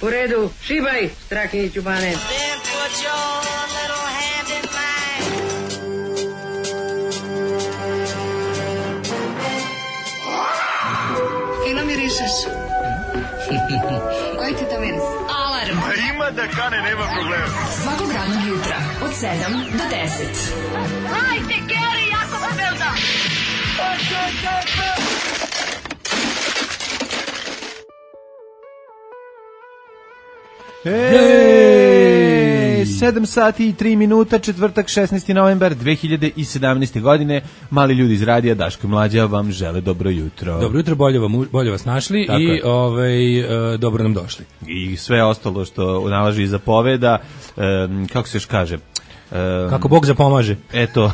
U redu, šibaj, Strahinjiću Bane. Fino mirišeš. Koji ti to miris? Alarm. Ima da kane, nema problema. Svakog radnog jutra, od 7 do 10. Hajde, Geri, jako se velda. Ej, 7 sati i 3 minuta, četvrtak 16. novembar 2017. godine. Mali ljudi iz radija Daško i Mlađa vam žele dobro jutro. Dobro jutro, bolje vas našli. Tako i dobro nam došli. I sve ostalo što nalaži iza poveda, kako se još kaže? Kako Bog zapomaže. Eto.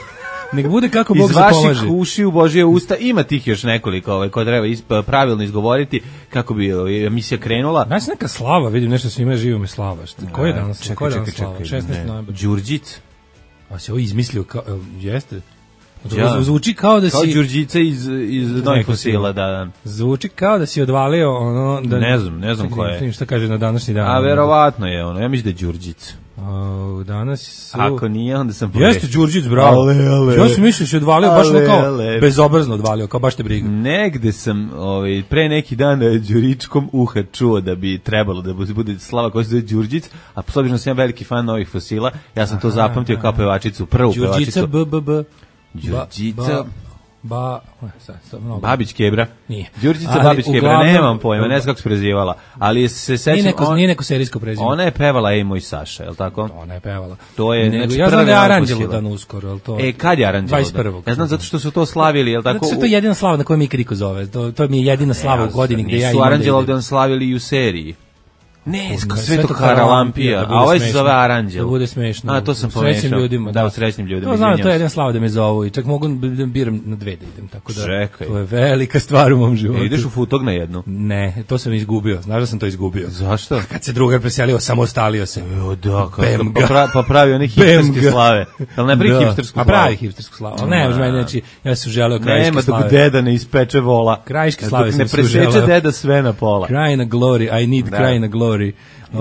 Nek bude kako Bog zapomaže. Iz vaših ušiju Božije usta ima tih još nekoliko koje treba pravilno izgovoriti kako bi emisija krenula. Znaš neka slava, vidim nešto svima živo me slava. Ko je danas? Čekaj, 16. novembar. Đurđic. A se ovo izmislio kao, jeste? Zvuči kao da si... Kao Đurđica iz Novih fosila, da. Zvuči kao da si odvalio ono... Da, ne znam ko je. Šta kaže na današnji dan. A verovatno je ono, ja mislim da je Đurđic. Danas su... Ako nije, onda sam pogrešio. Jeste Đurđic, bravo. Ja sam mislio da si odvalio, baš kao bezobrazno odvalio, kao baš te briga. Negde sam pre neki dan Đuričkom uha čuo da bi trebalo da bude slava koja se zove Đurđic, a s obzirom da sam ja veliki fan Novih fosila, ja sam to zapamtio kao pevačicu, prvu pevačicu. Đurđica Babić Kebra. Nije. Đurđica Babić Kebra, nemam pojma, ne znam kako se prezivala, ali se sećam... Nije neko serijsko prezime. Ona je pevala Ej moj Saša, je li tako? Ona je pevala. To je, znači, ja znam da je Aranđelo dan uskoro, je li to? Kad je Aranđelo dan? 21. Ja znam zato što su to slavili, je li tako? Zato što je to jedina slava na kojoj mi Kriko zove. To mi je jedina slava u godini gde ja imam. Nisu Aranđelo dan slavili i u seriji. Ne, Svetog Haralampija, a ovaj se zove Aranđelo. Da bude smešno. A to sam pomešao. Srećnim ljudima. Da, srećnim ljudima. To znam, to je jedna slava da me zovu i čak mogu da biram na dve da idem, tako da. Čekaj. To je velika stvar u mom životu. Ideš u Futog na jednu? Ne, to sam izgubio. Znaš da sam to izgubio. Zašto? Kad se drugar preselio, samostalio se. Jo, da, pa pravi one hipsterske slave. Ali ne pravi hipstersku slavu. A pravi hipstersku slavu. Ali ne, znači, ja sam želeo krajiške slave. Nema dok deda ne ispeče vola. Krajiške slave sam želeo. Ne preseče deda sve na pola. Krajina glory, I need krajina glory.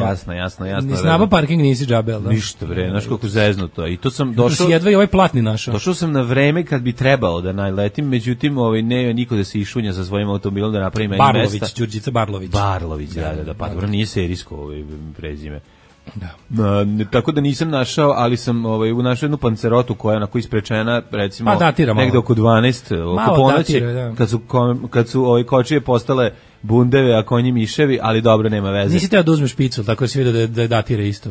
Jasno. Nisi naba parking, nisi džabel, da? Ništa, bre, znaš koliko zeznuto. I to sam došao... To si jedva i ovaj platni našao. Došao sam na vreme kad bi trebalo da najletim, međutim, ne niko da se išunja sa svojim automobilom da napravi meni mesta. Barlović, Đurđica Barlović. Barlović, da, pa dobro, nije serijsko prezime. Da. Tako da nisam našao, ali sam našao jednu pancerotu koja je onako isprečena, recimo, negde oko 12, oko ponoći, kad su kočije postale bundeve, a konji miševi, ali dobro, nema veze. Nisi teo da uzmeš picu, tako da si vidio da datira isto.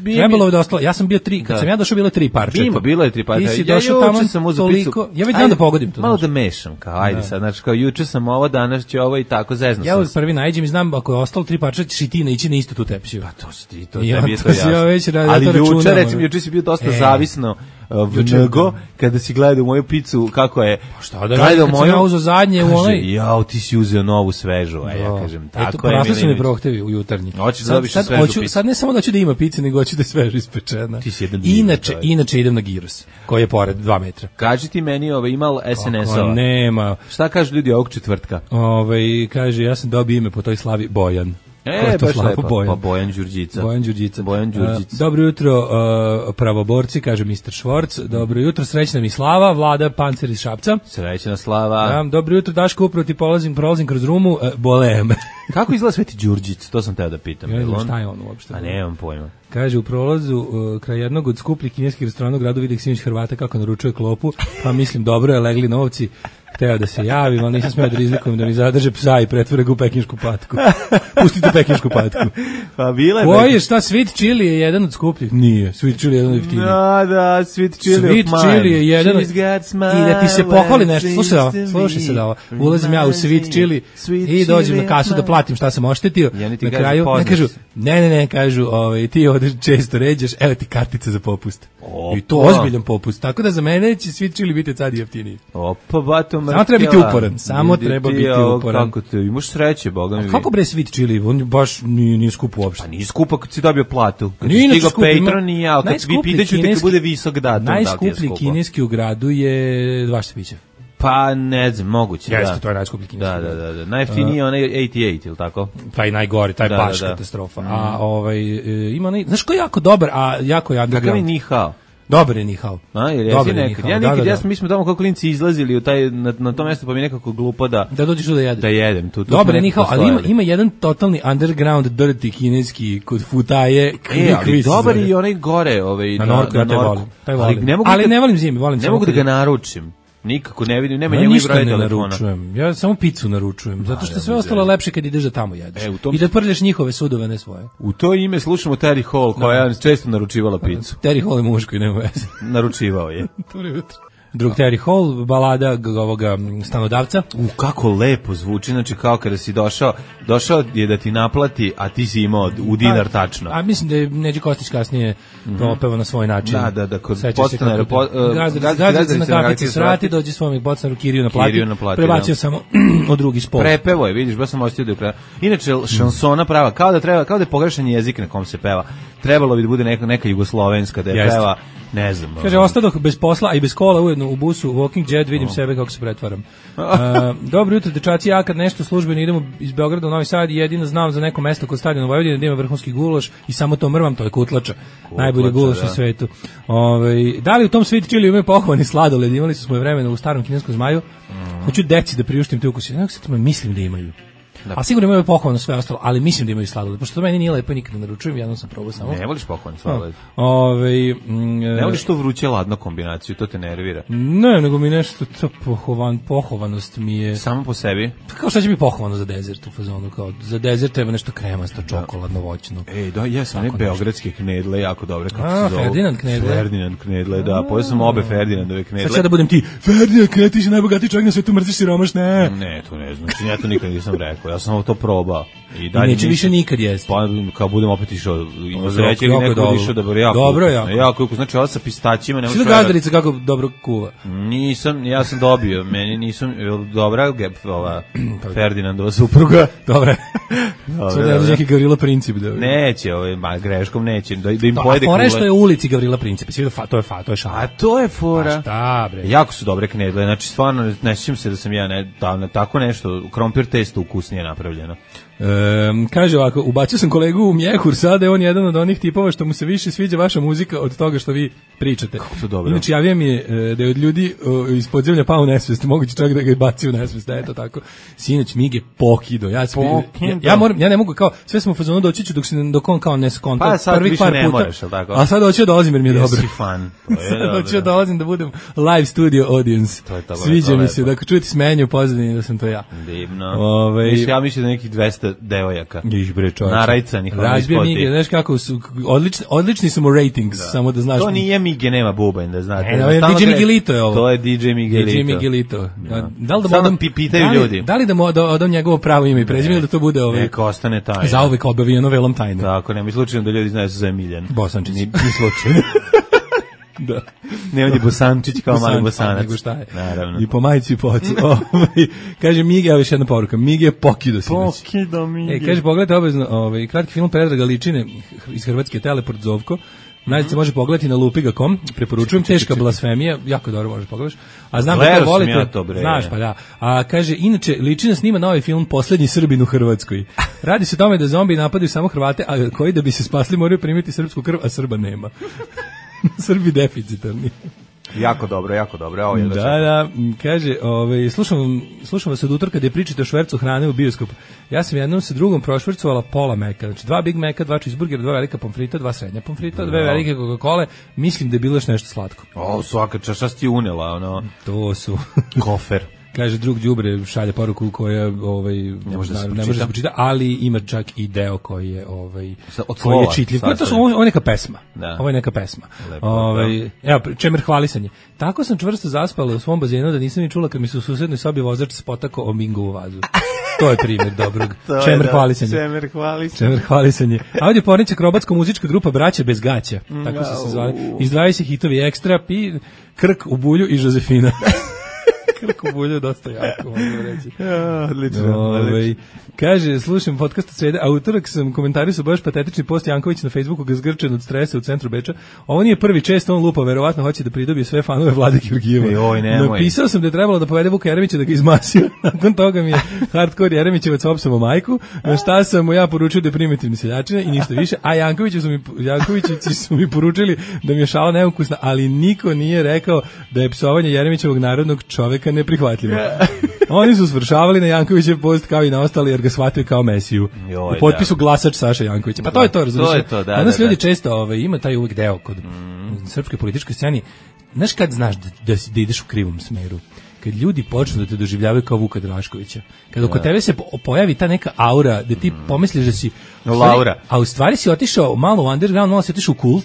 Trebalo je da ostalo, ja sam bio 3, kad sam ja došao bilo 3 parčeta. Bilo je 3 parčeta. Ti si došao tamo sam uzeo picu. Ja već znam da pogodim to. Malo da mešam, kao, ajde sad, znači kao juče sam ovo, danas ću ovo i tako zezno sam. Ja prvi nađem i znam ako je ostalo 3 parčeta ćeš i ti naići na istu tu tepsiju. Pa to si ti, to tebi je to jasno. Ali juče si bio dosta zavisno vnego, kada si gledao moju picu, kako je... Pa šta da radim, kad sam ja uzeo zadnje u onaj... Jao, ti si uzeo novu svežu, a ja kažem, tako je. Porasli su mi prohtevi u jutarnji. Hoćeš da dobiš svežu picu. Sad ne samo da hoću da ima pice, nego hoću da je svežu ispečena. Ti si jedan Inače idem na gyros, koji je pored 2 metra. Kaži ti meni, imal SNS-ova. Nema. Šta kažu ljudi ovog četvrtka? Kaže, ja sam dobio ime po toj slavi Bojan. Baš lepo, pa Bojan Đurđica. Dobro jutro, pravoborci, kaže Mr. Švorc. Dobro jutro, srećna mi Slava, Vlada Pancer iz Šapca. Srećna Slava. Dobro jutro, Daško, upravo ti prolazim kroz Rumu, bole me. Kako izgleda Sveti Đurđic? To sam teo da pitam. Ja ne znam šta je on uopšte. A nemam pojma. Kaže, u prolazu kraj jednog od skupljih kineskih restorana u gradu vidio Simić Hrvata kako naručuje klopu, pa mislim, dobro je, legli novci. Hteo da se javim, ali nisam smeo da rizikujem da mi zadrže psa i pretvore ga u pekinšku patku. Pustite pekinšku patku. Pa bila je... Koji je, šta, Sweet Chili je jedan od skupljih? Nije, Sweet Chili je jedan od jeftinijih. Da, Sweet Chili je jedan od... I da ti se pohvali nešto. Slušaj se da ovo. Ulazim ja u Sweet Chili i dođem na kasu da platim šta sam oštetio. Na kraju, ne kažu, ne, kažu, ti ovdje često ređaš, evo ti kartica za popust. I to ozbiljan popust. Tako da za mene će Sweet Chili biti sad jeftiniji. Opa, bato, samo treba biti uporan, samo treba biti uporan. Kako te, imaš sreće, boga mi. Kako bre Sweet Chili, on baš nije skup uopšte. Pa nije skupa kad si dobio platu. Kad si stigao Patreon nije, ali kad vi pitaću te kad bude visok datum. Najskuplji kineski u gradu je vaš piće. Pa ne znam, moguće. Jeste, to je najskuplji kineski brod. Da. Najjeftiniji je onaj 88, ili tako? Taj najgori, taj baš katastrofa. A ima onaj, znaš ko je jako dobar, a jako je underground. Kakav je Nihao? Dobar je Nihao. Dobar je Nihao. Ja nekad, mi smo tamo kao klinci izlazili na to mesto, pa mi nekako glupo da dođeš tu da jedeš. Da jedem. Dobar je Nihao, ali ima jedan totalni underground dirty kineski kod Futaje. Ali dobar je i onaj gore, na Norku, ja taj volim. Ali ne volim zimi, volim ne mogu da ga naručim. Nikako ne vidim, nema njegovih broja telefona. Ja samo picu naručujem, zato što sve ostalo lepše kad ideš da tamo jedeš. I da prlješ njihove sudove, ne svoje. U to ime slušamo Terry Hall, koja je često naručivala picu. Terry Hall je muško i nema veze. Naručivao je. Dobro jutro. Drug Terry Hall, balada ovoga stanodavca. Kako lepo zvuči, znači kao kada si došao je da ti naplati, a ti si imao u dinar tačno. A mislim da je Neđe Kostić kasnije to opeva na svoj način. Da, kod podstanara. Gazda na kafici srati, dođe svojom podstanaru Kiriju naplati, prebacio samo od drugi spol. Prepevo je, vidiš, baš sam ostio do kraja. Inače, šansona prava, kao da je pogrešan jezik na kom se peva. Trebalo bi da bude neka jugoslovenska da je peva. Ne znam. Kaže, ostadoh bez posla, a i bez kola ujedno u busu Walking Jet, vidim sebe kako se pretvaram. Dobro jutro, dečaci, ja kad nešto službeno idemo iz Beograda u Novi Sad, jedino znam za neko mesto kod stadiona Vojvodine da ima vrhunski gulaš i samo to mrvam, to je kutlača. Najbolji gulaš u svetu. Da li u tom Sweet Chili imaju pohovani sladoled? Imali su svoje vremena u starom kineskom zmaju. Hoću deci da priuštim te ukuse. Mislim da imaju. A sigurno imaju pohovano sve ostalo, ali mislim da imaju sladoled, pošto to meni nije lepo i nikad ne naručujem, jednom sam probao samo. Ne voliš pohovan sladoled? Ne voliš to vruće ladno kombinaciju, to te nervira? Ne, nego mi nešto, to pohovanost mi je... Samo po sebi? Kao šta će mi pohovano za dezert u fazonu, kao za dezert treba nešto kremasto, čokoladno, voćno. Ja sam beogradske knedle, jako dobre, kako se zove. Ferdinand knedle, da, pojeo sam obe Ferdinandove knedle. Sad da budem ti, Ferdinand knedle, ti si najbogatiji čovjek na svetu, mrziš siromaš, ne. Ne, to ne znam, ja to nikad nisam rekao. Ja sam to probao. I neće više nikad jesti. Pa kao budem opet išao, ima sreće ili neko išao da bude jako. Dobro, jako. Znači ovo sa pistaćima. Svi da gazdarica kako dobro kuva. Nisam, ja sam dobio, meni nisam, dobra ova Ferdinandova supruga. Dobra. Sada je neki Gavrila Princip. Neće, greškom neće, da im pojede kule. A fora što je u ulici Gavrila Princip, to je šala. A to je fora. Šta bre? Jako su dobre knedle, znači stvarno ne sjećam se da sam ja tako nešto, krompir testo ukusnije napravljeno. Kaže ovako, ubacio sam kolegu u mjehur, sada je on jedan od onih tipova što mu se više sviđa vaša muzika od toga što vi pričate. Inače, javio mi je da je od ljudi iz podzemlja pao u nesvest, moguće čak da ga je bacio u nesvest, da je to tako. Sinoć Mige pokido, ja ne mogu, kao, sve smo u fazonu doći ću dok on kao ne skonta. Pa sad više ne moraš, ali tako? A sad hoću da dolazim jer mi je dobro. Jesi fan. Sad hoću da dolazim da budem live studio audience. Sviđa mi se, dakle čujete smenje u pozadini da sam to ja. Divno. Ja mislim da nekih 200 devojaka. Narajcanih. Razbije Mige, znaš kako su, odlični su mu ratings, samo da znaš. To nije Mige, nema bubanj, da znate. DJ Miguelito je ovo. To je DJ Miguelito. Da li da samo pitaju ljudi. Da li da odam njegovo pravo ime i prezime ili da to bude ovo? Neka ostane tajna. Zauvek obavijeno velom tajne. Tako, nema slučajno da ljudi znaju se za Emiljan. Bosančić. Ni slučajno. Da. Ne, on je Bosančić kao mali Bosanac. Nego šta je? Naravno. I po majici i po ocu. Kaže Mige, evo još jedna poruka. Mige je pokido sinoć. Pokido Mige. Kaže, pogledajte obavezno kratki film Predraga Ličine iz Hrvatske, Teleport Zovko. Najde se može pogledati na lupiga.com, preporučujem, teška blasfemija, jako dobro možeš pogledaš. A znam da to volite. Ja to, znaš, pa da. A kaže, inače, Ličina snima novi film Poslednji Srbin u Hrvatskoj. Radi se o tome da zombi napadaju samo Hrvate, a koji da bi se spasli moraju primiti srpsku krv, a Srba nema. Srbi deficitarni. Jako dobro. Ovo je da, kaže, slušam vas od utorka da je pričate o švercu hrane u bioskopu. Ja sam jednom sa drugom prošvercovala pola meka, znači 2 Big Maca, 2 cheeseburgera, 2 velika pomfrita, 2 srednja pomfrita, 2 velike Coca-Cole, mislim da je bilo još nešto slatko. Svaka čaša ti unela, ono. To su kofer. Kaže drug đubre šalje poruku koja ne može da se pročita, ali ima čak i deo koji je koji je čitljiv. Ovo je neka pesma. Da. Ovo je neka pesma. Evo čemer hvalisanje. Tako sam čvrsto zaspala u svom bazenu da nisam ni čula kad mi se u susednoj sobi vozač spotakao o mingovu vazu. To je primjer dobrog. Čemer hvalisanje. A ovdje porniča akrobatsko muzička grupa Braća bez gaća. Tako su se zvali. Izdvajaju se hitovi Ekstra, Krk u bulju i Žozefina. Kako bulje dosta jako, mogu reći. Odlično. Kaže, slušam podcast od srede, a utorak sam komentarisao baš patetični post Janković na Facebooku ga zgrčen od stresa u centru Beča. Ovo nije prvi, često on lupa, verovatno hoće da pridobije sve fanove Vlade Georgijeva. Napisao sam da je trebalo da povede Vuka Jeremića da ga izmasio. Nakon toga mi je hardcore Jeremićevac opsamo majku, na šta sam mu ja poručio da je primitivni seljačina i ništa više, a Jankovićici su mi poručili da mi je šala neukusna, ali niko nije rekao da je psovanje Jeremićevog narodnog čoveka neprihvatljivo. Oni su svršavali na Jankovićev post kao i na ostali jer ga shvataju kao Mesiju. U potpisu glasač Saša Jankovića. Pa to je to, razumiješ? Danas ljudi često ima taj uvijek deo kod srpske političke scene. Znaš kad znaš da ideš u krivom smeru? Kad ljudi počnu da te doživljavaju kao Vuka Draškovića. Kad oko tebe se pojavi ta neka aura da ti pomisliš da si Laura. A u stvari si otišao malo u underground, malo si otišao u kult.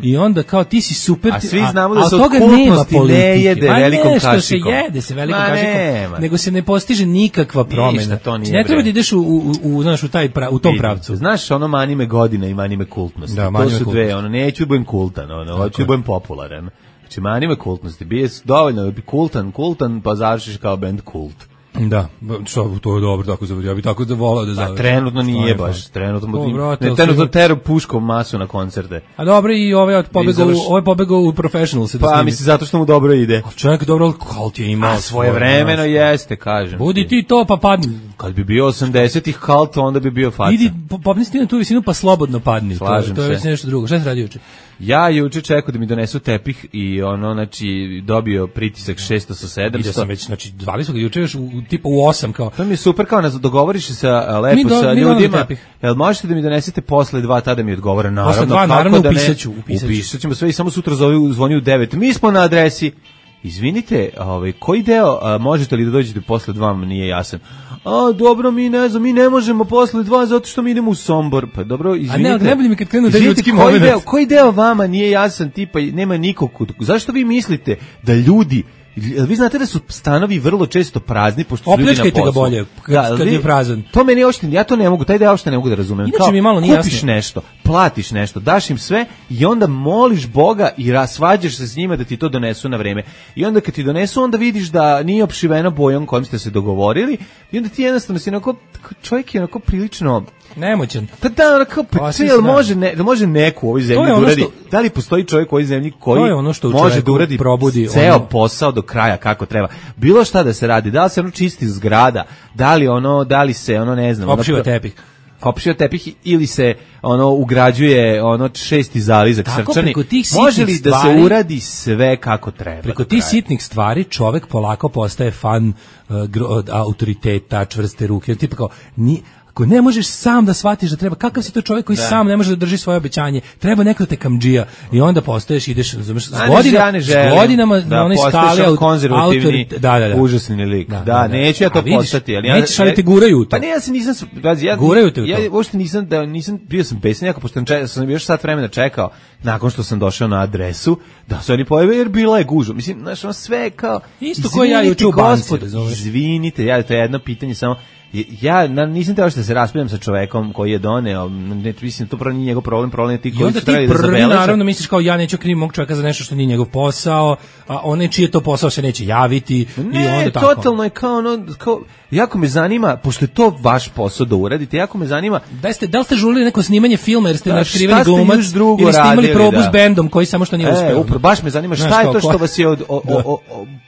I onda kao ti si super, a svi znamo da se od kultnosti ne jede velikom kašikom. Se jede se velikom kašikom, nego se ne postiže nikakva promena. Ne treba da ideš u tom pravcu. Znaš, ono mani me godina i mani me kultnosti. To su dve, ono neću da budem kultan, hoću da budem popularan. Znači mani me kultnosti, bije dovoljno da bi kultan, pa završiš kao band Kult. Da, to je dobro tako završi. Ja bih tako da volao da završi. Trenutno nije baš, trenutno tero puškom masu na koncerte. A dobro i ovaj pobegao u Professional se da snimi. Pa mislim zato što mu dobro ide. A čovjek dobro, Kult je imao svoje vremeno, jeste, kažem. Budi ti to pa padni. Kad bi bio 80-ih Kult, onda bi bio faca. Idi, popni na tu visinu pa slobodno padni. Slažem to je već nešto drugo. Šta si radio juče? Ja juče čekao da mi donesu tepih i znači dobio pritisak 600 sa 700. Vidio sam već, znači zvali su ga juče još tipa u 8 kao. To mi je super, kao dogovoriš se lepo sa ljudima. Jel možete da mi donesete posle 2 tada mi odgovore? Naravno, upisaćemo sve i samo sutra zvoni u 9. Mi smo na adresi. Izvinite, koji deo možete li da dođete posle 2, nije jasan. Dobro, mi ne možemo posle 2 zato što mi idemo u Sombor. Pa dobro, izvinite. A ne boli mi kad krenu da ljudski moment. Koji deo vama nije jasan, tipa nema nikog. Zašto vi mislite da ljudi, vi znate da su stanovi vrlo često prazni pošto su ljudi na poslu. Opljačkajte ga bolje kad je prazan. To meni uopšte, ja to ne mogu, taj deo uopšte ne mogu da razumem. Inače mi malo nije jasno. Kupiš nešto, platiš nešto, daš im sve i onda moliš Boga i svađaš se s njima da ti to donesu na vreme. I onda kad ti donesu, onda vidiš da nije opšivena bojom kojom ste se dogovorili i onda ti jednostavno si onako, čovjek je onako prilično nemoćan. Da, onako, može neko u ovoj zemlji da uradi. Da li postoji čovjek u ovoj zemlji koji može da uradi ceo posao do kraja kako treba? Bilo šta da se radi, da li se čisti zgrada, da li se ne znam, opšiva tepih ili se ugrađuje 6. zalizak srčani. Može li da se uradi sve kako treba? Preko tih sitnih stvari čovjek polako postaje fan autoriteta, čvrste ruke, tipa kao ako ne možeš sam da shvatiš da treba, kakav si to čovjek koji sam ne može da drži svoje obećanje, treba neko te kamdžija i onda postaješ, ideš s godinama na onoj skali konzervativni, užasni lik. Da, neću ja to postati, ali nećeš, ali te guraju u to. Pa ne, ja se nisam, guraju te u to. Ja uopšte nisam, bio sam besan jako, pošto sam još sat vremena čekao, nakon što sam došao na adresu, da su oni pojave, jer bila je gužva. Mislim, znaš, ono sve kao, isto koji ja juče u banci, izvinite, to je jedno pitanje samo. Ja nisam teo što da se raspravljam sa čovekom koji je doneo, mislim, to prvo nije njegov problem je ti koji su trebali da zabeleže. I onda ti naravno misliš kao ja neću krivim mog čoveka za nešto što nije njegov posao, a onaj čiji je to posao se neće javiti. Ne, i onda totalno je kao jako me zanima, pošto je to vaš posao da uradite, jako me zanima. Da li ste žurili neko snimanje filma jer ste nakriveni glumac ili ste imali probu s bendom koji samo što nije uspeo? Baš me zanima šta je to što vas je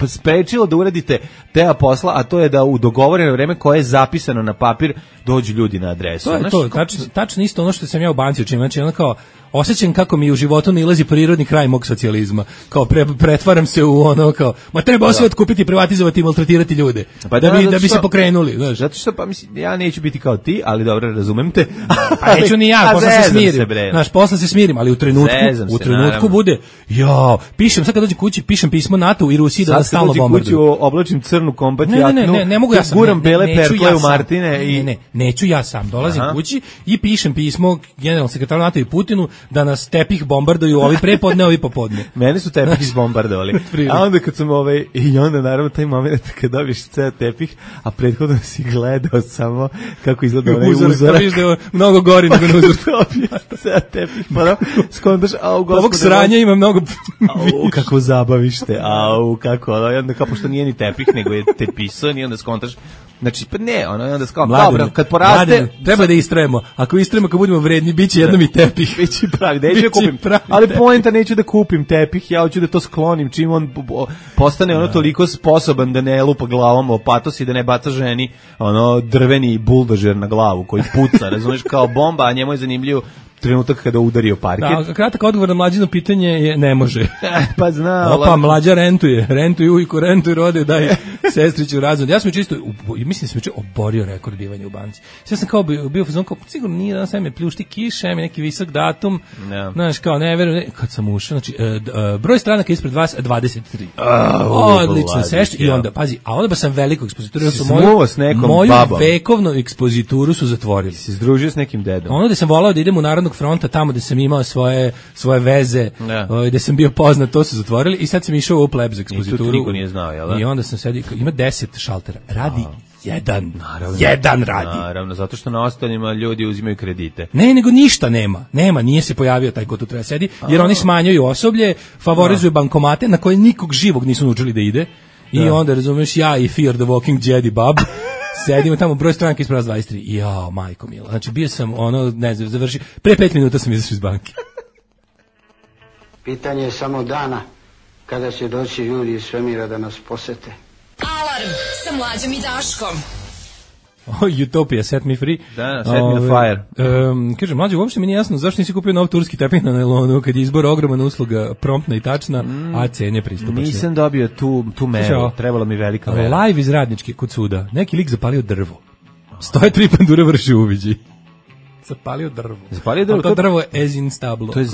sprečilo da uradite deo posla, a to je da u dogovoreno vreme koje je zapisano na papir dođu ljudi na adresu. To je to, tačno isto ono što sam ja u banci učinio, znači ono kao osjećam kako mi u životu nailazi prirodni kraj mog socijalizma, kao pretvaram se u ono kao, ma treba sve otkupiti, privatizovati i maltretirati ljude, pa da bi se pokrenuli, znaš. Zato što, pa mislim, ja neću biti kao ti, ali dobro, razumem te. Pa neću ni ja, posle se smirim, znaš, posle se smirim, ali u trenutku bude, pišem, sad kad dođem kući, pišem pismo NATO i Rusiji da stalno bombarduju. Sad kad dođem kući, oblačim crnu kombat jaknu, ne mogu ja sam, guram bele perkle u Martine Ne, neću ja sam. Dolazim kući i pišem pismo generalnom sekretaru NATO i Putinu da nas tepih bombarduju, ovi prepodne, ovi popodne. Mene su tepih izbombardovali. A onda kad sam i onda naravno taj moment kad dobiješ ceo tepih, a prethodno si gledao samo kako izgleda onaj uzorak. Vidiš da je mnogo gori nego na uzorak. Ceo tepih, pa skondaš, ovog sranja ima mnogo kako zabavište, kako, onda kao pošto nije ni tepih, nego je tepisan i onda skontaš. Znači, pa ne, onda kao, dobro, kad poraste... treba da istrajemo. Ako istrajemo, kad budemo vredni, bit će jednom i tepih. Biće pravi, neću da kupim. Ali poenta, neću da kupim tepih, ja hoću da to sklonim, čim on postane ono toliko sposoban da ne lupa glavom o patos i da ne baca ženi drveni buldožer na glavu koji puca, razumiješ, kao bomba, a njemu je zanimljivo trenutak kada udario parket. Da, kratak odgovor na Mlađino pitanje je ne može. Pa zna. Opa, Mlađa rentuje ujku, rentuje rode, daje sestriću razvod. Ja sam čisto, mislim da sam oborio rekord bivanja u banci. Sve sam kao bio fazon, kao sigurno nije danas, me pljušti kiša, mi neki visok datum, znaš, kao ne verujem, kad sam ušao, znači, broj stranaka ispred vas, 23. Odlično, sešće, i onda, pazi, a onda ba sam veliko ekspozituru, moju vekovnu ekspozituru su zatvorili. Si združio s nekim dedom. Ono da sam volao da idem u Narodnog fronta, tamo gde sam imao svoje veze, gde sam bio poznat, to su zatvorili i sad sam išao u plebs ekspozituru. I tu niko nije znao, jel da? I onda sam sedio, ima 10 šaltera, radi jedan radi. Naravno, zato što na ostalima ljudi uzimaju kredite. Ne, nego ništa nema, nije se pojavio taj ko tu treba sedi, jer oni smanjuju osoblje, favorizuju bankomate na koje nikog živog nisu naučili da ide. I onda, razumeš, ja i Fear the Walking Jedi Bab sedimo tamo, broj stranaka ispred 23. Jao, majko mila. Znači, bio sam, ne znam, završio, pre 5 minuta sam izašao iz banke. Pitanje je samo dana kada će doći ljudi iz svemira da nas posete. Alarm sa Mlađom i Daškom. Utopia, Set Me Free. Da, Set Me on Fire. Kaže, Mlađe, uopšte mi nije jasno zašto nisi kupio nov turski tepih na nailonu, kad je izbor ogromna usluga, promptna i tačna, a cene pristupačne. Nisam dobio tu meru, trebala mi velika mera. Live iz Radničke kod suda. Neki lik zapalio drvo. Stoje 3 pandure, vrši uviđi. Zapalio drvo. To drvo je as in stablo. To je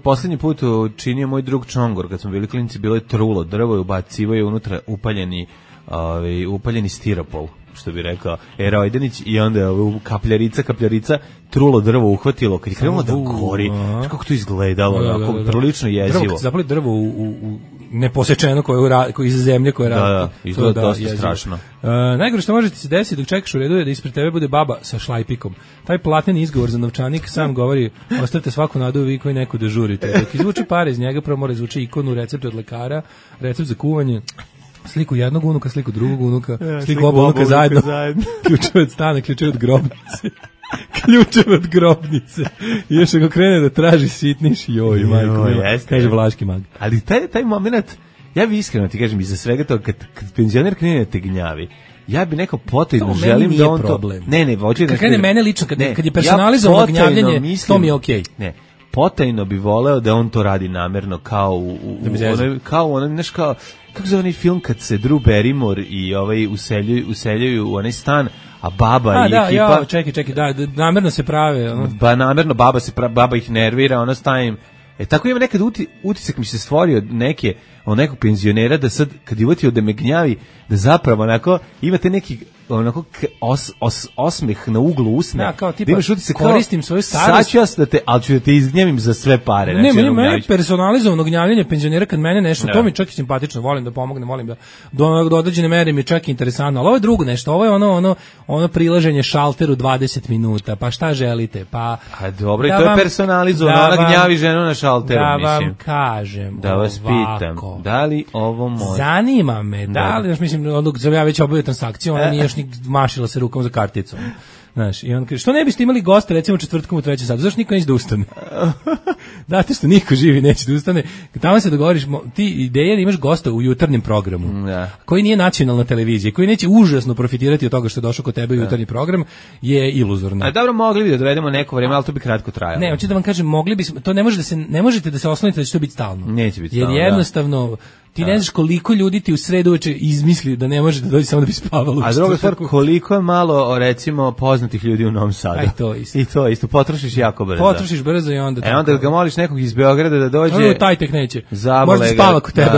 poslednji put činio moj drug Čongor, kad smo bili klinci, bilo je trulo drvo i ubacivo je unutra upaljeni stiropol, što bi rekao Erojdenić, i onda je kapljarica trulo drvo uhvatilo, kad je krenulo da gori, kako to izgledalo, prilično jezivo. Drvo, zapali drvo u neposečeno koje iz zemlje koje radi. Da, izgleda dosta strašno. Najgore što može ti se desiti dok čekaš u redu je da ispred tebe bude baba sa šlajpikom. Taj plateni izgovor za novčanik sam govori, ostavite svaku nadu vi koji neko dežurite. Dok izvuči pare iz njega, prvo mora izvuči ikonu, recept od lekara, recept za kuvanje, sliku jednog unuka, sliku drugog unuka, sliku oba unuka zajedno, ključeve od stana, ključeve od grobnice. Ključeve od grobnice. I još ako krene da traži sitniš, joj, majko, kaže Vlaški mag. Ali taj moment, ja bi iskreno ti kažem, iza svega toga, kad penzioner krene da te gnjavi, ja bi neko potajno želim da on problem. To... Ne, hoće da... Kad krene mene lično, kad je personalizovano gnjavljenje, to mi je okej. Ne, potajno bi voleo da on to radi namerno, kao kako zove onaj film kad se Drew Barrymore i useljaju u onaj stan, a baba i ekipa... Čekaj, namerno se prave. Namerno baba ih nervira, ona stavim... Tako ima nekad utisak mi se stvorio nekog penzionera da sad, kad je uvatio da me gnjavi, da zapravo onako imate neki osmeh na uglu usne. Da, kao tipa, koristim svoju starost. Sad ću ali ću da te izgnjavim za sve pare. Ne, meni personalizovano gnjavljenje penzionera kad mene nešto, to mi čak i simpatično, volim da pomognem, volim da do određene mere mi čak i interesantno, ali ovo je drugo nešto, ovo je ono prilaženje šalteru 20 minuta, pa šta želite, pa... A dobro, i to je personalizovano, ona gnjavi ženu na šalteru, mislim. Da vam kažem, da vas pitam, da li ovo može? Zanima me, da li, mislim, ja već obavio transakciju, ona nije još ni mašila se rukom za karticom. Znaš, i on kaže, što ne biste imali gosta recimo četvrtkom u 3 satu, zašto niko neće da ustane? Zato što niko živi neće da ustane. Tamo se dogovoriš, ti ideja da imaš gosta u jutarnjem programu, koji nije nacionalna televizija, koji neće užasno profitirati od toga što je došao kod tebe u jutarnji program, je iluzorna. A dobro, mogli bi da dovedemo neko vreme, ali to bi kratko trajalo. Ne, hoću da vam kažem, mogli bismo, to ne možete da se oslonite da će to biti stalno. Neće biti stalno. Jer jednostavno Ti ne znaš koliko ljudi ti u sredu uveče izmisli da ne može da dođe samo da bi spavalo. A druga stvar, koliko je malo, recimo, poznatih ljudi u Novom Sadu. Aj, to isto. I to isto, potrošiš jako brzo. Potrošiš brzo i onda... onda ga moliš nekog iz Beograda da dođe... taj tek neće. Možda spava kod tebe.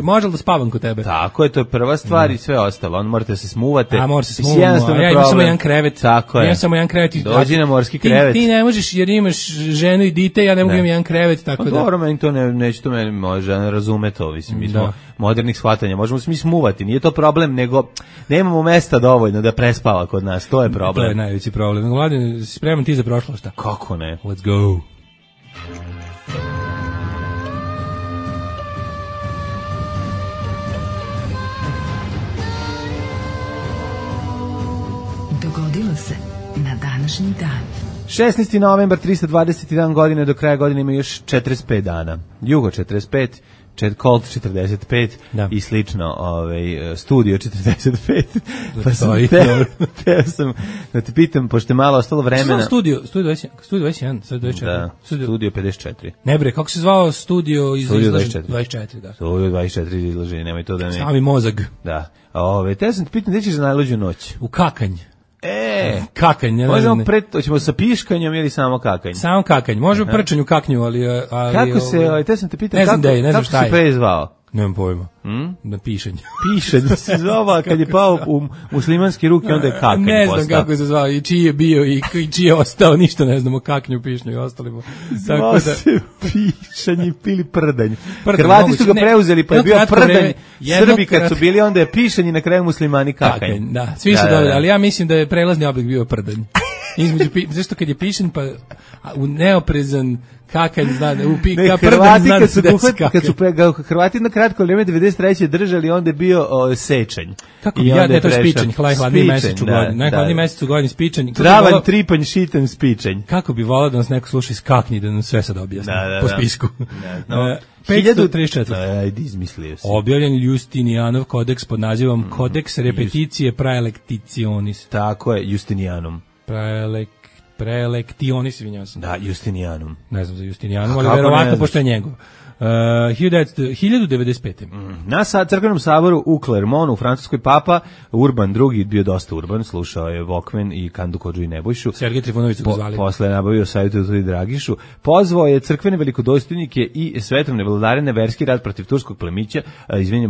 Može da spavam kod tebe. Tako je, to je prva stvar i sve ostalo. On morate se smuvate. A mora se smuvamo. Ja imam samo jedan krevet. Tako je. Imam samo jedan krevet. Dođi na morski krevet. Ti ne možeš jer imaš ženu i dite, ja ne mogu imam jedan krevet, tako da. Dobro, meni to neće to meni može razume to, mislim, mi smo modernih shvatanja, možemo se mi smuvati, nije to problem, nego nemamo mesta dovoljno da prespava kod nas, to je problem. To je najveći problem. Mladen, spreman ti za prošlo, šta? Kako ne? Let's go. Dogodilo se na današnji dan. 16. novembar, 321 godine, do kraja godine ima još 45 dana. Jugo 45, Colt 45 i slično, Studio 45. Pa sam teo sam da te pitam, pošto je malo ostalo vremena. Studio 21, sad 24. Da, Studio 54. Ne bre, kako se zvao Studio 24? 24, da. Studio 24 izlaženje, nemoj to da ne... Stavi mozag. Da. Teo sam te pitam, gde ćeš za najluđu noć? U kakanj. Kakanj, ne možemo hoćemo sa piškanjem ili samo kakanj? Samo kakanj, možemo prčanju kaknju, ali kako se, te sam te pitao kako se prezvao? Nemam pojma. Na pišanje. Pišanje se zvao, kad je pao u muslimanske ruke, onda je kakanj postao. Ne znam kako se zvao, i čiji je bio i čiji je ostao, ništa ne znamo, kaknju, pišnju i ostalimo. Zvao se pišanje ili prdanj. Hrvati su ga preuzeli, pa je bio prdanj. Srbi kad su bili, onda je pišanje, na kraju muslimani kakanj. Da, svi su dobili, ali ja mislim da je prelazni oblik bio prdanj. Zašto kad je pišen, pa u neoprezan kakanj zna da upika prdanj zna da se desi kakanj. Kad su Hrvati na kratko vrijeme 93. držali, onda je bio sečanj. Kako ja ne to spičanj, najhladniji mesec u godini. Najhladniji mesec u godini spičanj. Travanj, tripanj, šitanj, spičanj. Kako bi volao da nas neko sluša iz kaknji, da nam sve sad objasni po spisku. 534. Ajde, izmislio si. Objavljen Justinijanov kodeks pod nazivom Kodeks repeticije praelectionis. Tako je, Justinijanom. Praelectionis, izvinjavam se. Da, Justinijanum. Ne znam za Justinijanum, ali verovatno pošto je njegov. 1095. Na crkvenom saboru u Clermontu u Francuskoj papa Urban II bio dosta urban, slušao je Vokmen i Kandu Kodžu i Nebojšu. Sergej Trifunović su ga zvali. Posle nabavio savjetu i Dragišu. Pozvao je crkvene velikodostojnike i svetovne vladare na verski rat protiv turskog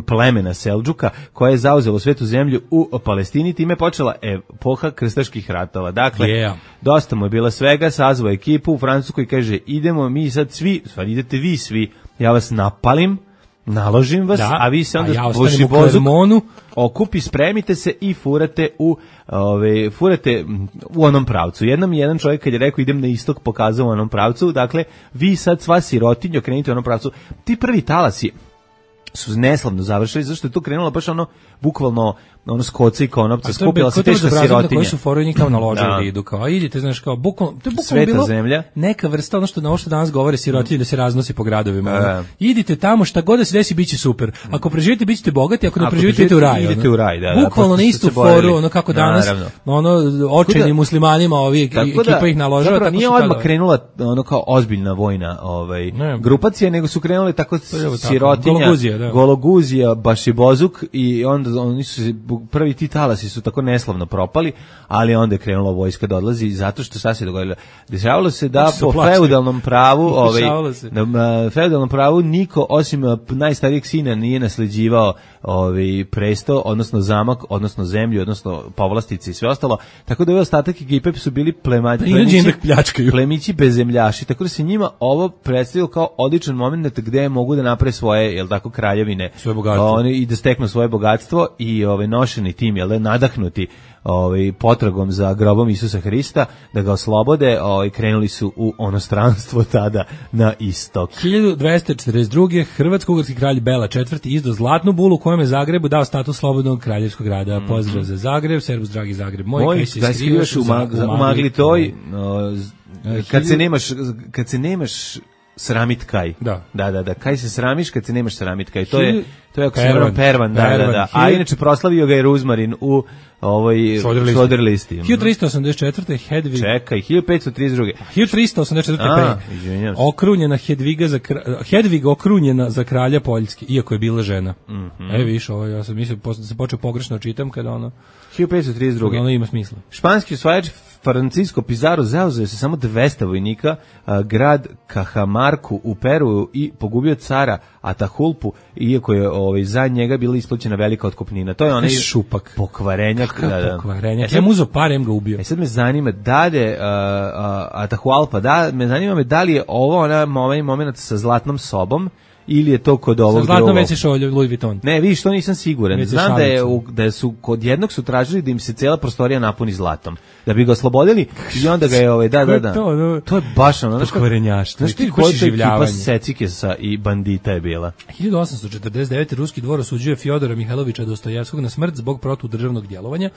plemena Seldžuka, koje je zauzelo svetu zemlju u Palestini, time je počela epoha krstaških ratova. Dakle, dosta mu je bila svega, sazvao ekipu u Francuskoj i kaže, idemo mi sad svi, stvari idete vi svi, ja vas napalim, naložim vas, a vi se onda božibozuk okupi, spremite se i furate u onom pravcu. Jednom jedan čovjek kad je rekao idem na istok pokazao u onom pravcu, dakle vi sad sva sirotinja krenite u onom pravcu. Ti prvi talasi su neslavno završili, zašto je to krenulo baš bukvalno skoca i konopca, skupila se teška sirotinja. Koji su foru njih kao naložili idu, kao idite, znaš, kao bukvalno, to je bukvalno bilo zemlja. Neka vrsta, ono što danas govore sirotinje da se raznosi po gradovima. Idite tamo, šta god da se desi, bit će super. Ako preživite, bit ćete bogati, ako ne preživite, idete u raj. Idete u raj, da. Bukvalno na istu foru, kako danas, očajnim muslimanima, ekipa ih naložava. Zapravo nije odmah krenula kao ozbiljna vojna grupacija, nego su krenule tako sirotinja, Gologuzija, Bašibozuk i onda oni su prvi ti talasi su tako neslavno propali, ali onda je krenula vojska da odlazi zato što šta se dogodilo. Dešavalo se da po feudalnom pravu niko osim najstarijeg sina nije nasleđivao presto, odnosno zamak, odnosno zemlju, odnosno povlastice i sve ostalo. Tako da ostatak ekipe su bili plemići bezemljaši. Tako da se njima ovo predstavilo kao odličan moment gde mogu da naprave svoje, kraljevine, i da steknu svoje bogatstvo i nošeni tim, nadahnuti potragom za grobom Isusa Hrista, da ga oslobode, krenuli su u onostranstvo tada na istok. 1242. Hrvatsko-ugarski kralj Bela IV. Izdao zlatnu bulu kojem je Zagrebu dao status slobodnog kraljevskog grada. Pozdrav za Zagreb, servus dragi Zagreb moj, kaj se skrivaš u magli toj, kad se nemaš sramit kaj. Da. Kaj se sramiš kad se nemaš sramit kaj. To je ako se vrlo Pervan, da. A inače proslavio ga je Ruzmarin u Šoder listi. 1384. Hedvig. Čekaj, 1532. 1384. Okrunjena Hedvig okrunjena za kralja Poljski, iako je bila žena. Viš, ovo ja sam mislio da se počeo pogrešno čitam kada ono 1532. Ono ima smisla. Španski osvajač Francisco Pizarro zauzeo se samo 200 vojnika, grad Cajamarku u Peru i pogubio cara Atahualpu, iako je za njega bila isplaćena velika otkupnina. To je onaj šupak. Pokvarenjak. Pokvarenjak. Ja mu uzo parem ga ubio. Sad me zanima da je Atahualpa, da li je ovo ovaj moment sa zlatnom sobom, ili je to kod ovog drugog. Sa zlatnom već išao Louis Vuitton. Ne, vidiš, to nisam siguran. Znam da su kod jednog su tražili da im se cijela prostorija napuni zlatom. Da bi ga oslobodili i onda ga je da. To je baš ono. Pokvarenjaštvo. Znaš ti koja ekipa Secikesa i bandita je bila? 1849. ruski dvor osuđuje Fjodora Mihajlovića Dostojevskog na smrt zbog protudržavnog djelovanja.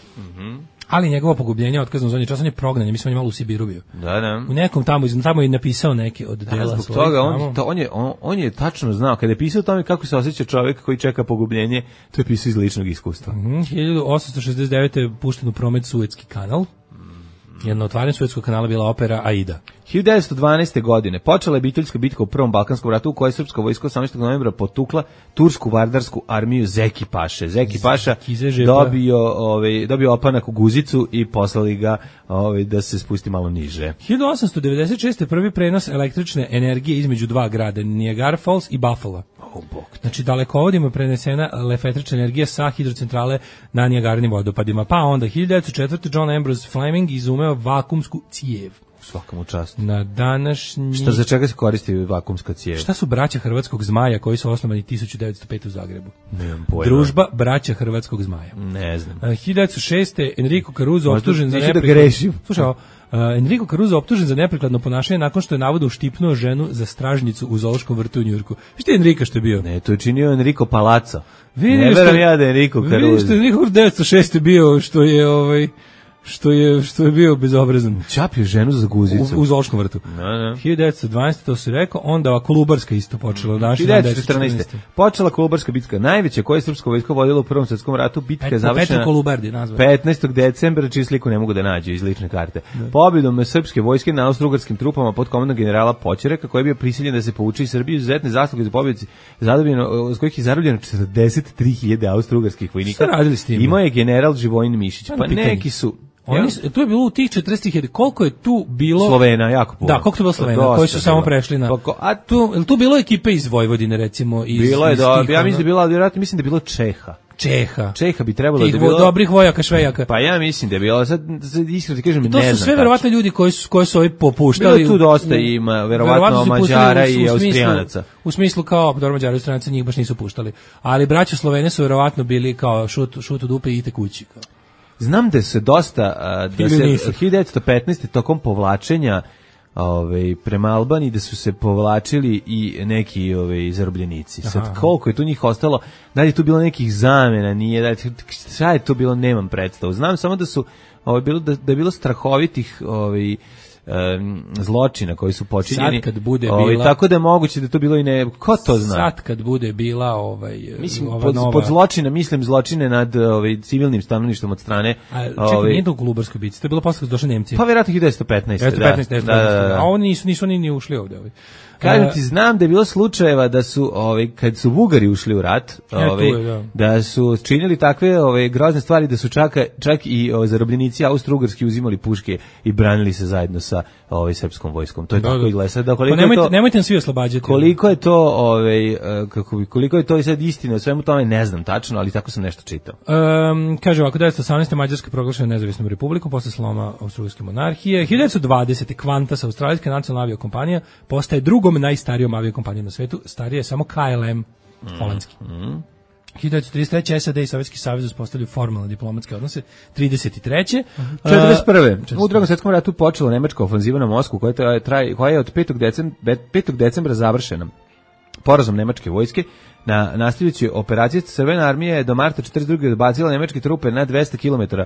Ali njegovo pogubljenje otkazano za čas, on je prognan, mislim on je malo u Sibiru bio. Da. U nekom tamo je napisao neke od dela zbog toga on je tačno znao kada je pisao o tome kako se osjeća čovjek koji čeka pogubljenje, to je pisao iz ličnog iskustva. 1869. je pušten u promet Suetski kanal. Jedno otvaranje Suetskog kanala bila opera Aida. 1912. godine počela je biteljska bitka u Prvom Balkanskom ratu u kojoj je srpska vojska 18. novembra potukla tursku vardarsku armiju Zeki Paše. Zeki Paša dobio opanak u guzicu i poslali ga da se spusti malo niže. 1896. prvi prenos električne energije između dva grada, Niagara Falls i Buffalo. Znači dalekovodima je prenesena električna energija sa hidrocentrale na Niagarnim vodopadima. Pa onda 1904. John Ambrose Fleming izumeo vakumsku cijev. Svaka mu čast. Na današnji... Šta za čega se koristi vakumska cijev? Šta su braća Hrvatskog zmaja koji su osnovani 1905 u Zagrebu? Nemam pojma. Družba braća Hrvatskog zmaja. Ne znam. 1906. Enrico Caruso optužen za neprikladno... Slušaj, Enrico Caruso optužen za neprikladno ponašanje nakon što je navodno uštipnuo ženu za stražnicu u zoološkom vrtu u Njujorku. Šta je Enrico što je bio? Ne, to je činio Enrico Palazzo. Ne verujem ja da je Enrico Caruso. Vidiš što je Enrico 1906. bio, što je bio bezobrazan. Čapio ženu za guzicu. U zoološkom vrtu. 1912. to se rekao, onda Kolubarska isto počela. 1914. Počela Kolubarska bitka, najveća koja je srpska vojska vodila u Prvom svjetskom ratu. Bitka je završena 15. decembra, čiju sliku ne mogu da nađu iz lične karte. Pobjedom srpske vojske na austrougarskim trupama pod komandom generala Poćereka, koji je bio prisiljen da se povuče iz Srbije, izuzetne zasluge za pobjedici, s kojih je zarobljeno 43.000 austrougarskih vojnika. Imao je general Živojin Mišić. Pa neki su... Tu je bilo u tih 40.000, koliko je tu bilo... Slovena, jako puno. Da, koliko je bilo Slovena, koji su samo prešli na... A tu bilo ekipe iz Vojvodine, recimo? Bilo je, ja mislim da je bilo, vjerojatno mislim da je bilo Čeha bi trebalo da je bilo... dobrih vojaka, švejaka. Pa ja mislim da je bilo, sad iskreno ti kažem, ne znam. To su sve verovatno ljudi koji su ovi popuštali. Bilo tu dosta ima, verovatno Mađara i Austrijanaca. U smislu kao, dobro, Mađara i Austrijanaca njih baš nisu puštali. Ali braća Slovene su verovatno bili kao šut u dupe i idite kući, kao. Znam da se dosta, da se 1915. tokom povlačenja prema Albaniji, da su se povlačili i neki zarobljenici. Sad koliko je tu njih ostalo, da li je tu bilo nekih zamena, nije, šta je to bilo, nemam predstavu. Znam samo da su, da je bilo strahovitih zločina koji su počinjeni. Sad kad bude bila, tako da je moguće da to bilo i ne, ko to zna? Sad kad bude bila mislim pod zločina mislim zločine nad civilnim stanovništvom od strane. Čekaj, nije to u Kolubarskoj bitci, to je bilo posle kad su došli Nemci. Pa vjerojatno 1915. Da. A oni nisu ni ušli ovde. Kažem ti, znam da je bilo slučajeva da su, kad su Bugari ušli u rat, da su činili takve grozne stvari, da su čak i zarobljenici austrougarski uzimali puške i branili se zajedno sa srpskom vojskom. To je tako i gleda. Nemojte nam svi oslobađati. Koliko je to, koliko je to i sad istina, o svemu tome ne znam tačno, ali tako sam nešto čitao. Kaže ovako, 1918. Mađarska proglašena nezavisnom republikom posle sloma austrougarske monarhije. 1920. Qantas, australijska nacionalna aviokompanija, postaje drugom najstarijom aviokompanijom na svetu, starije je samo KLM holandski. 1933. SAD i Sovjetski savez uspostavljaju formalne diplomatske odnose. 33. 41. U Drugom svjetskom ratu počela nemačka ofanziva na Moskvu koja je od 5. decembra završena. Porazom nemačke vojske nastavljajući operacije Crvena armija je do marta 42. odbacila nemačke trupe na 200 km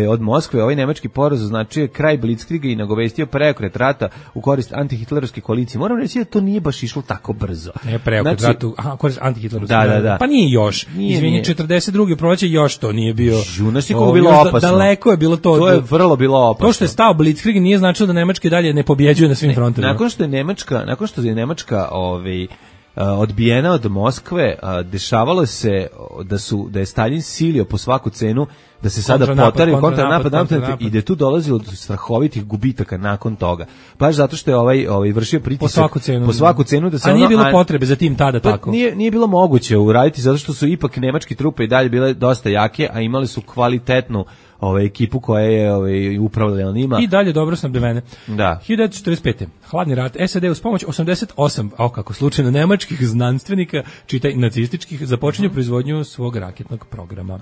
od Moskve. Ovaj nemački poraz označio kraj Blitzkriega i nagovestio preokret rata u korist antihitlerovske koalicije. Moram reći da to nije baš išlo tako brzo. Ne preokret rata, korist antihitlerovske. Da. Pa nije još. Izvini, 42. proleće još to nije bio. Znaš koliko bilo opasno. Daleko je bilo to. To je vrlo bilo opasno. To što je stao Blitzkrieg nije značilo da Nemačka dalje ne pobjeđuje na svim frontovima. Nakon što je Nemačka odbijena od Moskve, dešavalo se da je Stalin silio po svaku cenu da se sada potari kontranapad i da je tu dolazilo do strahovitih gubitaka nakon toga. Baš zato što je ovaj vršio pritisak po svaku cenu da se nije bilo potrebe za tim tada tako. Nije bilo moguće uraditi zato što su ipak nemačke trupe i dalje bile dosta jake, a imali su kvalitetnu ekipu koja je upravljala njima. I dalje dobro snabdevene. Da. 1945. Hladni rat. SAD uz pomoć 88, kako slučajno, nemačkih znanstvenika, čitaj nacističkih, započinju proizvodnju svog raketnog programa.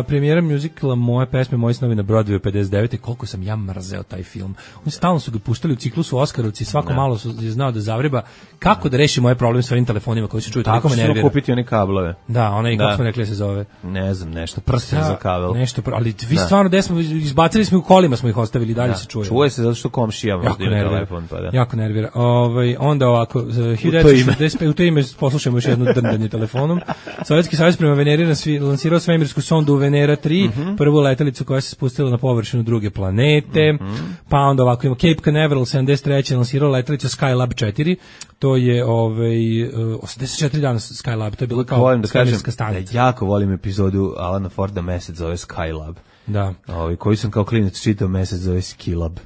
Premijera muzikala Moje pesme, moji snovi na Broadwayu 59. Koliko sam ja mrzeo taj film. Oni stalno su ga puštali u ciklusu Oskarovci, svako malo je znao da zavreba kako da reši moje probleme s ovim telefonima koji se čuju. Tako što kupiti one kablove. Da, onaj, kako smo rekli se zove. Ne znam, nešto, prsten za kabel. Nešto, ali vi stvarno gde smo, izbacili smo u kolima, smo ih ostavili, dalje se čuje. Čuje se zato što komšija možda ima telefon, pa da. Jako nervira. Onda ovako, 1945, u to ime poslušajmo još jedno drndanje telefonom. Sovjetski savez prema Veneri lansirao svemirsku sondu Venera 3, prvu letelicu koja se spustila na površinu druge planete. Pa onda ovako imamo Cape Canaveral 73. lansirao letelicu Skylab 4. To je 84 dana Skylab, to je bilo kao svemirska stanica. Jako volim epizodu Alana Forda Mesec zove Skylab. Da. Koji sam kao klinac čitao Mesec zove Skilab.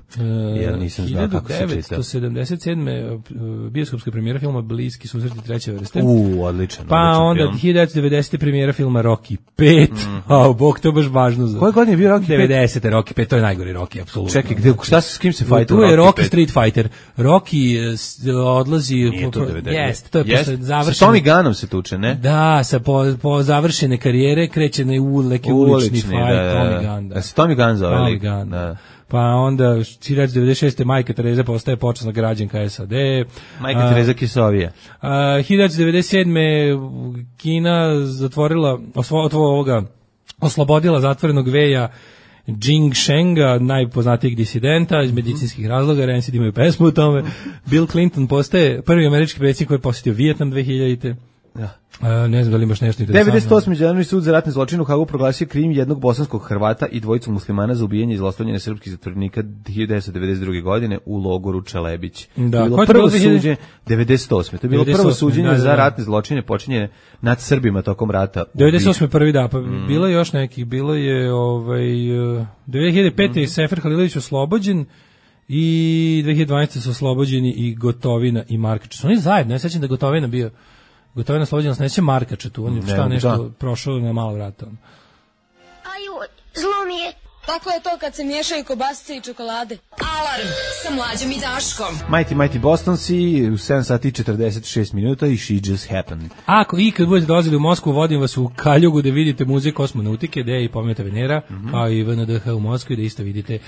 Jer nisam znao kako se čita. 1977. bioskopska premijera filma Bliski susreti treće vrste. Odličan. Pa onda 1990. premijera filma Rocky 5. Bog, to je baš važno. Koje godine je bio Rocky 5? 90. Rocky 5, to je najgori Rocky, apsolutno. Čekaj, s kim se fajta? Tu je Rocky Street Fighter. Rocky odlazi... Nije to 90. To je posle završene... Sa Tommy Gunnom se tuče, ne? Da, po završene karijere kreće na neki ulični fight, Tommy Gunn. Da. Se Tommy Gunn zove lik. Da. Pa onda 1996. Majka Tereza postaje počasna građanka SAD. Majka Tereza Kisovija. 1997. Kina zatvorila oslobodila zatvorenog Veja Jing Shenga, najpoznatijeg disidenta iz medicinskih razloga, Rancid imaju pesmu o tome. Bill Clinton postaje prvi američki predsjednik koji je posjetio Vijetnam 2000. Da. Ne znam da li imaš nešto interesantno. 98. Međunarodni sud za ratne zločine u Hagu proglasio krim jednog bosanskog Hrvata i dvojicu muslimana za ubijanje i zlostavljanje srpskih zatvorenika 1992. godine u logoru Čelebić. Da, to je bilo prvo suđenje 98. To je bilo prvo suđenje za ratne zločine počinjene nad Srbima tokom rata. 98. prvi da, pa bilo je još nekih, bilo je 2005. Sefer Halilović oslobođen i 2012. su oslobođeni i Gotovina i Markač. Oni zajedno, ja sećam da Gotovina bio Gotovina slobođena, neće Markača tu, on je nešto prošao na malo vrata. Aju, zlo mi je. Tako je to kad se miješaju kobasice i čokolade. Alarm sa Mlađom i Daškom. Mighty Bostonsi u 7 sati 46 minuta i She Just Happened. Ako ikad budete dolazili u Moskvu, vodim vas u Kaljugu da vidite muzej kosmonautike, gde je i Pometa Venera, kao i VNDH u Moskvi, da isto vidite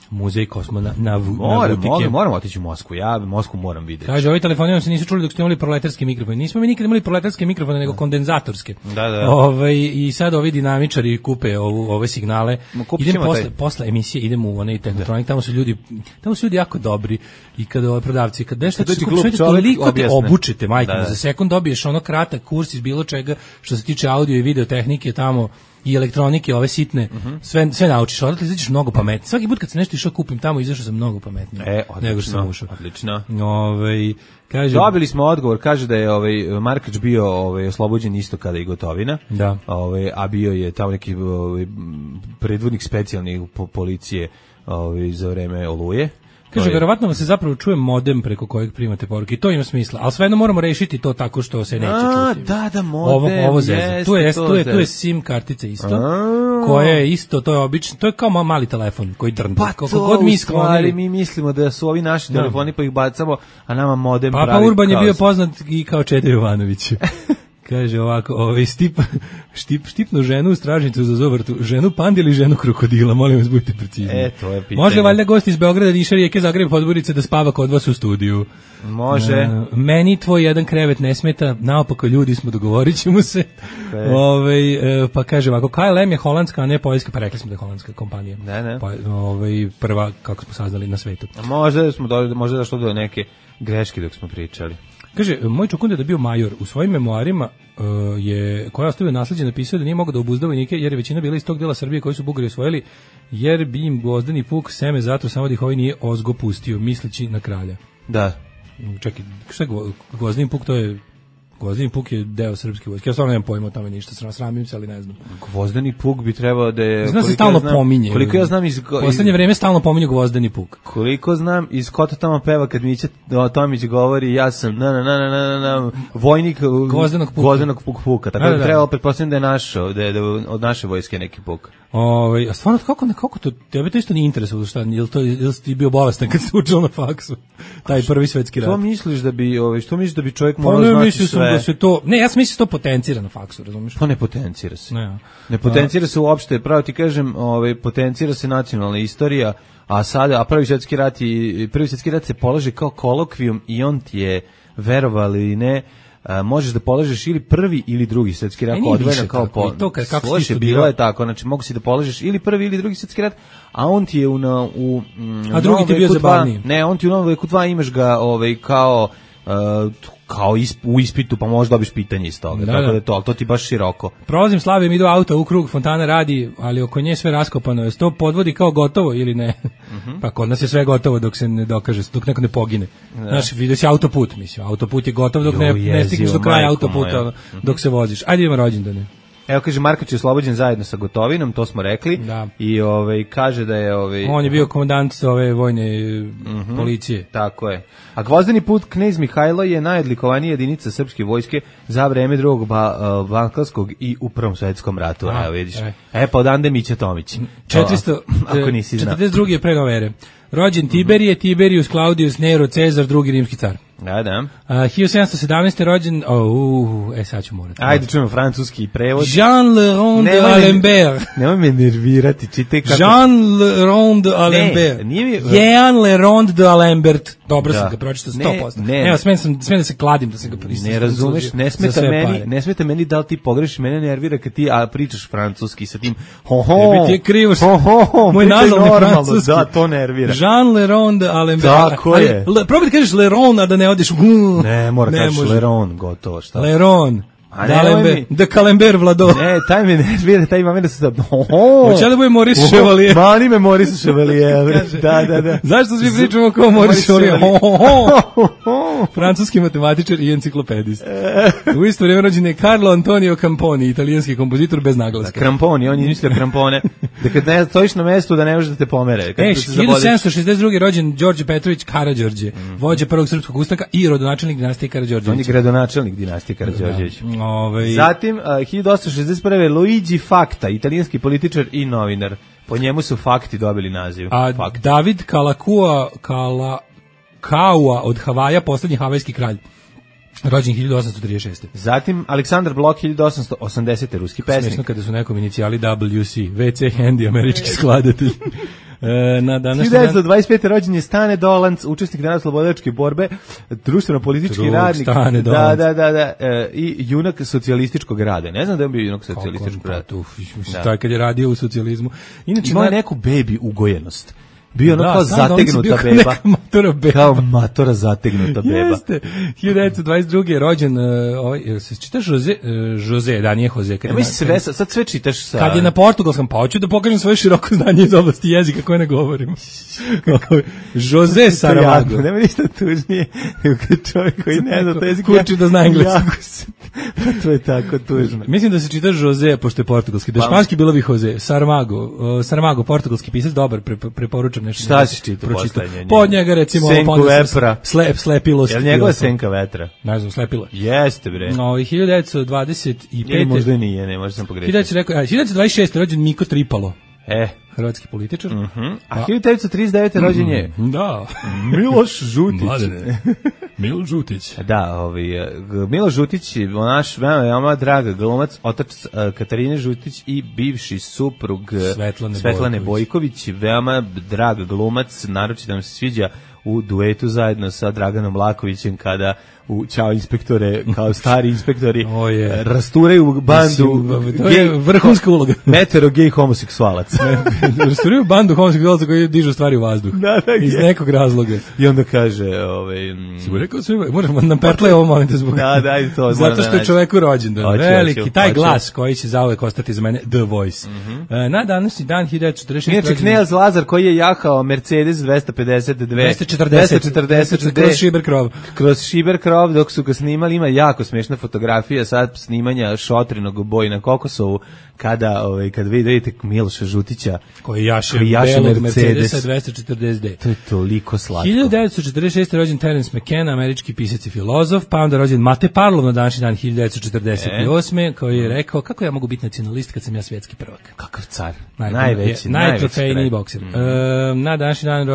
muzej kosmonautike. Moramo otići u Moskvu, ja Moskvu moram vidjeti. Kaže, ovi telefoni vam se nisu čuli dok ste imali proletarske mikrofone. Nismo mi nikad imali proletarske mikrofone, nego kondenzatorske. Da. I sad ovi dinamičari kupe ove signale. Idemo posle emisije, idemo u onaj Tehnotronik, tamo su ljudi jako dobri. I kada prodavci, kad nešto toliko te obučite, majke, za sekund dobiješ ono kratak kurs iz bilo čega što se tiče audio i video tehnike tamo i elektronike, ove sitne, sve naučiš, odatle izađeš mnogo pametnije. Svaki put kad se nešto išao kupim tamo, izašao sam mnogo pametnije nego što sam ušao. Odlično. Kaže, dobili smo odgovor, kaže da je Markač bio oslobođen isto kada i Gotovina. Da. A bio je tamo neki predvodnik specijalnih policije za vreme Oluje. Kaže, verovatno vam se zapravo čuje modem preko kojeg primate poruke i to ima smisla, ali svejedno moramo rešiti to tako što se neće čuti. Da, modem. Ovo zezno. Tu je SIM kartica isto, koja je isto, to je obično, to je kao mali telefon koji drndi. Pa to u stvari mi mislimo da su ovi naši telefoni pa ih bacamo, a nama modem pravi. Papa Urban je bio poznat i kao Čeda Jovanović. Kaže ovako, štipnu ženu u stražnicu za zovrtu, ženu pandi ili ženu krokodila, molim vas, budite precizni. To je pitanje. Može valjda gost iz Beograda, Niša, Rijeke, Zagreba, Podgorice da spava kod vas u studiju? Može. Meni tvoj jedan krevet ne smeta, naopako ljudi smo, dogovorit ćemo se. Pa kaže ovako, KLM je holandska, a ne poljska, pa rekli smo da je holandska kompanija. Ne. Prva, kako smo saznali, na svetu. Možda došlo do neke greške dok smo pričali. Kaže, moj čukunda da je bio major, u svojim memoarima koja je ostavio nasleđe, napisao da nije mogao da obuzda vojnike, jer je većina bila iz tog dela Srbije koji su Bugari osvojili, jer bi im Gvozdeni puk seme zato samo da ih ovaj nije ozgo pustio, misleći na kralja. Da. Čekaj, šta je Gvozdeni puk? To je... Gvozdeni puk je deo srpske vojske. Ja stvarno nemam pojma o tome ništa, sramim se, ali ne znam. Gvozdeni puk bi trebao da je... Znam se stalno pominje. Koliko ja znam u poslednje vreme stalno pominju Gvozdeni puk. Koliko znam, iz Kota tamo peva kad Mića Tomić govori ja sam vojnik Gvozdenog puka. Tako da treba pretpostaviti da je našo, da je od naše vojske neki puk. A stvarno, kako to, tebe to isto nije interesovalo, šta, jel si ti bio bolestan kad si učila na faksu, taj prvi svetski rat? Što misliš da bi čovjek morao znati sve? Da se to, ne, ja sam mislio da se to potencira na faksu, razumiješ? Pa ne potencira se. Ne potencira se uopšte, pravo ti kažem, potencira se nacionalna istorija, a prvi svjetski rat se polaže kao kolokvijum i on ti je, verovali ili ne, možeš da polažeš ili prvi ili drugi svjetski rat odvojeno kao slože, bilo je tako, znači mogu si da polažeš ili prvi ili drugi svjetski rat, a on ti je a drugi ti je bio zabavniji. Ne, on ti u Novom veku 2 imaš ga kao u ispitu, pa možda dobiš pitanje iz toga. Tako da je to, ali to ti baš široko. Prolazim Slavijom, idu auto u krug, fontana radi, ali oko nje sve raskopano. Je to podvodi kao gotovo ili ne? Pa kod nas je sve gotovo dok se ne dokaže, dok neko ne pogine. Znaš, vidio si autoput, mislim. Autoput je gotov dok ne stigneš do kraja autoputa, dok se voziš. Ajde idemo rođendane. Evo, kaže, Marković je oslobođen zajedno sa Gotovinom, to smo rekli. Da. I kaže da je... On je bio komandant ove vojne policije. Tako je. A Gvozdeni put knez Mihajlo je najodlikovanija jedinica srpske vojske za vreme drugog Balkanskog i u Prvom svjetskom ratu. Evo, vidiš. Pa odande Mića Tomić. 442. je pre nove ere. Rođen Tiberije, Tiberius, Claudius, Nero, Cezar, drugi rimski car. Da. 1717. rođen, sad ću morati. Ajde, čujemo francuski prevod. Jean Le Rond de Alembert. Nemoj me nervirati, čitaj kako... Jean Le Rond de Alembert. Jean Le Rond de Alembert. Dobro sam ga pročitao 100%. Evo, smijem da se kladim da sam ga pročitao. Ne razumeš, ne smeta meni da li ti pogrešiš, mene nervira kad ti pričaš francuski sa tim Tebi ti je krivo moj nazalni francuski. Da, to nervira. Jean Le Rond de Alembert. Tako je. Probaj da kažeš Le Rond, a da ne odeš ne, mora kažeš Leron, gotovo, šta? Leron. Da Kalember Vlado. Ne, taj me nervira, taj ima mene se da... Hoće da bude Maurice Chevalier. Mani me Maurice Chevalier. Da. Zašto svi pričamo kao Maurice Chevalier? Francuski matematičar i enciklopedist. U isto vrijeme rođen je Carlo Antonio Camponi, italijanski kompozitor bez naglaska. Camponi, on je mislio krampone. Da kad ne stojiš na mestu da ne možeš da te pomere. 1762. rođen Đorđe Petrović Karađorđe, vođa prvog srpskog ustanka i rodonačelnik dinastije Karađorđević. On je gradonačelnik dinastije Karađorđević. Zatim, 1861. Luigi Facta, italijanski političar i novinar. Po njemu su fakti dobili naziv. David Kalakaua od Havaja, poslednji havajski kralj. Rođen 1836. Zatim, Aleksandar Blok, 1880. ruski pesnik. Smešno kada su nekom inicijali WC, WC Handy, američki skladatelj. 1925. rođen je Stane Dolanc, učesnik narodnooslobodilačke borbe, društveno-politički radnik. Stane Dolanc. Da. I junak socijalističkog rada. Ne znam da je bio junak socijalističkog rada. Taj kad je radio u socijalizmu. Imao je neku bebi ugojenost. Bio ono kao zategnuta beba. Kao matora zategnuta beba. Jeste. 1922. je rođen, se čitaš Jose, da nije Jose. Sad sve čitaš sa... Kad je na portugalskom, pa hoću da pokažem svoje široko znanje iz oblasti jezika koje ne govorim. Jose Saramago. Nema ništa tužnije čovjek koji ne zna to jezik. Kući da zna engleski. To je tako tužno. Mislim da se čita Jose, pošto je portugalski. Da španski bilo bi Jose. Saramago, portugalski pisac, dobar, preporučam nešto. Šta si čitao poslednje? Pod njega recimo Senku vetra. Slepilo. Je li njegova Senka vetra? Ne znam, slepilo. Jeste bre. 1925. Ili možda nije, ne možda sam pogrešio. 1926. rođen Miko Tripalo. Hrvatski političar. A 1939. rođen je da Miloš Žutić. Milo Žutić. Da, Milo Žutić, naš veoma drag glumac, otac Katarine Žutić i bivši suprug Svetlane Bojković, veoma drag glumac, naročito nam se sviđa u duetu zajedno sa Draganom Lakovićem kada u Ćao inspektore, kao stari inspektori rasturaju bandu, to je vrhunska uloga. Metero gej homoseksualac. Rasturaju bandu homoseksualaca koji dižu stvari u vazduh. Iz nekog razloga. I onda kaže, si mu rekao sve, moramo nam pertle ovo momenta zbog. To. Zato što je čoveku rođendan. Veliki, taj glas koji će zauvek ostati za mene The Voice. Na današnji dan 1946. Inače, Knez Lazar koji je jahao Mercedes 240 kroz Šiberkrov, dok su ga snimali, ima jako smešna fotografija sad snimanja šotrinog boja na Kokosovu, kada vidite Miloša Žutića koji jaše belog Mercedesa 240D. To je toliko slatko. 1946. rođen Terence McKenna, američki pisac i filozof, pa onda rođen Mate Parlov na današnji dan 1948. koji je rekao, kako ja mogu biti nacionalist kad sam ja svjetski prvak. Kakav car. Najtrofejniji bokser. Na današnji dan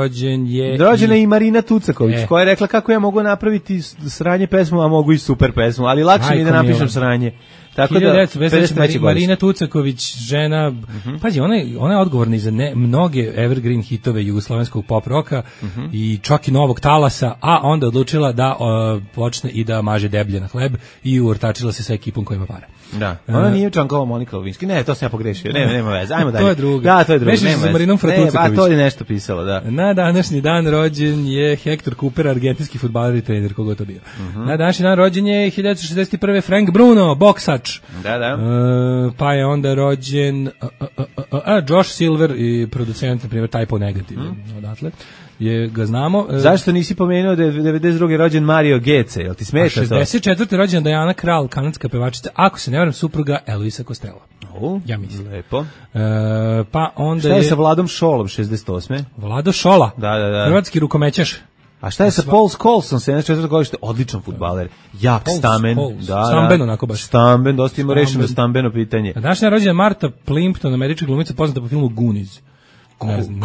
rođena i Marina Tucaković, koja je rekla kako ja mogu napraviti sranje pesmu, a mogu i super pesmu, ali lakše mi da napišem sranje. Tako da, 1953. Marina Tucaković, žena, pazi, ona je odgovorna i za mnoge evergreen hitove jugoslovenskog pop roka i čak i novog talasa, a onda odlučila da počne i da maže deblje na hleb i uortačila se sa ekipom koja ima para. Da. Ona nije Čankova Monika Levinski. Ne, to sam ja pogrešio. Nema veze. Ajmo dalje. To je drugo. Da, to je drugo. Mešiš se sa Marinom Fratucaković. To je nešto pisalo, da. Na današnji dan rođen je Hector Cooper, argentinski fudbaler i trener, kogo to bio. Na današnji dan rođen je 1961. Frank Bruno, boksač. Da. Pa je onda rođen Josh Silver i producent, na primjer, Typo Negative. Odatle. Ga znamo. Zašto nisi pomenuo da je 92. rođen Mario Gece? Jel ti smeta to? 64. rođena Diana Krall, kanadska pevačica, ako se ne varam, supruga Elvisa Costello. Ja mislim. Lepo. Pa onda šta je sa Vladom Šolom, 68. Vlado Šola, da. hrvatski rukomećaš. A šta je sa Paul Scholes, 74. godište, odličan fudbaler, jak stamen. Stamben, onako baš. Stamben, dosta ima rešeno stambeno pitanje. Današnja rođena Marta Plimpton, američka glumica poznata po filmu Goonies.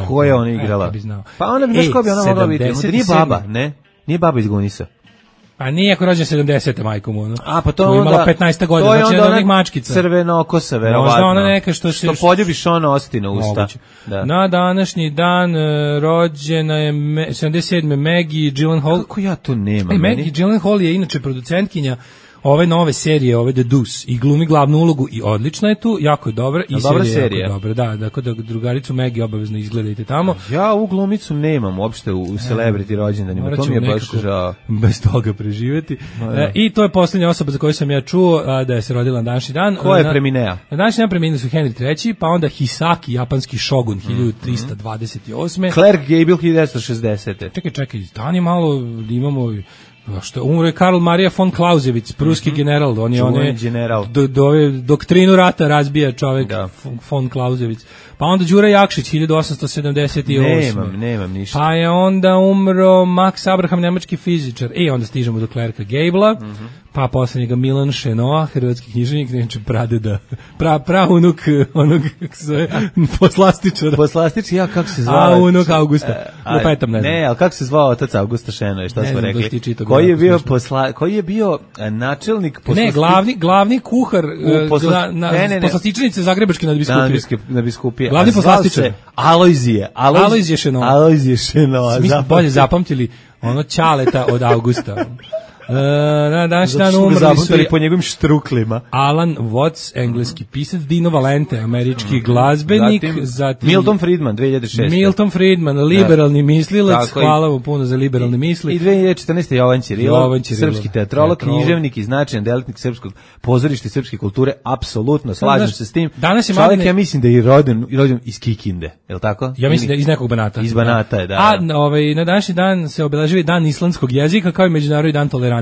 Ko je ona igrala? Pa ona bi ko bi ona mogla biti? Nije baba, ne? Nije baba iz Gunisa. Pa nije ako rođen 70. majkom ono. A pa to je onda imala 15 godina, to je znači onda onih mačkica. Crvenokosa, verovatno. Možda ona neka što poljubiš ono ostine usta. Da. Na današnji dan rođena je 77. Maggie Gyllenhaal. Kako ja to nemam? Maggie Gyllenhaal je inače producentkinja ove nove serije, ove The Deuce, i glumi glavnu ulogu i odlična je tu, jako je dobra i serija jako dobra. Da, dakle da drugaricu Maggie obavezno izgledajte tamo. Ja ovu glumicu nemam uopšte u celebrity rođendanima, to mi je baš žao. Bez toga preživjeti. I to je posljednja osoba za koju sam ja čuo da je se rodila na današnji dan. Ko je preminea? Na današnji dan preminuli su Henry III, pa onda Hisaki, japanski šogun, 1328. Clark Gable, 1960. Čekaj, stani malo, imamo... Što umro je Karl Maria von Clausewitz, pruski general, on je doktrinu rata razbija čovjek, von Clausewitz. Pa onda Đura Jakšić, 1878. Nemam ništa. Pa je onda umro Max Abraham, nemački fizičar. Onda stižemo do Clarka Gabla, pa posljednjega Milan Šenoa, hrvatski književnik, neće pradeda, praunuk onog, kako se zove, poslastičara. Poslastičar, ja kako se zvao? Unuk Augusta, lupetam ne znam. Ne, ali kako se zvao otac Augusta Šenoa, šta smo rekli? Koji je bio načelnik poslastičara? Ne, glavni kuhar poslastičarnice Zagrebačke nadbiskupije. Glavni poslastičar. Alojzije Šenoa. Mi smo bolje zapamtili ono Ćaleta od Augusta. Na današnji dan umrli su po njegovim štruklima. Alan Watts, engleski pisac, Dino Valente, američki glazbenik, zatim Milton Friedman, 2006. Milton Friedman, liberalni mislilac, hvala mu puno za liberalne misli. I 2014. Jovan Ćirilov, srpski teatrolog, književnik i značajan delatnik srpskog pozorišta i srpske kulture, apsolutno slažem se s tim. Čovjek, ja mislim da je rođen iz Kikinde, je li tako? Ja mislim da je iz nekog Banata. Iz Banata je, da. A na današnji dan se obeležava dan islandskog jezika, kao i međunarodni dan tolerancije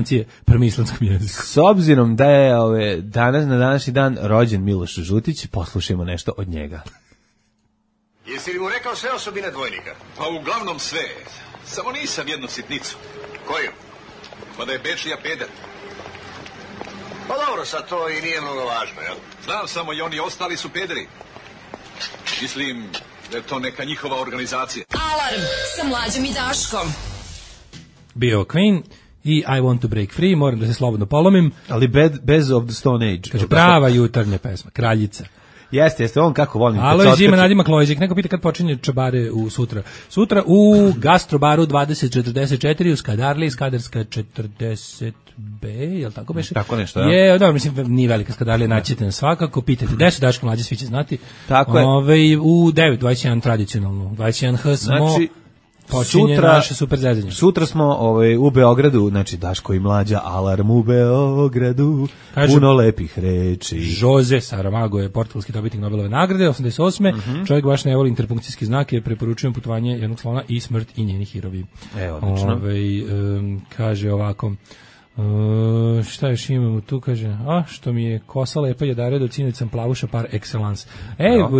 prema islandskom jeziku. S obzirom da je na današnji dan rođen Miloš Žutić, poslušajmo nešto od njega. Jesi li mu rekao sve osobine dvojnika? Pa uglavnom sve. Samo nisam jednu sitnicu. Koju? Pa da je Bečija peder. Pa dobro, sad to i nije mnogo važno, jel? Znam samo i oni ostali su pederi. Mislim da je to neka njihova organizacija. Alarm sa Mlađom i Daškom. Bio Queen i I want to break free, moram da se slobodno polomim. Ali bez of the Stone Age. Kaže, prava jutarnja pesma, Kraljica. Jeste, on kako volim. Alo, Zima, nadimak Lojzik. Neko pita kad počinje čabare u sutra. Sutra u Gastrobaru 2044, u Skadarli, Skadarska 40B, je li tako beše? Tako nešto, je. Dobro, mislim, nije velika Skadarlija, naćete nas svakako, pitajte, gde su Daško Mlađe, svi će znati. Tako je. U 9:21 tradicionalno, 21H smo... Znači, počinje naše super zezanje. Sutra smo u Beogradu, znači Daško i Mlađa, alarm u Beogradu, puno lepih reči. Jose Saramago je portugalski dobitnik Nobelove nagrade, 88. Čovjek baš ne voli interpunkcijski znak, jer preporučujem putovanje jednog slona i smrt i njeni hirovi. Odlično. Kaže ovako... šta još imamo tu, kaže, što mi je kosa lepa je dare do cinoć sam plavuša par excellence.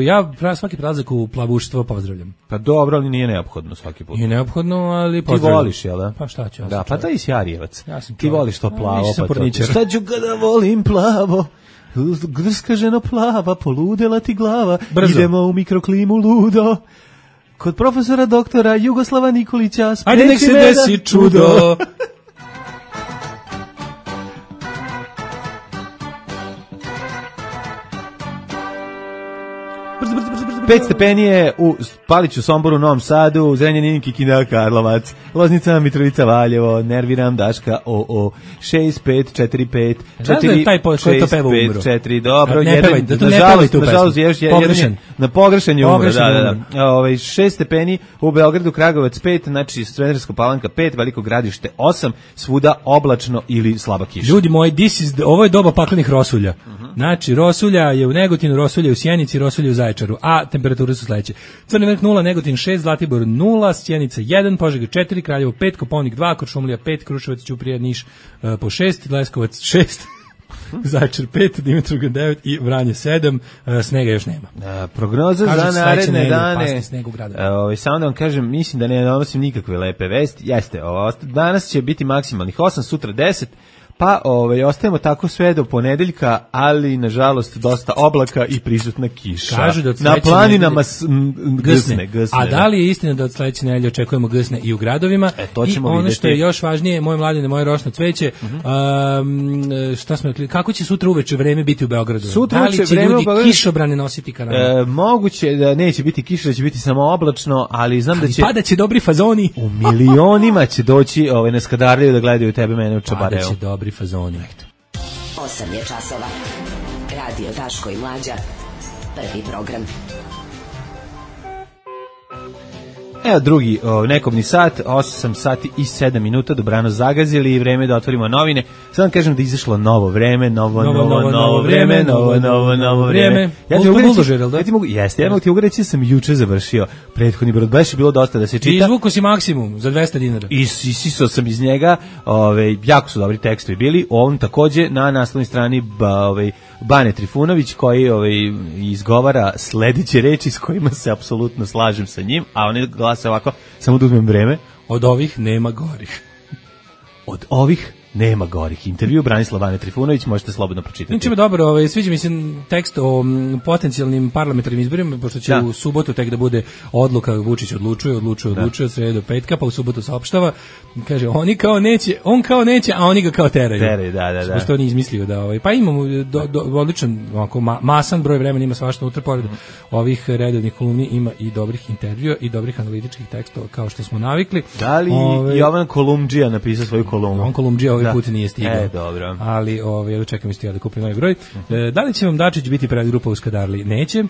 Ja svaki prelazak u plavuštvo pozdravljam. Pa dobro, ali nije neophodno svaki put. Nije neophodno, ali pozdravljam. Ti voliš, jel da? Pa šta ću? Da, pa taj si Arijevac. Ja sam ti voliš to plavo, pa to. Šta ću kada volim plavo? Grska ženo plava, poludela ti glava. Brzo. Idemo u mikroklimu ludo. Kod profesora doktora Jugoslava Nikolića. Ajde nek se desi čudo. 5 stepeni je u Paliću, Somboru, Novom Sadu, Zrenjanin, Kikinda, Karlovac, Loznica, Mitrovica, Valjevo, nerviram Daška, 6545 4 taj ko to peva umro. 4, dobro, nažalost, na pogrešan je umro, da. 6 stepeni u Beogradu, Kragujevac 5, znači Smederevska Palanka 5, Veliko Gradište 8, svuda oblačno ili slaba kiša. Ljudi moji, ovo je doba paklenih rosulja. Znači, rosulja je u Negotinu, rosulja je u Sjenici, rosulja je u Zaječaru, a temperature su sledeće. Crni vrh 0, Negotin 6, Zlatibor 0, Sjenica 1, Požega 4, Kraljevo 5, Kopaonik 2, Kuršumlija 5, Kruševac, Ćuprija, Niš po 6, Leskovac 6, Zaječar 5, Dimitrovgrad 9 i Vranje 7, snega još nema. Prognoza za naredne dane. Samo da vam kažem, mislim da ne donosim nikakve lepe vesti. Jeste, danas će biti maksimalnih 8, sutra 10, pa ostajemo tako sve do ponedeljka, ali nažalost dosta oblaka i prisutna kiša. Kažu da na planinama gsne. A da li je istina da od sledeće nedelje očekujemo gsne i u gradovima? To ćemo ono vidjeti. Što je još važnije, moje mladine, moje rošno cveće, šta smo rekli, kako će sutra uveče vreme biti u Beogradu? Da li će ljudi kišobrane nositi kanale? Moguće da neće biti kiša, da će biti samo oblačno, ali znam da će... Pada će dobri fazoni. U milionima će doći na Skadarliju da gledaju tebe, mene u Čabareu. Pada će dobri fazoni. 8 je časova. Radio Daško i Mlađa. Prvi program. Evo drugi nekobni sat, 8 sati i 7 minuta, dobrano zagazili i vreme da otvorimo novine. Sad vam kažem da je izašlo novo vreme, novo vreme. Ja mogu ti reći da sam juče završio prethodni brod, baš je bilo dosta da se čita. Izvuko si maksimum za 200 dinara. Isisao sam iz njega, jako su dobri tekstovi bili, on takođe na naslovnoj strani Bane Trifunović koji izgovara sledeće reči s kojima se apsolutno slažem sa njim, a oni glase ovako, samo da uzmem vreme. Od ovih nema gorih. Od ovih nema gorih. Intervju Branislav Bane Trifunović, možete slobodno pročitati. Ničime dobro, sviđa mi se tekst o potencijalnim parlamentarnim izborima, pošto će u subotu tek da bude odluka, Vučić odlučuje od srede do petka, pa u subotu saopštava, kaže, on kao neće, a oni ga kao teraju. Da. Što on je izmislio pa imamo odličan, masan broj vremena, ima svašta unutra, pored ovih redovnih kolumni ima i dobrih intervjua i dobrih analitičkih tekstova, kao što smo navikli. Da li Jovan Kolumdžija napisao svoju kolumnu? Jovan Kolumdžija ovaj put nije stigao. Dobro. Ali čekam isto ja da kupim novi broj. Da li će vam Dačić biti predgrupa u Skadarli? Neće.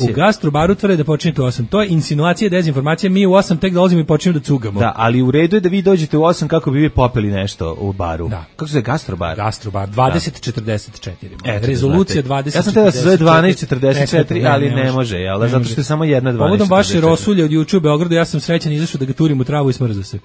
U Gastrobaru tvrde da počinjete u 8. To je insinuacija, dezinformacija. Mi u 8 tek dolazimo i počinjemo da cugamo. Da, ali u redu je da vi dođete u 8 kako bi vi popili nešto u baru. Da. Kako se zove Gastrobar? Gastrobar 2044. Rezolucija 2044. Ja sam te da se zove 1244, ali ne može, jel da? Zato što je samo jedna 1244. Povodom vaše rosulje od juče u Beogradu, ja sam srećan izašao da ga turim u travu i smrza se.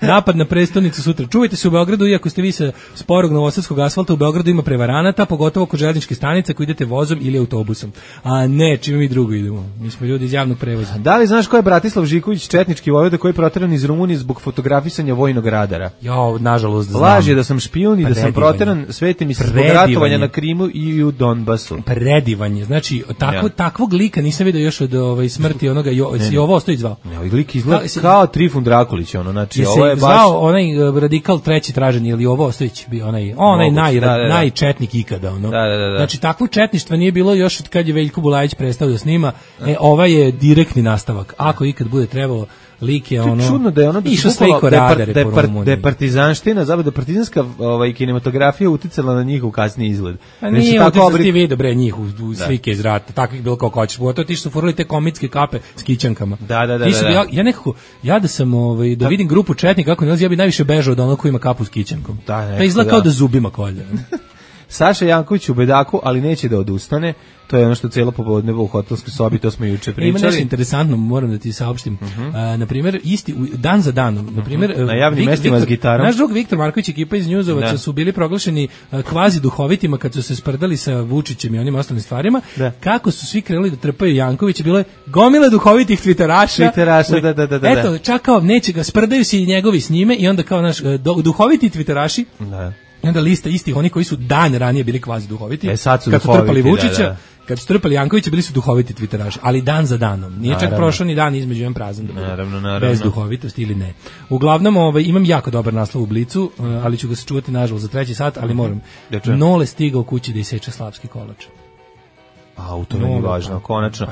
Napad na prestonicu sutra. Čuvajte se u Beogradu, iako ste vi sa sporog novosadskog asfalta, u Beogradu ima prevaranata, pogotovo kod željezničke stanice koji idete vozom ili autobusom. A ne, čime mi drugo idemo. Mi smo ljudi iz javnog prevoza. Da li znaš ko je Bratislav Žiković, četnički vojvoda koji je proteran iz Rumunije zbog fotografisanja vojnog radara? Nažalost znam. Laž je da sam špijun i da sam proteran, sveti mi se zbog ratovanja na Krimu i u Donbasu. Predivanje. Znači, takvog lika nisam vidio još od smrti onoga, si ovo ostao izvao. Lik izgleda kao Trifun Drakulić, znači ovo je baš zvao onaj radikal treći tražen ili ovo Ostojić bio onaj najčetnik ikada ono. Da. Znači takvo četništva nije bilo još od kad je Veljko Bulajić prestao da snima. Ova je direktni nastavak. Ako ikad bude trebalo lik je ono. Čudno da je ono da je partizanština, zapravo da partizanska kinematografija uticala na njihov kasniji izgled. A nije uticala ti video bre njih u slike iz rata, takvih bilo kao hoćeš. Pogotovo ti što su furali te komitske kape s kićankama. Da. Ja nekako da sam da vidim grupu četnika kako ne, ja bi najviše bežao od onog ko ima kapu s kićankom. Pa izgleda kao da zubima kolje. Saša Janković u bedaku, ali neće da odustane. To je ono što cijelo popodne u hotelskoj sobi, to smo juče pričali. Ima nešto interesantno, moram da ti saopštim. Na primjer, dan za danom, na primjer, na javnim mestima s gitarom. Naš drug Viktor Marković, ekipa iz Njuzovaca su bili proglašeni kvazi duhovitima kad su se sprdali sa Vučićem i onim ostalim stvarima. Kako su svi krenuli da trpaju Jankovića, bilo je gomile duhovitih tviteraša. Da. Eto, čak kao neće ga, sprdaju se i njegovi s njime i onda kao naš duhoviti tviteraši. Da. I onda lista istih oni koji su dan ranije bili kvazi duhoviti. Sad su kad duhoviti, su trpali Vučića, kad su trpali Jankovića, bili su duhoviti tviteraši, ali dan za danom. Nije čak prošao ni dan između jedan prazan da naravno. Bez duhovitosti ili ne. Uglavnom, imam jako dobar naslov u Blicu, ali ću ga sačuvati nažalost za 3. sat, ali moram. Nole stigao kući da iseče slavski kolač. To je važno, konačno.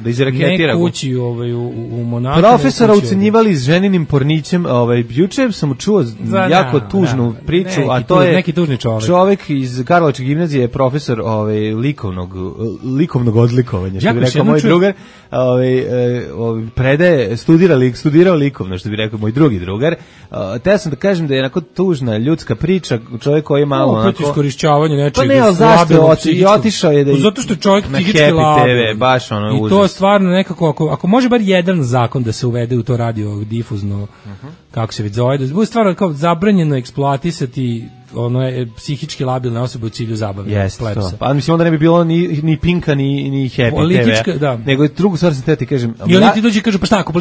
Da izraketira. Ne kući u Monaku. Profesora ucenjivali s ženinim pornićem, juče sam čuo jako tužnu priču, a to je neki tužni čovjek iz Karlovačke gimnazije, je profesor likovnog odlikovanja, što bi rekao moj drugar, predaje, studirao likovno, što bi rekao moj drugi drugar. Teo sam da kažem da je onako tužna ljudska priča, čovjek koji je malo onako iskorišćavanje nečega. Pa ne, ali zašto i otišao je da zato što je čovjek psihički labil. Baš ono I to je stvarno nekako, ako može bar jedan zakon da se uvede u to radio difuzno, kako se već zove, da bude stvarno kao zabranjeno eksploatisati psihički labilne osobe u cilju zabave. Jeste to. Pa mislim onda ne bi bilo ni Pinka ni Happy TV. Nego je drugu stvar sam te ti kažem. I oni ti dođu i kažu pa šta, ako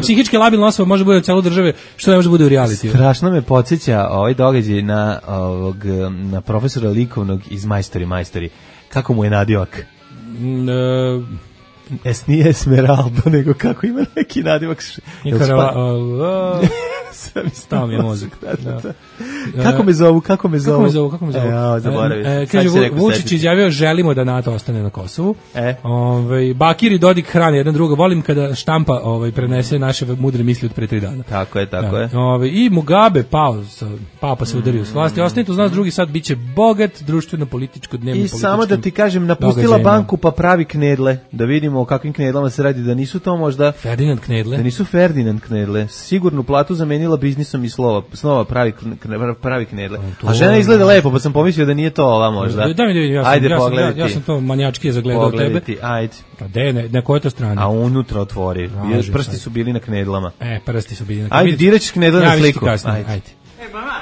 psihički labilna osoba može bude u celu države, što ne može bude u reality? Strašno me podsjeća ovaj događaj na profesora likovnog iz Majstori. Kako mu je nadimak? Nije Esmeralda, nego kako ima neki nadimak. Stao mi je mozak. Kako me zovu? Kaže, Vučić izjavio, želimo da NATO ostane na Kosovu. Bakir i Dodik hrane jedan druga. Volim kada štampa prenese naše mudre misli od pre 3 dana. Tako je. I Mugabe papa se udario s vlasti. Ostanite uz nas, drugi sad biće bogat, društveno, političko, dnevno, političko. I samo da ti kažem, napustila banku pa pravi knedle. Da vidimo o kakvim knedlama se radi, da nisu to možda Ferdinand knedle. Da nisu Ferdinand knedle. Sigurnu platu zamenila biznisom i snova pravi knedle. A žena izgleda lepo, pa sam pomislio da nije to ova možda. Da mi vidim, ja sam to manijački zagledao tebe. Ajde. Pa na kojoj to strani? A unutra otvori. Prsti su bili na knedlama. Prsti su bili na knedlama. Ajde, dirać knedle na sliku. Ajde. Mama,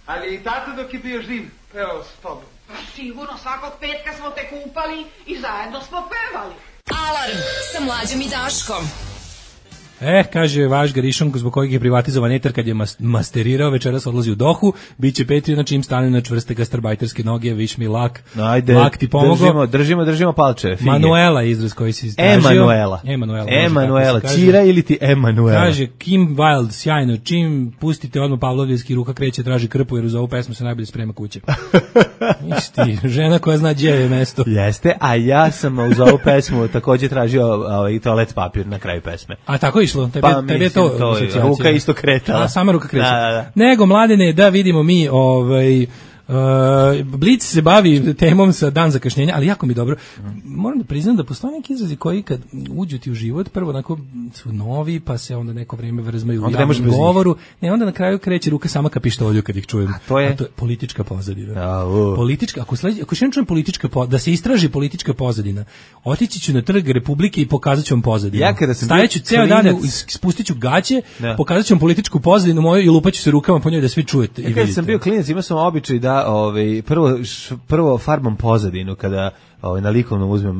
ali i tata dok je bio živ, pevao s tobom. Sigurno, svakog petka smo te kupali i zajedno smo pevali. Alarm sa Mlađom i Daškom. Kaže vaš Garišonko, zbog kojeg je privatizovan etar kad je masterirao, večeras odlazi u Dohu, bit će Patreon, na čim stane na čvrste gastarbajterske noge, viš mi lak. Ajde, lak ti pomogao. Držimo palčeve. Manuela izraz koji si istražio. Emanuela, Čira ili ti Emanuela. Kaže Kim Wilde, sjajno, čim pustite odmah Pavlovljevski, ruka kreće, traži krpu, jer uz ovu pesmu se najbolje sprema kuće. Isti, žena koja zna gdje je mesto. Jeste, a ja sam uz ovu pesmu također tražio toalet papir na kraju pesme. A tako išlo, tebi je to ruka isto kretala. A sama ruka kreće. Da. Nego, Mladene, da vidimo mi Blic se bavi temom sa dan zakašnjenja, ali jako mi dobro. Moram da priznam da postoje neki izrazi koji kad uđu ti u život, prvo onako su novi, pa se onda neko vrijeme vrzmaju u javnom govoru. Ne, onda na kraju kreće ruka sama ka pištolju kad ih čujem. A to je politička pozadina. Politička, ako še čujem da se istraži politička pozadina, otići ću na trg Republike i pokazat ću vam pozadinu. Stajeću ceo dan, spustit ću gaće, pokazat ću vam političku pozadinu moju i lupaću se rukama po njoj da svi čujete i vidite. Kad sam bio klinac, imao sam običaj da prvo farbam pozadinu kada na likovnom uzmem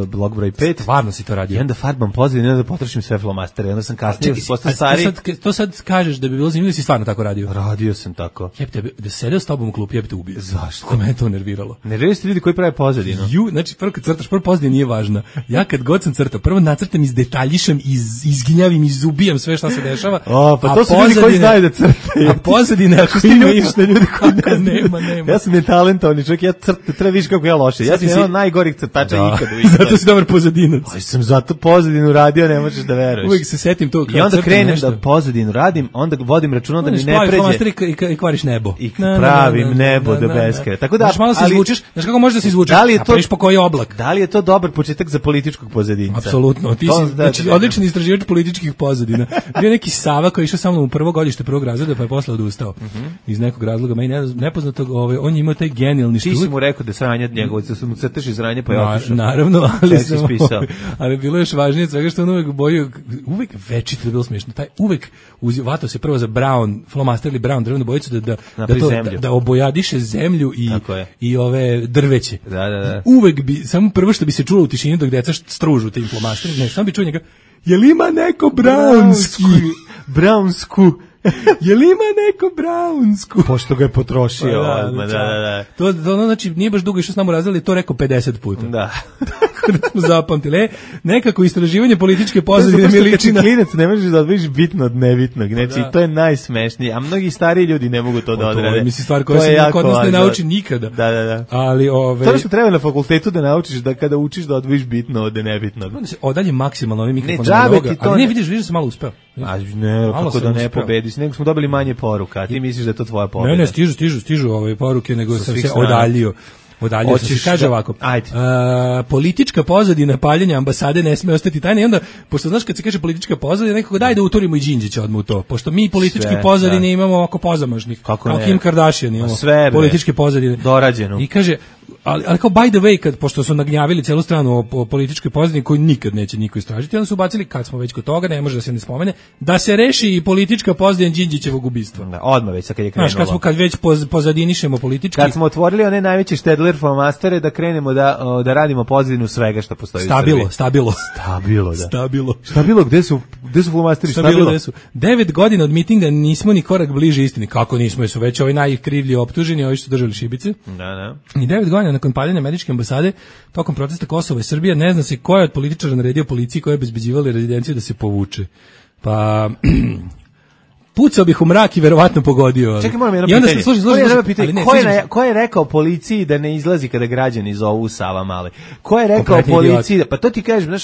blok broj 5. Stvarno si to radio. I onda farbam pozadinu i onda potrošim sve flomastere. Onda sam kasnije postao stari. To sad kažeš da bi bilo zanimljivo, si stvarno tako radio? Radio sam tako. Jebte, da sedeo s tobom u klupi, jebte ubio. Zašto? Ko me to nerviralo. Nerviraju se ljudi koji prave pozadinu. Znači, prvo kad crtaš, prvo pozadina nije važna. Ja kad god sam crtao, prvo nacrtam, izdetaljišem, izginjavim, izubijam sve šta se dešava. Pa to su ljudi koji znaju da crtaju. A pozadine, ako ti vidiš na ljudi koji nema. Ja sam netalentovani čovjek, ja crtam, treba vidiš kako ja loše. Ja sam jedan od najgorih crtača ikada. Zato si dobar pozadinac. Aj sam zato pozadinu radio, ne možeš da veruješ. Uvijek se setim to. I onda krenem da pozadinu radim, onda vodim računa da mi ne pređe. I kvariš nebo. I pravim nebo do beskraja. Tako da, znaš, malo se izvučeš, znaš kako možeš da se izvučeš? A preš po koji oblak? Da li je to dobar početak za političkog pozadinca? Apsolutno. Ti si znači odličan istraživač političkih pozadina. Bio neki Sava koji je išao sa mnom u prvo godište prvog razreda, pa je posle odustao. Iz nekog razloga, meni nepoznatog, on je imao taj genijalni Ti si mu rekao da sranje njegovo, da su mu crtež iz ranje, pa je otišao. Naravno, ali bilo je još važnije svega što on uvek večito je bilo smiješno. Taj uvek vatao se prvo za brown, flomaster ili brown drvenu bojicu da obojadiše zemlju i ove drveće. Da. Uvek bi, samo prvo što bi se čulo u tišini dok deca stružu tim flomasterima, ne, samo bi čuo njega, jel ima neko brownsku? Jel ima neko brownsku? Pošto ga je potrošio. Da. To znači nije baš dugo išao s nama razredili, to rekao 50 puta. Da. Tako da smo zapamtili. Nekako istraživanje političke pozadine mi liči na... Klinac ne možeš da odvojiš bitno od nebitnog. Znači, to je najsmešnije. A mnogi stariji ljudi ne mogu to da odrade. To je, mislim, stvar koja se kod nas ne nauči nikada. Da. Ali, to što treba na fakultetu da naučiš da kada učiš da odvojiš bitno od nebitnog. Onda se odalje maksimalno ovim mikrofonom. Ali ne, vidiš da sam malo uspeo. Ne, kako da ne pobediš. Nego smo dobili manje poruka, a ti misliš da je to tvoja pobeda. Ne, stižu ove poruke, nego sam se odaljio sam se, kaže ovako, politička pozadina paljenja ambasade ne sme ostati tajna i onda, pošto znaš kad se kaže politička pozadina, nekako daj da uturimo i Đinđića odmah u to, pošto mi politički pozadine imamo oko pozamažnih, kao Kim Kardashian imamo političke pozadine. Dorađeno. I kaže, ali kao by the way, pošto su nagnjavili celu stranu o političkoj pozadini koju nikad neće niko istražiti, onda su ubacili, kad smo već kod toga, ne može da se ne spomene, da se reši i politička pozadina Đinđićevog ubistva. Da, odmah već, kad je krenulo. Znaš, kad već pozadinišemo politički. Kad smo otvorili one najveće Štedler flomastere, da krenemo da radimo pozadinu svega što postoji u Srbiji. Stabilo, gde su flomasteri Stabilo? 9 godina od mitinga nismo ni korak bliže istini. Kako nismo, su već ovi najkrivlji optuženi, ovi što su držali šibice. Da. I 9 godina nakon paljenja američke ambasade, tokom protesta Kosova i Srbije, ne zna se ko je od političara naredio policiji koja je obezbeđivala rezidenciju da se povuče. Pa... pucao bih u mrak i verovatno pogodio. Čekaj, moram jedno pitanje. Ko je rekao policiji da ne izlazi kada građani zovu Sava Male? Ko je rekao policiji da... Pa to ti kažeš, znaš,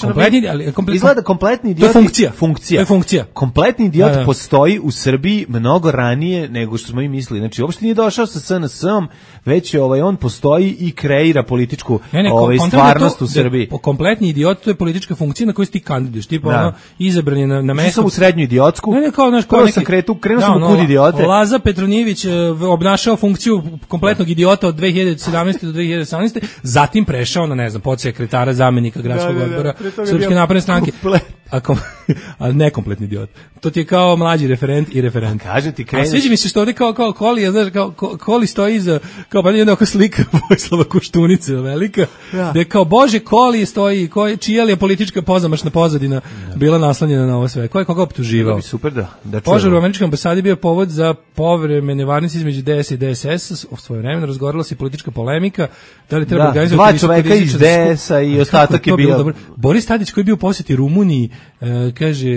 izgleda kompletni idiot. To je funkcija. Kompletni idiot postoji u Srbiji mnogo ranije nego što smo i mislili. Znači, uopšte nije došao sa SNS-om, već on postoji i kreira političku stvarnost u Srbiji. Kompletni idiot, to je politička funkcija na kojoj si ti kandiduješ. Tipa, izabran je na mesto... Nisam u srednju idiotsku. Krenuo sam u kud idiote. Laza Petronijević obnašao funkciju kompletnog idiota od 2017. do 2018. Zatim prešao na, ne znam, podsekretara, zamenika gradskog odbora Srpske napredne stranke. A nekompletni idiot. To ti je kao mlađi referent i referent. Kažem ti, kreneš... A sviđa mi se što ovdje kao Koli, znaš, Koli stoji iza, kao pa jedna oko slika Vojislava Koštunice velika, gde kao Bože Koli stoji, čija li je politička pozamašna pozadina bila naslanjena na ovo sve. Ko je koga optuživao? Super da požar u američkoj ambasadi bio povod za povremene varnice između DS i DSS. U svoje vreme razgovarala se politička polemika, da li treba organizovati... Dva čoveka iz DS-a i ostatak je bio... Boris Tadić koji je bio u posjeti Rumuniji, kaže,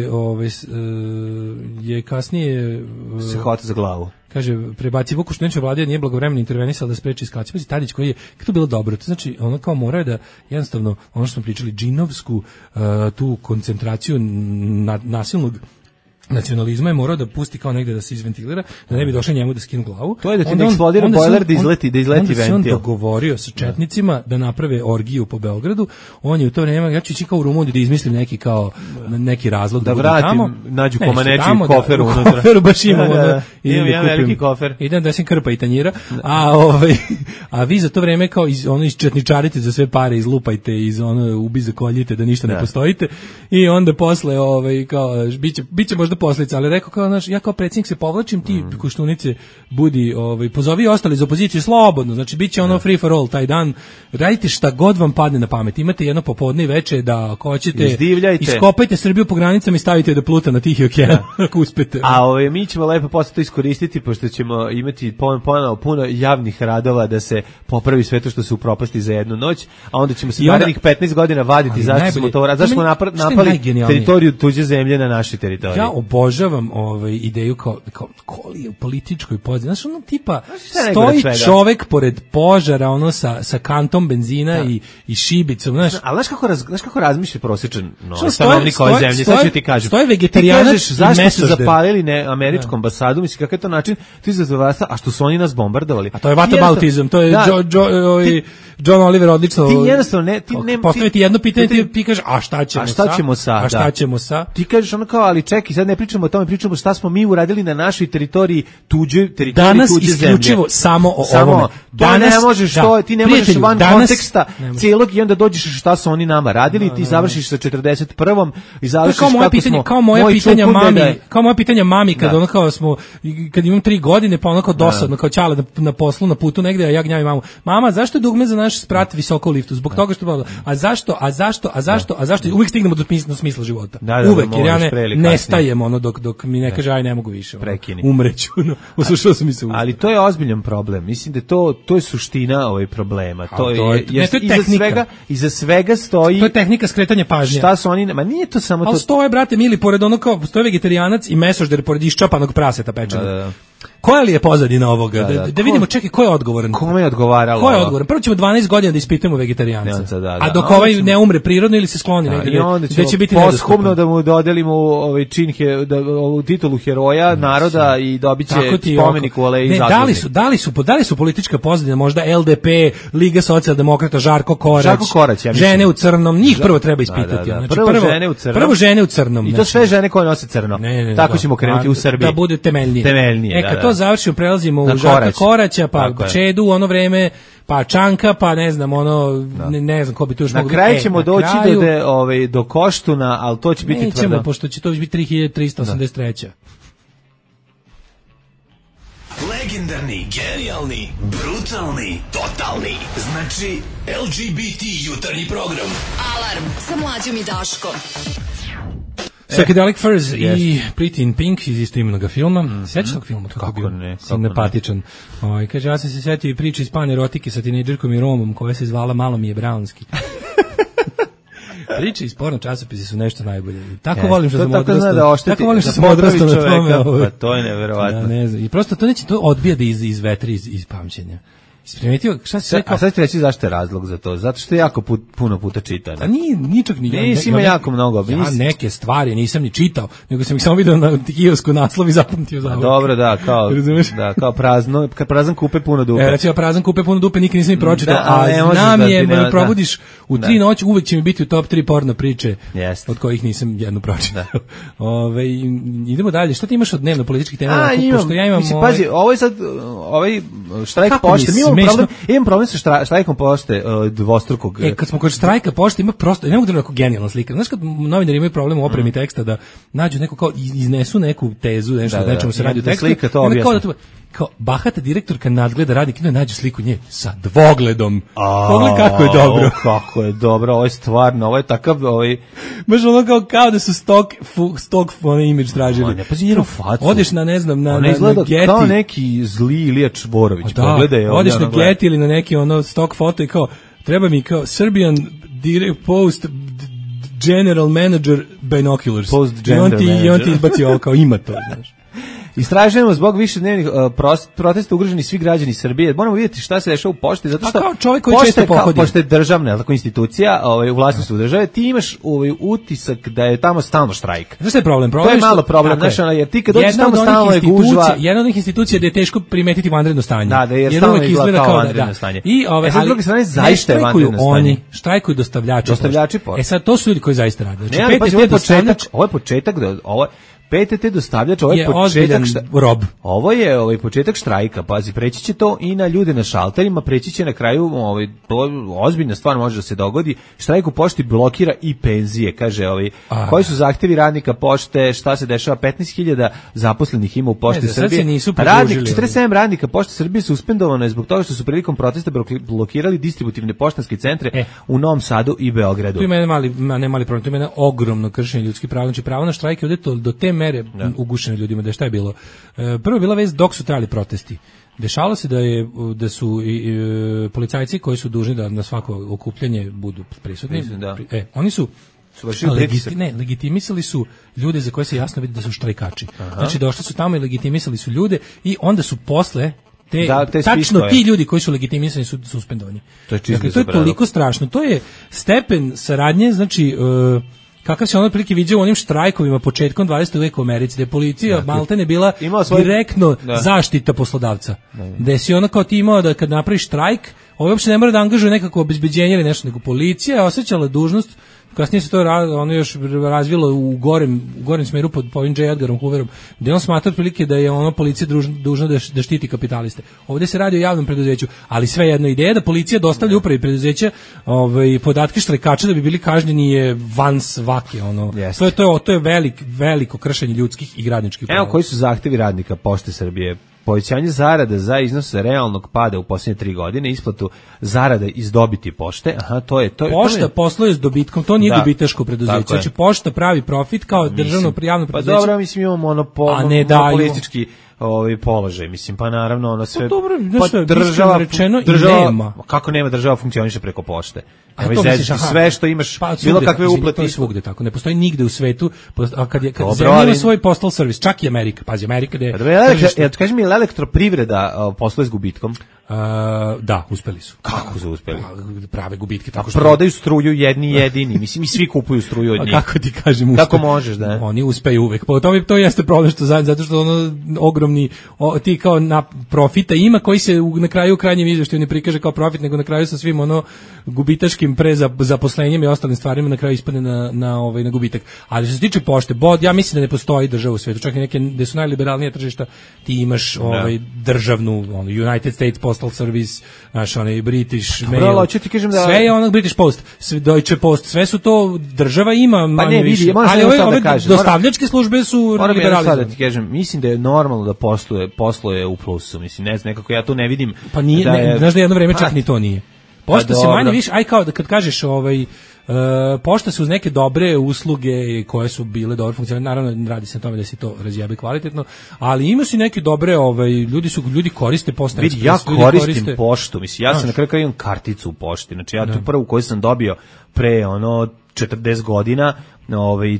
je kasnije... se hvata za glavu. Kaže, prebaci Vuku Štunića vlade, nije blagovremeno intervenisala da spreči eskalacije. Pazi, Tadić koji je, kako to bilo dobro, to znači, ono kao morao da, jednostavno, ono što smo pričali, džinovsku, tu koncentraciju nasilnog nacionalizma je morao da pusti kao negde da se izventilira, da ne bi došao njemu da skinu glavu. To je da ti ne eksplodira bojler da izleti ventil. Onda se on dogovorio sa četnicima da naprave orgiju po Beogradu. On je u to vreme, ja ću ići kao u Rumuniju da izmislim neki razlog da vratim, tamo. Nađu komaneći kofer unutra. U koferu baš imamo. Imam jedan veliki kofer. Idem da sam krpa i tanjira. A vi za to vreme kao četničarite za sve pare, izlupajte, ubi zakoljite da ništa ne postojite. I onda posle kao biće možda posledica, ali rekao kao naš, ja kao predsjednik se povlačim, ti Koštunice budi, pozovi ostali iz opozicije slobodno, znači biće ono free for all taj dan, radite šta god vam padne na pamet, imate jedno popodne i veče da ako hoćete, iskopajte Srbiju po granicama i stavite da pluta na Tihi okean, ako uspete. A mi ćemo lepo posle to iskoristiti, pošto ćemo imati ponovo puno javnih radova da se popravi sve to što se upropasti za jednu noć, a onda ćemo se narednih 15 godina vaditi zašto smo to zašto smo napali teritoriju tuđe zemlje na našoj teritoriji. Ja obožavam ideju kao koli u političkoj pozadini. Znaš, ono tipa stoji čovek pored požara, ono sa kantom benzina i šibicom, znaš. Ali znaš kako razmišlja prosječan stanovnik ove zemlje, sad ću ti kažem. Stoje vegetarijanac i zašto su zapalili američku ambasadu, mislim kakav je to način, ti zazvasta, a što su oni nas bombardovali. A to je whataboutizam, to je John Oliver odlično. Ti jednostavno postaviti jedno pitanje, ti kažeš, a šta ćemo sa? Ti kažeš ono kao, ali čekaj, sad ne pričamo o tome, pričamo šta smo mi uradili na našoj teritoriji, tuđe zemlje. Danas isključivo samo o ovome. Danas ti ne možeš van konteksta celog i onda dođeš šta su oni nama radili, ti završiš sa 41. i završiš kako smo. Kao moja pitanja mami kad ono kao smo, kad imam 3 godine, pa ono kao dosadno, kao ćala na poslu, na putu negde, a ja gnjavim mamu. Mama, zašto je dugme za naš sprat visoko u liftu? Zbog toga što a zašto? Uvijek stignemo do smisla života. Uvek, jer ja nestajem ono dok mi ne kaže aj ne mogu više. Umreću. Uslušao sam mi se. Ali to je ozbiljan problem. Mislim da to je suština ovog problema. To je iza svega stoji. To je tehnika skretanja pažnje. Šta su oni? Ma nije to samo to. Al stoje, brate mili, pored ono kao stoje vegetarijanac i mesožder pored iščapanog praseta pečenog. Koja li je pozadina ovoga? Da vidimo, čekaj, ko je odgovoran? Kome je odgovaralo? Ko je odgovoran? Prvo ćemo 12 godina da ispitamo vegetarijanca. A dok ovaj ne umre prirodno ili se skloni negdje, gde će biti posthumno da mu dodelimo ovu titulu heroja naroda i dobiće spomenik u Aleji Zazornik. Da li su politička pozadina, možda LDP, Liga socijaldemokrata, Žarko Korać, žene u crnom, njih prvo treba ispitati. Prvo žene u crnom. I to sve žene koje nose crno. Tako ćemo krenuti u Srbiji. Da bude temeljnije. Kad to završimo, prelazimo u Žarka Koraća, pa Čedu, ono vreme, pa Čanka, pa ne znam, ne znam ko bi to još mogu. Na kraju ćemo doći do Koštuna, ali to će biti tvrdo. Nećemo, pošto će to biti 3383. Legendarni, genijalni, brutalni, totalni. Znači, LGBT jutarnji program. Alarm sa Mlađom i Daškom. Psychedelic Furs i Pretty in Pink iz istoimenog filma. Sjećaš tog filma? Kako ne? Simpatičan. Kaže, ja sam se sjetio i priče iz panerotike sa tinejdžerkom i Romom koja se zvala Malo mi je Brownski. Priče iz porno časopisi su nešto najbolje. Tako volim što sam odrastao. Tako volim što sam odrastao na tome. Pa to je neverovatno. Ne znam. I prosto to odbija da izvetri iz pamćenja. Isprimetio, šta si rekao? A sad ti reći zašto je razlog za to? Zato što je jako puno puta čitano. A ničak ni nisi ima jako mnogo. Ja neke stvari nisam ni čitao, nego sam ih samo vidio na kijosku naslov i zapamtio za ovo. Dobro, kao prazan kupe puno dupe. Recimo prazan kupe puno dupe nikad nisam ni pročitao, a znam je, me probudiš u 3 noći, uvek će mi biti u top 3 porno priče, od kojih nisam jednu pročitao. Idemo dalje. Šta ti imaš od dnevno političkih tema? Pošto ja imam... Pazi, ovo je sad štrajk pošte. Imam problem sa štrajkom pošte dvostrukog. Kad smo kod štrajka pošte, ima prosto, ne mogu da neko genijalna slika. Znaš kad novinari imaju problem u opremi teksta da nađu neko kao iznesu neku tezu, nešto nečemu se radi u tekstu. Slika to objasni. Kao bahata direktorka nadgleda radi kino, nađe sliku nje sa dvogledom. Pogledaj kako je dobro. Kako je dobro, ovo je stvarno, ovo je takav, baš ono kao da su stock imidž tražili. Ne, pazi njenu facu. Odeš na, ne znam, na Getty. Kao neki zli Ilija Čvorović, pogledaj. Odeš na Getty ili na neki stock foto i kao, treba mi kao Serbian Post General Manager Binoculars. Post General Manager. I on ti izbaci ovo kao ima to, znaš. Istražujemo zbog višednevnih protesta ugroženi svi građani Srbije. Moramo vidjeti šta se dešava u pošti, zato što kao čovjek koji često pohodi. Pošta je državna, tako institucija, u vlasništvu države, ti imaš utisak da je tamo stalno štrajk. Znaš šta je problem? To je malo problem, jer ti kad dođeš tamo stalno je gužva. Jedna od onih institucija da je teško primetiti vanredno stanje. Da, jer stalno izgleda kao vanredno stanje. S druge strane, zaista je vanredno stanje. Oni štrajkuju dostavljači pošte. Pošte. Sad, to su ljudi koji zaista rade. Znači, ovo je početak, PTT dostavljač, ovo je početak rob. Ovo je početak štrajka, pazi, preći će to i na ljude na šalterima, preći će na kraju, to ozbiljna stvar može da se dogodi. Štrajk u pošti blokira i penzije, kaže koji su zahtevi radnika pošte, šta se dešava, 15.000 zaposlenih ima u pošti Srbije. Radnik, 47 radnika pošte Srbije suspendovano je zbog toga što su prilikom protesta blokirali distributivne poštanske centre u Novom Sadu i Beogradu. Tu ima ne mali problem, tu ima ogromno kršenje ljudskih prava, znači pravo na štrajk je ovdje do te mere ugušeno ljudima, da je šta je bilo. Prvo je bila vez dok su trajali protesti. Dešavalo se da su policajci koji su dužni da na svako okupljanje budu prisutni. Oni su legitimisali su ljude za koje se jasno vidi da su štrajkači. Znači došli su tamo i legitimisali su ljude i onda su posle tačno ti ljudi koji su legitimisani su suspendovani. To je toliko strašno. To je stepen saradnje, znači kakav se ono otprilike viđao u onim štrajkovima početkom 20. veka u Americi, gde je policija maltene bila direktno zaštita poslodavca. Gde si ono kao ti imao da kad napraviš štrajk, uopšte ne mora da angažuje nekako obezbeđenje ili nešto, nego policija je osjećala dužnost. Kasnije se to ono još razvilo u gorem smeru pod ovim J. Edgarom Hooverom, gde on smatra otprilike da je ono policija dužna da štiti kapitaliste. Ovdje se radi o javnom preduzeću, ali svejedno ideja da policija dostavlja upravi preduzeća podatke štrajkača da bi bili kažnjeni je van svake. To je veliko kršenje ljudskih i radničkih prava. Evo koji su zahtevi radnika Pošte Srbije. Povećanje zarada za iznos realnog pada u posljednje 3 godine, isplatu zarada iz dobiti pošte. Pošta posluje s dobitkom, to nije dobitaško preduzeće. Znači Pošta pravi profit kao državno javno preduzeće. Pa dobro, mislim imamo monopolistički položaj, mislim, pa naravno ono sve. Pa dobro, država nema. Kako nema, država funkcioniše preko pošte. Sve što imaš, bilo kakve uplate. To je svugde tako, ne postoji nigde u svetu, a kad zemlja ima svoj postal servis, čak i Amerika, pazi, Amerika gde je. Kaži mi, elektroprivreda posluje s gubitkom? Da, uspeli su. Kako su uspeli? Prave gubitke. Tako što prodaju struju jedini, mislim i svi kupuju struju od njih. Kako ti kažem, kako možeš, da? Oni uspeju uvek. Pa to jeste problem što zato što ono ogromni ti kao na profita ima koji se na kraju krajnjem izveštaju ne prikaže kao profit, nego na kraju sa svim ono gubitaškim zaposlenjem i ostalim stvarima na kraju ispadne na gubitak. Ali što se tiče pošte, ja mislim da ne postoji država u svetu, čak i neke gde su najliberalnije tržišta, ti imaš državnu United States Postal Service, naš British Mail, sve je onog British Post, Deutsche Post, sve su to država ima manje više, ali ove dostavljačke službe su liberalizovane. Sada ti kažem, mislim da je normalno da posluje u plusu, mislim, ne znam, nekako ja tu ne vidim. Pa nije, znaš da jedno vreme čak ni to nije. Pošta se manje više, kao da kad kažeš pošta su uz neke dobre usluge koje su bile dobro funkcionalne, naravno radi se na tome da se to razjebe kvalitetno, ali ima se neke dobre, ljudi koriste Pošta Ekspres. Ja koristim poštu, mislim, ja sam na kraju imam karticu u pošti, znači ja tu prvu koju sam dobio pre 40 godina,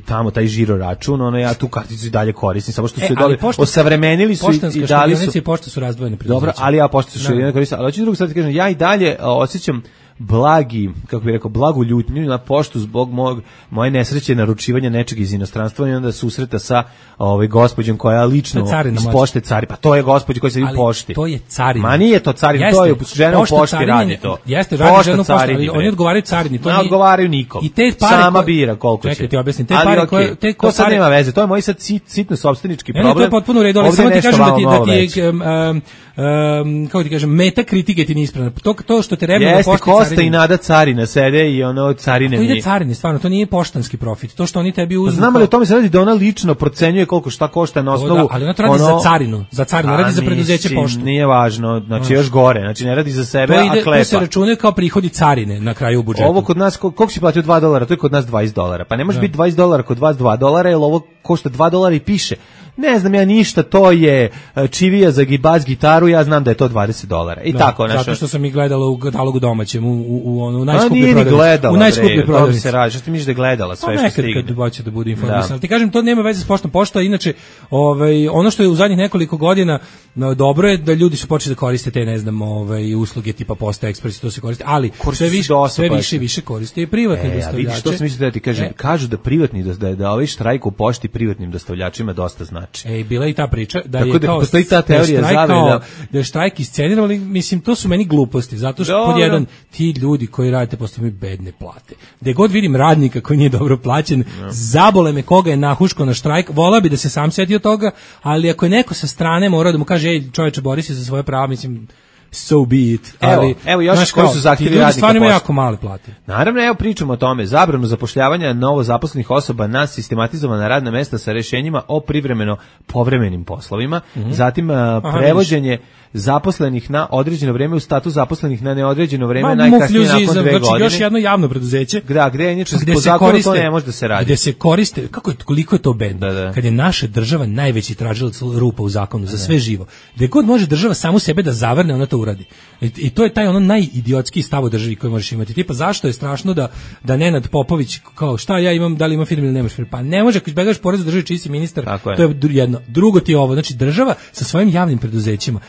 tamo taj žiro račun, ja tu karticu i dalje koristim, samo što su osavremenili su i dali su. Poštanska pošta su razdvojene preduzeća. Dobro, ali ja pošta su jedino koristim, ali hoću drugu sad ti kažem, ja i dalje osjećam blagu ljutnju na poštu zbog moje nesreće naručivanja nečeg iz inostranstva i onda susreta sa gospođom koja lično iz pošte cari. Pa to je gospođa koja se u pošti. To je carina. Ma nije to carina, to je žena u pošti radi to. Jeste, radi žena u pošti, ali oni odgovaraju carini. Ne odgovaraju nikom. Sama bira koliko će. Čekaj, ti objasnim. Te pare koje... To sad nema veze, to je moj sad sitno sopstvenički problem. Ne, to je potpuno u redu, ali samo ti kažem da ti je, kako ti kažem, meta kritike ti nije ispravna. To što te rebno na pošti Kosta i Nada carina sede i carine nije. To ide carine, stvarno, to nije poštanski profit. To što oni tebi uzmu. Znamo li o tome se radi da ona lično procenjuje koliko šta košta na osnovu. Ali ona to radi za carinu, radi za preduzeće poštu. Nije važno, znači još gore, znači ne radi za sebe, a klepa. To se računaju kao prihodi carine na kraju u budžetu. Ovo kod nas, koliko si platio $2, to je kod nas $20. Pa ne može biti $20 kod vas $2, jer ovo košta $2 i piše. Ne znam ja ništa, to je čivija za bas gitaru, ja znam da je to $20. I tako nešto. Zato što sam ih gledala u katalogu domaćem, u najskuplje prodavnici. U najskuplje prodavnici. Se radi, što ti misliš da je gledala sve što stigne? Nekad kad hoće da bude informisan. Ti kažem, to nema veze s poštom. Pošta, inače, ono što je u zadnjih nekoliko godina dobro je da ljudi su počeli da koriste te, ne znam, usluge tipa Pošta Ekspres, to se koriste, ali sve više koriste i privatni dostavljači. Vidiš, što sam mislio da ti kažem, kažu da privatni, da ovaj štrajk u pošti privatnim dostavljačima dosta znači. Bila i ta priča da tako je kao postoji ta teorija zavere da je štrajk isceniran, ali mislim to su meni gluposti, zato što pod jedan ti ti ljudi koji radite posle bedne plate. Gde god vidim radnika koji nije dobro plaćen, zabole me koga je nahuško na štrajk, volao bi da se sam setio toga, ali ako je neko sa strane morao da mu kaže, ej čoveče, bori se za svoje prava, mislim, so be it. Ali, evo još koji su zahtjevi radnika. Ljudi stvarno imaju jako male plate. Naravno, evo pričamo o tome. Zabranu zapošljavanja novo zaposlenih osoba na sistematizovana radna mesta sa rešenjima o privremeno povremenim poslovima. Zatim prevođenje zaposlenih na određeno vreme u status zaposlenih na neodređeno vreme najkasnije nakon 2 godine. Znači još jedno javno preduzeće. Gde inače po zakonu to ne može da se radi. Gde se koriste, koliko je to bedno. Kad je naša država najveći tražilac rupa u zakonu za sve živo. Gde god može država samu sebe da zavrne, ona to uradi. I to je taj ono najidiotskiji stav u državi koji možeš imati. Tipa zašto je strašno da Nenad Popović kao šta ja imam, da li imam firmu ili nemaš firmu? Pa ne može, ako izbegaš porez u državi čiji si ministar, to je jedno. Drugo ti je ovo, znači država sa svojim javnim preduzećima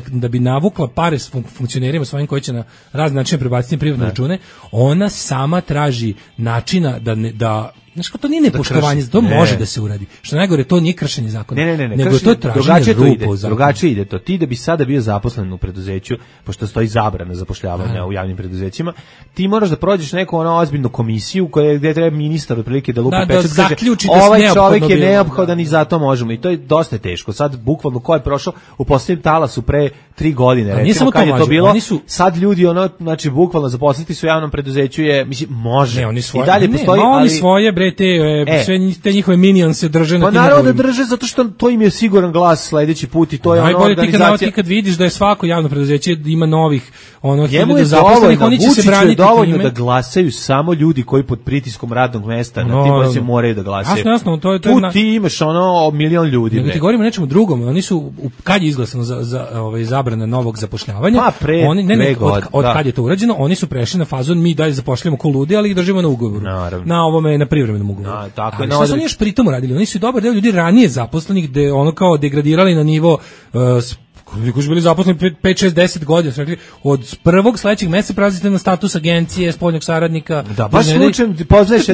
da bi navukla pare s funkcionerima svojim koji će na razne načine prebaciti privatne račune, ona sama traži načina da znaš kako to nije nepoštovanje, to može da se uradi. Što najgore, to nije kršenje zakona. Ne. Nego to je traženje rupa u zakonu. Drugačije ide to. Ti da bi sada bio zaposlen u preduzeću, pošto stoji zabrana zapošljavanja u javnim preduzećima, ti moraš da prođeš neku ozbiljnu komisiju gde treba ministar otprilike da lupi pečat, kaže ovaj čovjek je neophodan i zato možemo. I to je dosta teško. Sad, bukvalno, ko je prošao u posljednjem talasu pre 3 godine, recimo, kad je to bilo, sad ljudi, znači, bukvalno zaposliti su u javnom preduzeću je, mislim, može. I dalje postoji, ali svoje sve te njihove minionse drže na tim. Pa naravno da drže, zato što to im je siguran glas sledeći put i to je ona organizacija. Ti kad vidiš da je svako javno preduzeće ima novih hiljadu zaposlenih, oni će se braniti. Je dovoljno da glasaju samo ljudi koji pod pritiskom radnog mesta na tim pozicijama moraju da glasaju. Jasno, to je tu ti imaš milion ljudi. Nego ti govorimo o nečemu drugom. Oni su, kad je izglasano za zabrana novog zapošljavanja, od kad je to urađeno, oni su prešli na fazon mi dalje zapošljavamo ko ludi, ali ih držimo na ugovoru. Na ovome, na privremenom ugovoru. Ali šta su oni još pritom uradili? Oni su dobar deo ljudi ranije zaposlenih gde kao degradirali na nivo koji su bili zaposleni 5, 6, 10 godina, su rekli, od prvog sledećeg meseca prelazite na status agencije, spoljnog saradnika. Da, baš slučajem poznaješ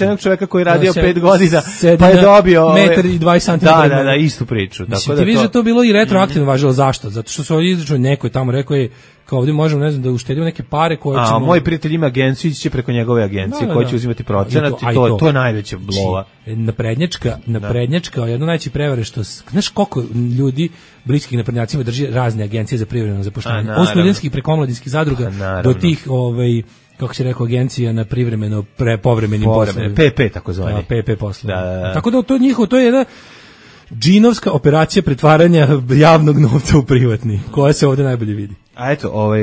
jednog čoveka koji je radio 5 godina, pa je dobio 1,20 m. Da, istu priču. Mislim, ti vidiš da to bilo i retroaktivno važilo. Zašto? Zato što su ovdje izračunali, neko je tamo rekao je, kao ovdje možemo, ne znam, da uštedimo neke pare koje ćemo... moj prijatelj ima agenciju, ići će preko njegove agencije, koji će uzimati procenat i to je najveća blova. Naprednjačka, jedno najveće prevare što... Znaš koliko ljudi bliskih naprednjacima drži razne agencije za privremeno zapošljavanje? Od studentskih preko omladinskih zadruga do tih, kako se rekao, agencija na privremeno povremenim poslovima. PP tako zvani. PP poslovima. Tako da to njihovo, to je jedna džinovska operacija pretvaranja javnog novca u privatni, koja se ovdje najbolje vidi. A eto,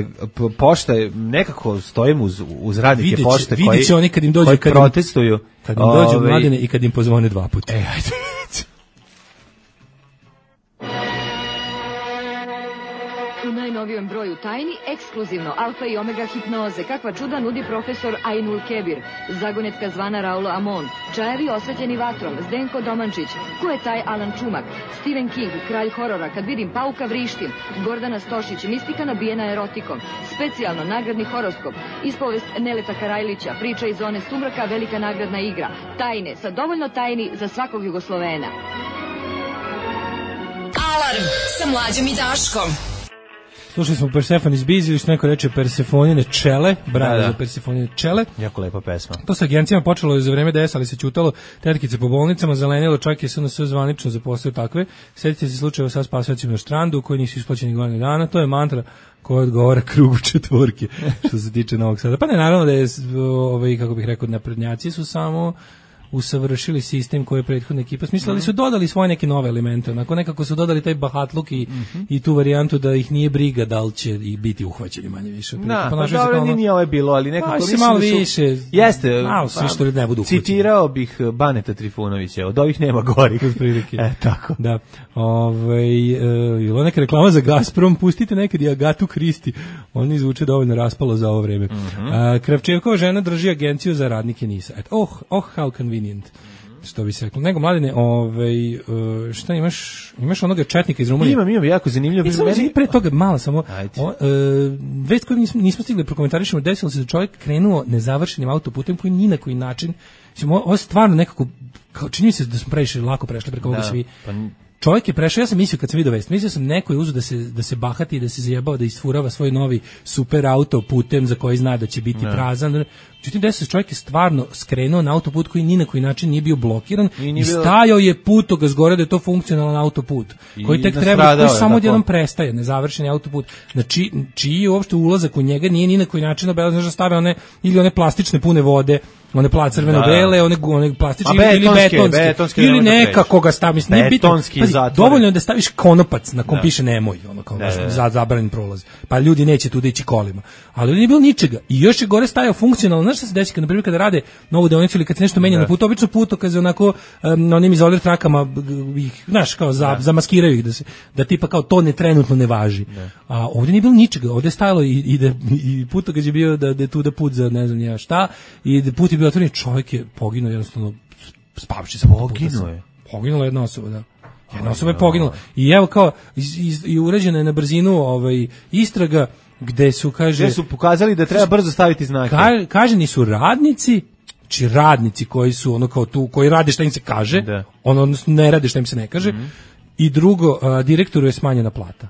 pošta je, nekako stojim uz radnike pošte vidjet će oni kad im dođu, protestuju. Kad im dođu Mladine i kad im pozvone 2 puta. Ajde. U najnovijem broju tajni, ekskluzivno alfa i omega hipnoze, kakva čuda nudi profesor Ainul Kebir, zagonetka zvana Raulo Amon, čajevi osvetljeni vatrom, Zdenko Domančić, ko je taj Alan Čumak, Stephen King, kralj horora, kad vidim pauka vrištim, Gordana Stošić, mistika nabijena erotikom, specijalno nagradni horoskop, ispovest Neleta Karajlića, priča iz zone sumraka, velika nagradna igra, tajne, sa dovoljno tajni za svakog Jugoslovena. Alarm sa Mlađom i Daškom. Slušali smo Persephone's Biz, ili što neko reče Persefonine čele, bravo za Persefonine čele. Jako lepa pesma. To sa agencijama počelo za vreme DS, ali se ćutalo, tetkice po bolnicama, zelenilo, čak je SNS zvanično zaposlio takve. Sjetite se slučajeva sa spasiocima na štrandu, koji nisu isplaćeni godinu dana, to je mantra koja odgovara krugu četvorke, što se tiče Novog Sada. Pa ne, naravno da je, kako bih rekao, naprednjaci su samo usavršili sistem koji je prethodna ekipa smislili, su dodali svoje neke nove elemente, onako nekako su dodali taj bahatluk i tu varijantu da ih nije briga da li će i biti uhvaćeni manje više. Da, pa dobro, nije ovo je bilo, ali nekako mislim malo više, jeste, malo su što ne budu uhvaćeni. Citirao bih Baneta Trifunovića, od ovih nema gorih. Tako. Da. Bilo neka reklama za Gazprom, pustite nekad i Agatu Kristi, on izvuče dovoljno raspalo za ovo vreme. Kravčevkova žena drži agenciju za radnike NIS-a. How convenient, što bi se reklo. Nego, Mladine, šta imaš onoga četnika iz Rumunije? Imam jako zanimljivo. Pre toga, malo samo, vest koju nismo stigli prokomentarišemo, desilo se da čovjek krenuo nezavršenim autoputem koji ni na koji način, ovo je stvarno nekako, čini mi se da smo previše lako prešli preko ovoga svi. čovjek je prešao, ja sam mislio kad sam vidio vest, mislio sam neko je uzeo da se bahati, da se zajebao, da isfurava svoj novi super auto putem za koji zna da će biti prazan. Međutim, da se čovjek je stvarno skrenuo na autoput koji ni na koji način nije bio blokiran i stajao je putokaz gore da je to funkcionalan autoput koji tek treba, koji samo odjednom prestaje, nezavršeni autoput. Znači, čiji je uopšte ulazak u njega nije ni na koji način obeležen, da stave one ili one plastične pune vode, one crveno-bele, one plastične ili betonske ili nekako ga stavi, nije bitno. Dovoljno je da staviš konopac na kom piše nemoj, ono kao zabranjen prolaz. Pa ljudi neće tu da ići kolima. Ali nije bilo ničega. I još je gore stajao funkcionalno. Znaš šta se desi na primjer kada rade novu deonicu ili kad se nešto menja na putu, obično putokaze onako na onim izolir trakama ih, znaš, kao zamaskiraju ih da tipa kao to trenutno ne važi. A ovdje nije bilo ničega. Ovdje je stajalo i putokaz je bio da je tu da put za ne znam ja šta i da put je bio otvoren, čovjek je poginuo jednostavno spavši sa puta. Poginula jedna osoba, da. Jedna osoba je poginula. I evo kao i urađena je na brzinu istraga gde su pokazali da treba brzo staviti znake. Kaženi su radnici, či radnici koji su ono kao tu, koji rade šta im se kaže, odnosno ne rade šta im se ne kaže. I drugo, direktoru je smanjena plata.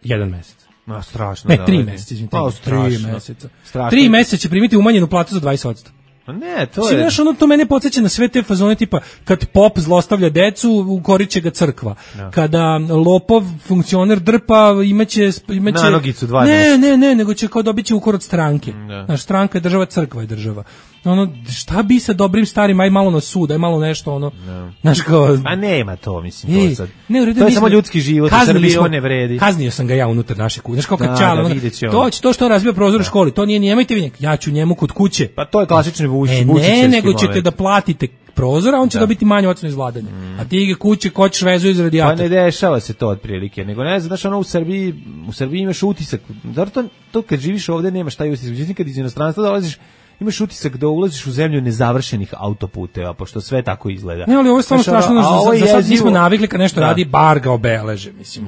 1 mesec. Strašno. Ne, 3 meseca, izvinite. 3 meseca. 3 meseca će primiti umanjenu platu za 20%. Ne, to je... Znaš, ono to mene podsjeća na sve te fazone tipa kad pop zlostavlja decu, ukoriće ga crkva. Kada lopov funkcioner drpa, imaće na nogicu 2 meseca. Ne, nego će kao dobiti ukor od stranke. Znaš, stranka je država, crkva je država. Ono, šta bi sa dobrim starim, aj malo na sud, aj malo nešto, ono, znaš kao... Pa nema to, mislim, to sad. To je samo ljudski život, u Srbiji on ne vredi. Kaznio sam ga ja unutar naše kuće, znaš kao kad čala, to što razbija prozor u školi, to nije, nemojte vi ja ću njemu kod kuće. Pa to je klasični Vučićevski moment. Nego ćete da platite prozor, a on će dobiti manju ocenu iz vladanja. A ti ga kuće kočiš vezu iz radijatora. Pa ne dešava se to otprilike, nego ne znaš, ono u Srbiji imaš utisak, zato to kad živiš ovde nemaš taj utisak, međutim kad iz inostranstva dolaziš, imaš utisak da ulaziš u zemlju nezavršenih autoputeva, pošto sve tako izgleda. Ne, ali ovo je stvarno strašno, za sad nismo navikli kad nešto radi, bar ga obeleže, mislim.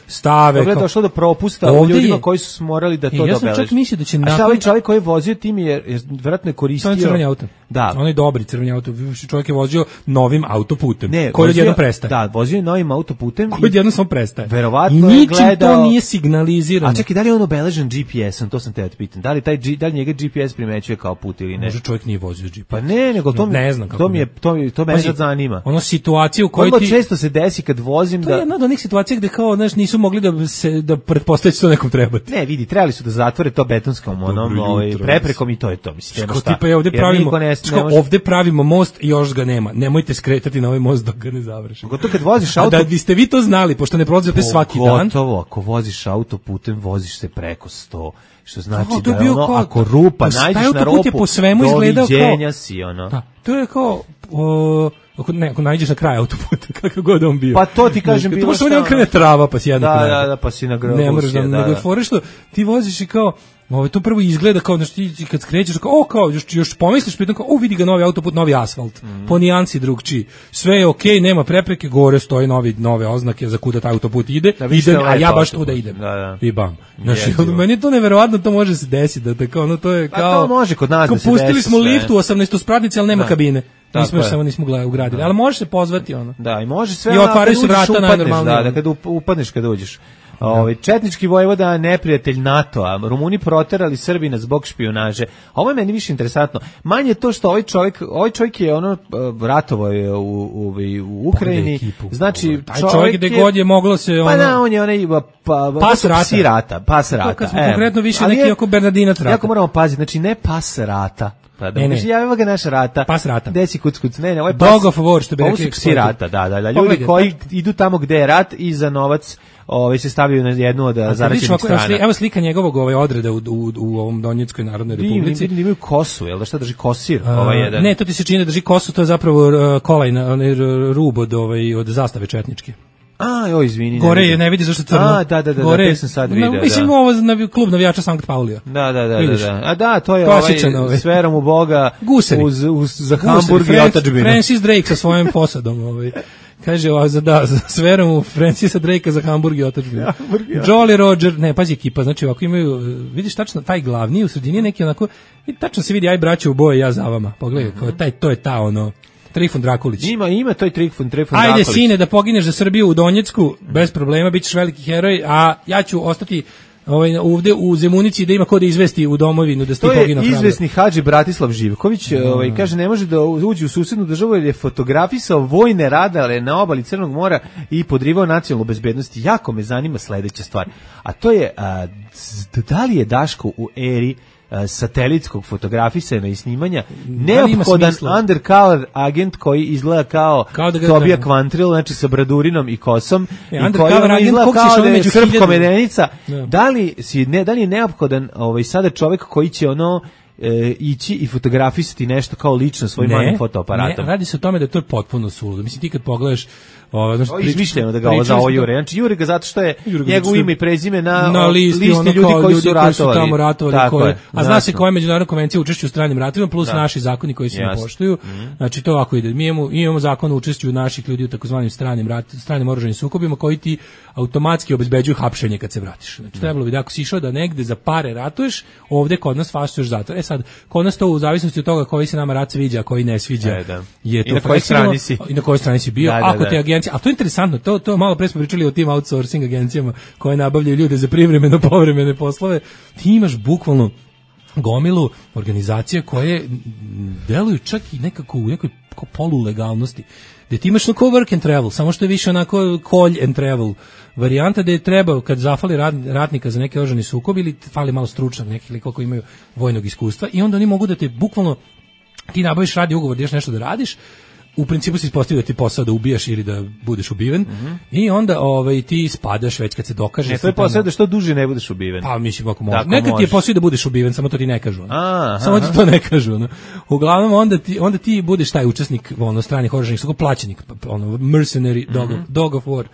Stave. Ovdje je došlo do propusta u ljudima koji su morali da to dobeleže. Ja sam čak mislio da će A šta ovaj čovjek koji je vozio tim je vjerojatno je koristio... To je crveni auto. Da. On je dobri crveni auto. Čovjek je vozio novim autoputem, koji odjednom prestaje. Da, vozio je novim autoputem. Koji odjednom samo prestaje. Verovatno je gledao... Ničim to nije signalizirano. A čekaj, da li je on obeležen GPS-om, to sam te pitan. Da li njega GPS primećuje kao put ili ne? Može čovjek nije vozio GPS. Pa ne, nego to ne znam kako. To me sad zanima. Ono situacija u kojoj ti često se desi kad vozim to je jedna od onih situacija gde kao znaš nisu mogli da pretpostavljaju što nekom trebati. Ne, vidi, trebali su da zatvore to betonskom preprekom i to je to, mislim. Što tipa ovde pravimo most i još ga nema. Nemojte skretati na ovaj most dok ga ne završimo. Gotovo kad voziš auto, da biste vi to znali, pošto ne prolazite svaki dan. Gotovo, ako voziš autoputem, voziš se preko 100. Što znači da je ono, ako rupa, nađeš na rupu, po svemu izgledao doviđenja si, ono. Da, to je kao, ako nađeš na kraj autoputa, kakav god on bio. Pa to ti kažem bilo što. To krene trava, pa si jedna kraj. Da, pa si na grobu. Ne moraš da, nego fore što ti voziš i kao, to prvo izgleda kao, znači ti kad skrećeš, kao, još pomisliš, pritom kao, vidi ga novi autoput, novi asfalt, po nijansi drugčiji. Sve je okej, nema prepreke, gore stoje nove oznake za kuda taj autoput ide, a ja baš tu da idem. I bam. Znači, meni je to neverovatno, to može se desiti, da tako, to je kao... Pa to može kod nas da se desi. Pustili smo lift u 18-spratnici, ali nema kabine. Nismo ugradili, ali može se pozvati ono. Da, i može sve. I otvaraju se vrata najnormalnije. Da, kad upadneš kad uđeš. Četnički vojvoda, neprijatelj NATO-a, Rumuni proterali Srbina zbog špijunaže. Ovo je meni više interesantno. Manje to što ovaj čovjek je ratovao je u Ukrajini. Znači, taj čovjek gde god je moglo se Pa da, on je onaj pas rata. To smo konkretno više neki oko Bernardinac rata. Jako moramo paziti, znači ne pas rata. Ne, javimo ga naša rata. Pas rata. Desi kuc. Ne, ovaj Dog of War, što bi rekli. Ovo su psi rata, da. Ljudi koji idu tamo gde je rat i za novac se stavljaju na jednu od zaraćenih strana. Evo slika njegovog odreda u ovom Donjeckoj narodnoj republici. Vidim imaju kosu, jel da šta drži kosir? Jedan. Ne, to ti se čini da drži kosu, to je zapravo kolaj, onaj rub od zastave četničke. Izvini. Gore je, ne vidi zašto crno. Da, te sam sad vidio. Mislim, ovo je klub navijača Sankt Paulija. Da. A da, to je s verom u Boga za Hamburg i otadžbinu. Francis Drake sa svojim posadom. Kaže, s verom u Francisa Drakea za Hamburg i otadžbinu. Jolly Roger, ne, pazi ekipa, znači ovako imaju, vidiš tačno, taj glavni u sredini neki onako, i tačno se vidi, aj braće u boje, ja za vama. Pogledaj, to je ta Trifun Drakulić. Ima to i Trifun Drakulić. Ajde sine da pogineš za Srbiju u Donjecku, bez problema, bit ćeš veliki heroj, a ja ću ostati ovde u Zemunici da ima ko da izvesti u domovinu da ste poginuo hrabro. To je izvesni Hadži Bratislav Živković, kaže ne može da uđe u susednu državu jer je fotografisao vojne radare na obali Crnog mora i podrivao nacionalnu bezbednost. Jako me zanima sledeća stvar, a to je da li je Daško u eri satelitskog fotografisanja i snimanja neophodan undercover agent koji izgleda kao Tobija Kvantril, znači sa bradurinom i kosom i koji izgleda kao da je srpkomedenica. Da li je neophodan sada čovjek koji će ići i fotografisati nešto kao lično svojim malim fotoaparatom? Ne, radi se o tome da to je potpuno suludo. Mislim, ti kad pogledaš izmišljeno da ga ovo za ovo Jure. Znači Jure ga zato što je njegov ime i prezime na listi ljudi koji su ratovali. A zna se koja je međunarodna konvencija o učešću u stranim ratovima plus naši zakoni koji se ne poštuju. Znači to ovako ide. Mi imamo zakon o učešću naših ljudi u takozvanim stranim oružanim sukobima koji ti automatski obezbeđuju hapšenje kad se vratiš. Znači trebalo bi da ako si išao da negde za pare ratuješ, ovde kod nas fasuješ zatvor. Sad, kod nas to u zavisnosti od toga koji se nama rat sviđa, a koji ne sviđa. Je to i na kojoj strani si. I na kojoj strani si bio. Ako te agencija, a to je interesantno, to malo pre smo pričali o tim outsourcing agencijama koje nabavljaju ljude za privremeno povremene poslove. Ti imaš bukvalno gomilu organizacija koje deluju čak i nekako u nekoj polulegalnosti. Gde ti imaš onako work and travel, samo što je više onako call and travel varijanta da je treba kad zafali ratnika za neke oružani sukob ili fali malo stručnog nekih likova koji imaju vojnog iskustva i onda oni mogu da te bukvalno ti nabaviš radi ugovor da nešto da radiš. U principu se ispostavlja da ti posao da ubijaš ili da budeš ubiven i onda ti spadaš već kad se dokaže. To je posao da što duže ne budeš ubiven. Pa mislim ako može. Nekad ti je posao da budeš ubiven, samo to ti ne kažu. Samo ti to ne kažu. Uglavnom onda ti budeš taj učesnik stranih oružanih sukoba, plaćenik, mercenary dog of war.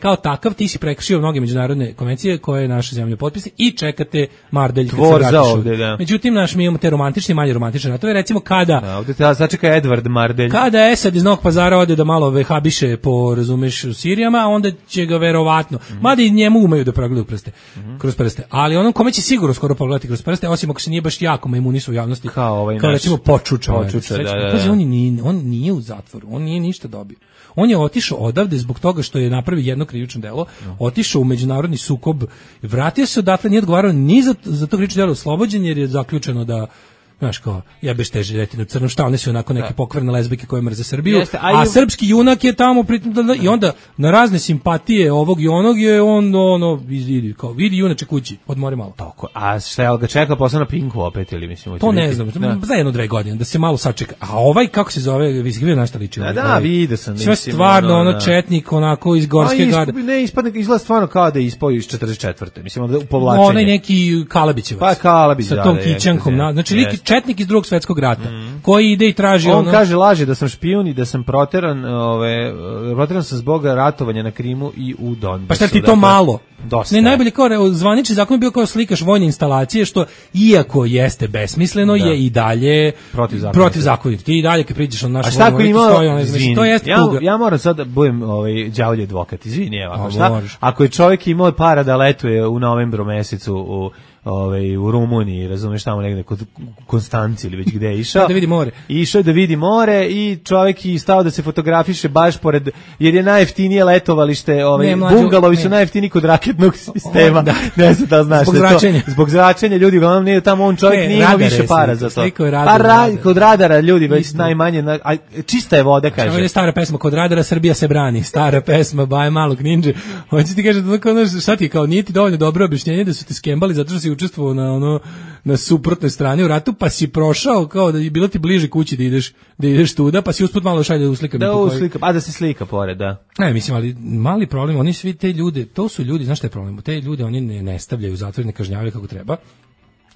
Kao takav ti si prekršio mnoge međunarodne konvencije koje je naša zemlja potpisala i čekate mardelj kad se vratiš. Međutim, mi imamo te romantične i manje romantične ratove. Recimo kada... Ovdje te začeka Edward Mardelj. Kada Esad iz Novog Pazara ode da malo vehabiše po, razumeš, u Sirijama, onda će ga verovatno, mada i njemu umeju da progledaju kroz prste, ali onom kome će sigurno skoro pogledati kroz prste, osim ako se nije baš jako majmunisu u javnosti, kao recimo Počuča. On nije u zatvoru, on nije ništa dobio. On je otišao odavde zbog toga što je napravio jedno krivično delo, otišao u međunarodni sukob, vratio se odatle, nije odgovarao ni za to krivično delo, oslobođen jer je zaključeno da znaš kao, jebeš te žiletine u crnom, šta one su onako neke pokvarne lezbijke koje mrze Srbiju, a srpski junak je tamo i onda na razne simpatije ovog i onog je on vidi junače kući, odmori malo. Tako, a šta ga čeka posle na Pinku opet ili mislim? To ne znam, za 1-2 godine da se malo sačeka. A ovaj kako se zove, vidio na šta liči? Da, vidio sam. Sve stvarno četnik onako iz Gorske garde. Ne, izgleda stvarno kao da je ispao iz 44. Mislim da povlačenje. Onaj neki Kalabićevac. Pa Kalabić, sa tom kićankom, znači četnik iz Drugog svjetskog rata, koji ide i traži on kaže laže da sam špijun i da sam proteran sam zbog ratovanja na Krimu i u Donbasu. Pa šta ti to malo? Dosta. Ne, najbolje kao zvanični zakon je bio kao slikaš vojne instalacije, što iako jeste besmisleno je i dalje protivzakonito. Ti i dalje kad priđeš na našu vojnu, to jeste tuga. Ja moram sad da budem đavolji advokat, izvini, evo, šta? Ako je čovjek imao para da letuje u novembru mesecu u Rumuniji, razumeš, tamo negde kod Konstanci ili već gde je išao. Da vidi more. Išao da vidi more i čovjek je stao da se fotografiše baš pored, jer je najjeftinije letovalište, bungalovi su najjeftiniji kod raketnog sistema. Ne znam da znaš. Zbog zračenja ljudi, uglavnom nije tamo, on čovjek nije imao više para za to. Kod radara ljudi već najmanje, čista je voda, kaže. Ovo je stara pesma, kod radara Srbija se brani, stara pesma, Baje malog ninđe. Hoće ti kaže, šta ti kao, nije ti dovoljno dobro objašnjenje da su te skembali zato što si učestvovao na suprotnoj strani u ratu, pa si prošao kao da je bilo ti bliže kući da ideš tuda, pa si usput malo šalje da uslikam. Da se slika pored, da. Ne, mislim, ali mali problem, oni svi te ljude, to su ljudi, znaš šta je problem? Te ljude oni ne stavljaju u zatvor, ne kažnjavaju kako treba.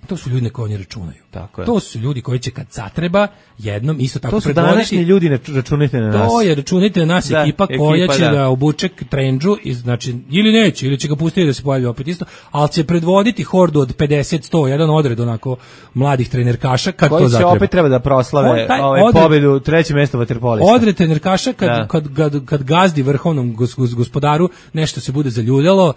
To su ljudi na koje oni računaju. Tako je. To su ljudi koji će kad zatreba jednom isto tako predvoditi. To su današnji ljudi, računajte na nas. To je, računajte na nas, ekipa koja će da obuče trendžu, znači, ili neće, ili će ga pustiti da se pojavi opet isto, ali će predvoditi hordu od 50-100, jedan odred onako mladih trenerkaša kad to zatreba. Koji će opet treba da proslave pobedu, treće mesto vaterpolista. Odred trenerkaša kad gazdi vrhovnom gospodaru nešto se bude zaljuljalo,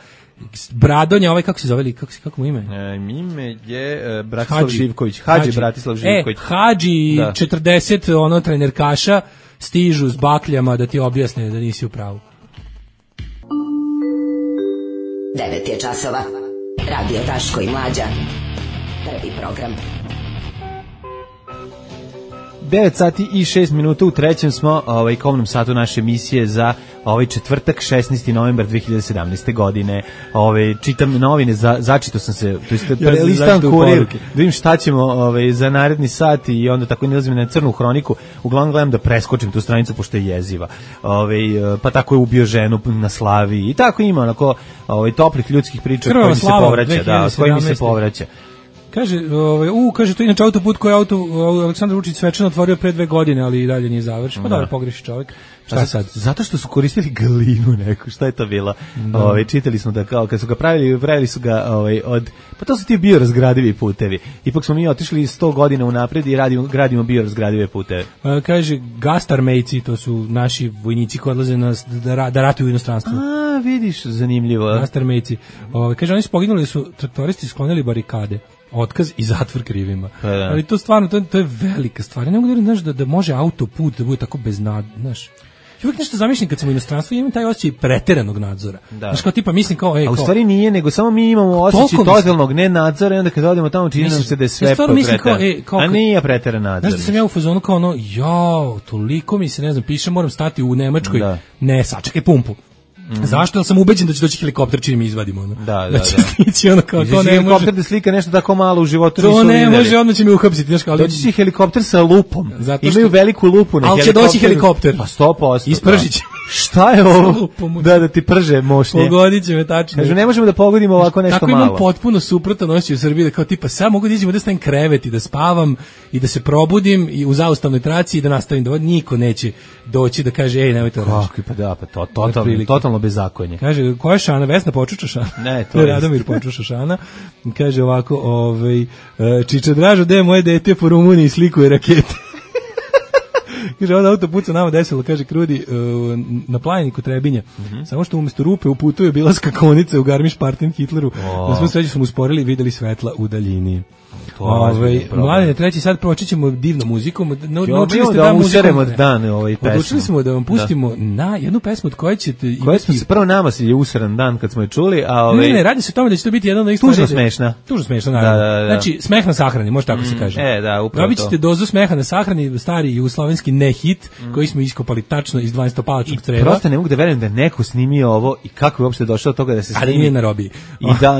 Bradonja, kako se zove, kako mu ime? Ime je Bratislav Živković. Hadži Bratislav Živković. Hadži 40 trenerkaša stižu s bakljama da ti objasne da nisi u pravu. 9 je časova. Radio Daško i Mlađa. Prvi program. 9 sati i 6 minuta u trećem smo komnom satu naše emisije za četvrtak 16. novembar 2017. godine. Čitam novine, začitao sam se, to jest prelistam Kurir, da vidim šta ćemo za naredni sat i onda tako nalazim na crnu hroniku. Uglavnom gledam da preskočim tu stranicu pošto je jeziva. Pa tako je ubio ženu na Slavi i tako ima onako toplih ljudskih priča koji mi se povraća, da, koji mi se povraća. Kaže, to je inače autoput koji je Aleksandar Vučić svečano otvorio pre 2 godine, ali i dalje nije završen. Pa dobro, pogreši čovjek. Šta sad? Zato što su koristili glinu neku, šta je to bilo? Čitali smo da kao, kad su ga pravili su ga pa to su ti biorazgradivi putevi. Ipak smo mi otišli 100 godina unapred i gradimo biorazgradive puteve. Kaže, gastarmejci, to su naši vojnici koji odlaze da ratuju u inostranstvu. A, vidiš, zanimljivo. Gastarmejci. Kaže, oni su poginuli, su traktoristi sklonili barikade. Otkaz i zatvor krivima. Ali to stvarno, to je velika stvar. Ja ne mogu da može autoput da bude tako znaš. Ja uvijek nešto zamišljam kad sam u inostranstvu i imam taj osjećaj preteranog nadzora. Znaš, kao tipa mislim kao... A u stvari nije, nego samo mi imamo osjećaj totalnog nenadzora i onda kad odemo tamo čini nam se da je sve preteren. A nije preteran nadzor. Znaš da sam ja u fazonu kao toliko mi se, ne znam, piše, moram stati u Nemačkoj. Ne, sačekaj pumpu. Zašto? Jer sam ubeđen da će doći helikopter čim mi izvadimo. Da. Kao, to ne helikopter da slika nešto tako malo u životu. To ne može, odmah će mi uhapsiti. Doći će helikopter sa lupom. Imaju veliku lupu na helikopteru. Ali će doći helikopter. Pa 100%. Ispržit će. Šta je ovo? Da ti prže mošnje. Pogodit će me tačno. Kažu, ne možemo da pogodimo ovako nešto malo. Tako imam potpuno suprotan osjećaj u Srbiji, da kao tipa, sad mogu da iđem da stavim krevet i da spavam i da se probudim i u zaustavnoj traci i da nastavim da niko neće doći da kaže, nemoj to raditi. Pa da, totalno bezakonje. Kaže, koja je Šana? Vesna Počuča Šana? Ne, to je Radomir Počuča Šana. Kaže ovako, Čiča Dražo, gde je moje dete po Rumuniji slikuje rakete? Kaže, ovdje autoput se nama desilo, kaže Krudi, na Plajniku Trebinja. Samo što umjesto rupe u putu je bila skakonice u Garmisch-Partenkirchen Hitleru. Na svu sreću smo usporili i videli svetla u daljini. Mladine, treći sad proći ćemo divnom muzikom. Naučili ste da useremo dan pesmu. Odlučili smo da vam pustimo na jednu pesmu od koje ćete imati... Prvo nama je useran dan kad smo je čuli, a Ne, radi se o tome da će to biti jedan od ovih stvari. Tužno smešna. Tužno smešna, naravno. Znači, smeh na sahrani, može tako se kaže. Da, upravo to. Dobit ćete dozu smeha na sahrani, stari jugoslovenski ne-hit, koji smo iskopali tačno iz 12-palačnog creva. I prosto ne mogu da verujem da neko snimio ovo i kako je uopšte došao do toga da se snimi. Ali nije na robiji.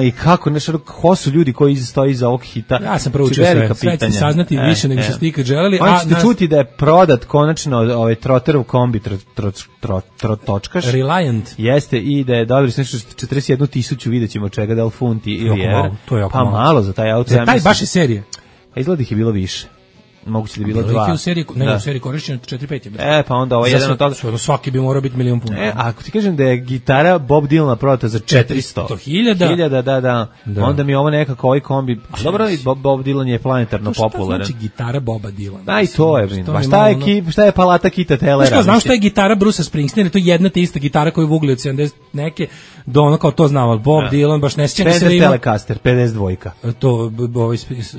I kako, ko su ljudi koji stoji iza ovog hita. Ja sam proučio sve ćete saznati više nego što ste ikad želeli. Oni ćete čuti da je prodat konačno Trotterov kombi točkaš. Reliant. Jeste, i da je dobili nešto 41.000, vidjet ćemo čega, da li funti ili evra. Pa malo za taj auto. Za taj baš je serije. A izgleda ih je bilo više. Moguće da je bilo 2. U seriji korišćeno 4-5. Pa onda jedan od toga. Svaki bi morao biti milion puno. Ako ti kažem da je gitara Bob Dylana prodata za 400.000, da. Onda mi ovo nekako ovaj kombi. Dobro, Bob Dylan je planetarno popularan. Šta znači gitara Boba Dylana? Aj, to je, šta je palata Kita Tellera? Znam šta je gitara Bruce'a Springsteena, to je jedna te ista gitara koju vugli od 70 neke, do ono kao to znamo, Bob Dylan, baš ne sjećam se da ima. Telecaster, 52. To,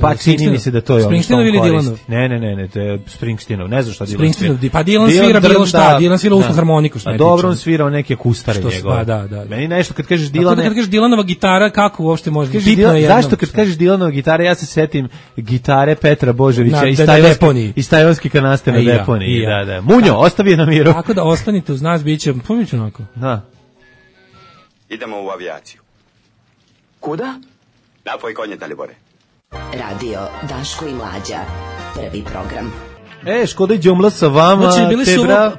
pa čini mi se da to je Springsteenov ili Dylanov? Ne, to je Springsteenov, ne znam šta Dylan svira. Pa Dylan svira bilo šta, Dylan svira usnu harmoniku. A dobro, on svirao neke kustare njegove. Da. Meni nešto kad kažeš Dylan... Kad kažeš Dylanova gitara, kako uopšte može? Zašto kad kažeš Dylanova gitara, ja se setim gitare Petra Božovića iz Tajvanske kanaste na deponiji. Da. Munjo, ostavi je na miru. Tako da ostanite uz nas, bit će onako. Da. Idemo u avijaciju. Kuda? Napoj konje, Dalibore. Radio Daško i Mlađa. Prvi program. Škoda i džumla sa vama. Znači,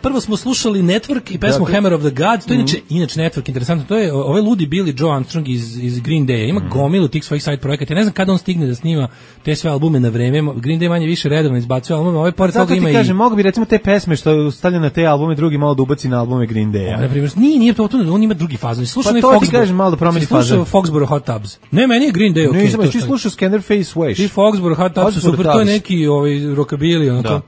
prvo smo slušali Network i pesmu Hammer of the Gods, to je inače Network, interesantno, to je ovaj ludi Billy Joe Armstrong iz Green Day, ima gomilu tih svojih side projekata, ja ne znam kada on stigne da snima te sve albume na vreme, Green Day manje više redovno izbacuje albume, ovaj pored toga ima i... Zato ti kažem, mogu bi recimo te pesme što je stavljeno na te albume, drugi malo da ubaci na albume Green Day. Na primjer, nije to, on ima drugi fazon, slušao to ti kažem, malo da promeni fazon. Foxborough Hot Tubs. Ne, meni je Green Day okej. Ne, ti slušao Scanderface Wash. Ti Foxborough Hot Tubs, super, to je neki rockabilly, onako.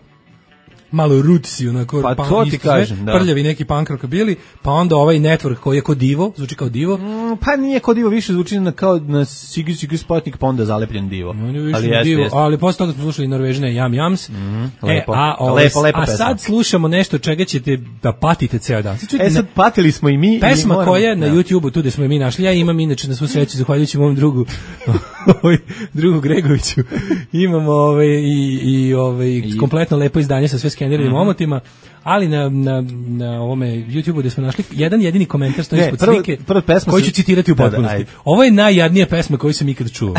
malo rootsy, onako, pa to ti kažem, da. Prljavi neki punk rockabilly, pa onda ovaj network koji je kod Divo, zvuči kao Divo. Pa nije kod Divo, više zvuči kao na Sigi Spotnik, pa onda zalepljen Divo. Ali posle toga smo slušali Norvežine Jams. Lepo, a sad slušamo nešto čega ćete da patite ceo dan. Sad patili smo i mi. Pesma koja je na YouTubeu, tu gde smo je mi našli, ja imam inače na svu sreću, zahvaljujući mom drugu Gregoviću, imamo i kompletno lepo izdanje sa sve skeniranim omotima, ali na ovome YouTubeu gde smo našli jedan jedini komentar stoji ispod slike koji ću citirati u potpunosti. Ovo je najjadnija pesma koju sam ikad čuo.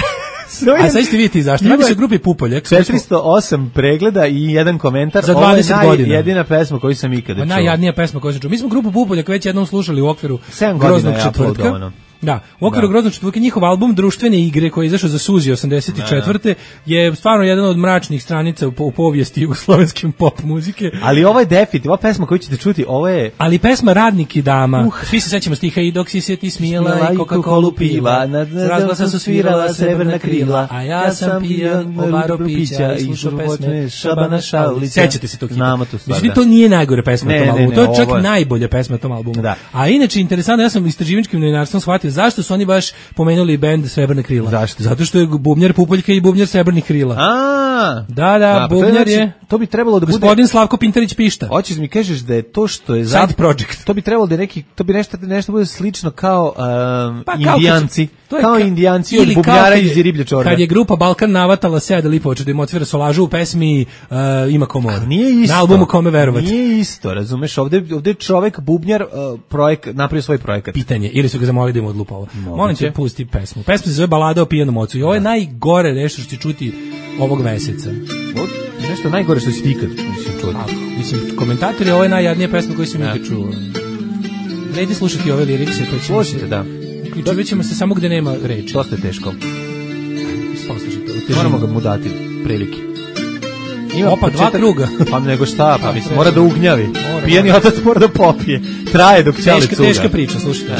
A sad ćete vidjeti zašto. Radi se o grupi Pupoljak. 408 pregleda i jedan komentar. Za 20 godina. Jedina pesma koju sam ikada čuo. Najjadnija pesma koju sam čuo. Mi smo grupu Pupoljak već jednom slušali u okviru Groznog četvrtka. Da, u okviru Groznog četvrtka njihov album Društvene igre koji je izašao za Suzi 84. je stvarno jedan od mračnih stranica u povijesti jugoslovenske pop muzike. Ali ovo je definitivno, ova pesma koju ćete čuti, ovo je... Ali pesma Radnik i dama, svi se sećamo stiha i dok si se ti smijela i Coca-Colu piva, s razglasa su svirala srebrna krila, a ja sam pijan, ovaro pića i slušao pesme Šabana Šaulića. Sećate se tog hita? Mislim, to nije najgore pesma na tom albumu, to je čak najbolja pesma na tom albumu. A inače, interesantno, ja sam istraživačkim novinarstvom shvatio zašto su oni baš pomenuli bend Srebrna krila. Zašto? Zato što je bubnjar Pupoljka i bubnjar Srebrnih krila. Da, bubnjar je... To bi trebalo da bude... Gospodin Slavko Pintarić Pišta. Hoćeš mi kažeš da je to što je... Side project. To bi trebalo da to bi nešto bude slično kao Indijanci. Kao Indijanci od bubnjara iz Riblje čorbe. Kad je grupa Balkan navatala Seda Lipovača da im otvira solažu u pesmi Ima komor. Nije isto. Na albumu Kome verovati. Nije isto, razumeš? Ovde je čovek bubnjar napravio svoj projekat. Pitanje, ili su ga zamolili da im odlupa ovo. Molim te, pusti pesmu. Pesma se zove Balada o pijanom ocu i ovo je najgore nešto što će čuti ovog meseca. Nešto najgore što si ikad čuti. Mislim, komentatori, ovo je najjadnija pesma koju sam ikad čuo. Vredi slušati ove lirikse. Slušajte, da. Uključivit ćemo se samo gde nema reči. Dosta je teško. Poslušajte. Moramo ga mu dati prilike. Opa, dva kruga. Pa nego šta, pa mislim, mora da ugnjavi. Pijani otac mora da popije. Traje dok ćali cuga. Teška priča, slušajte.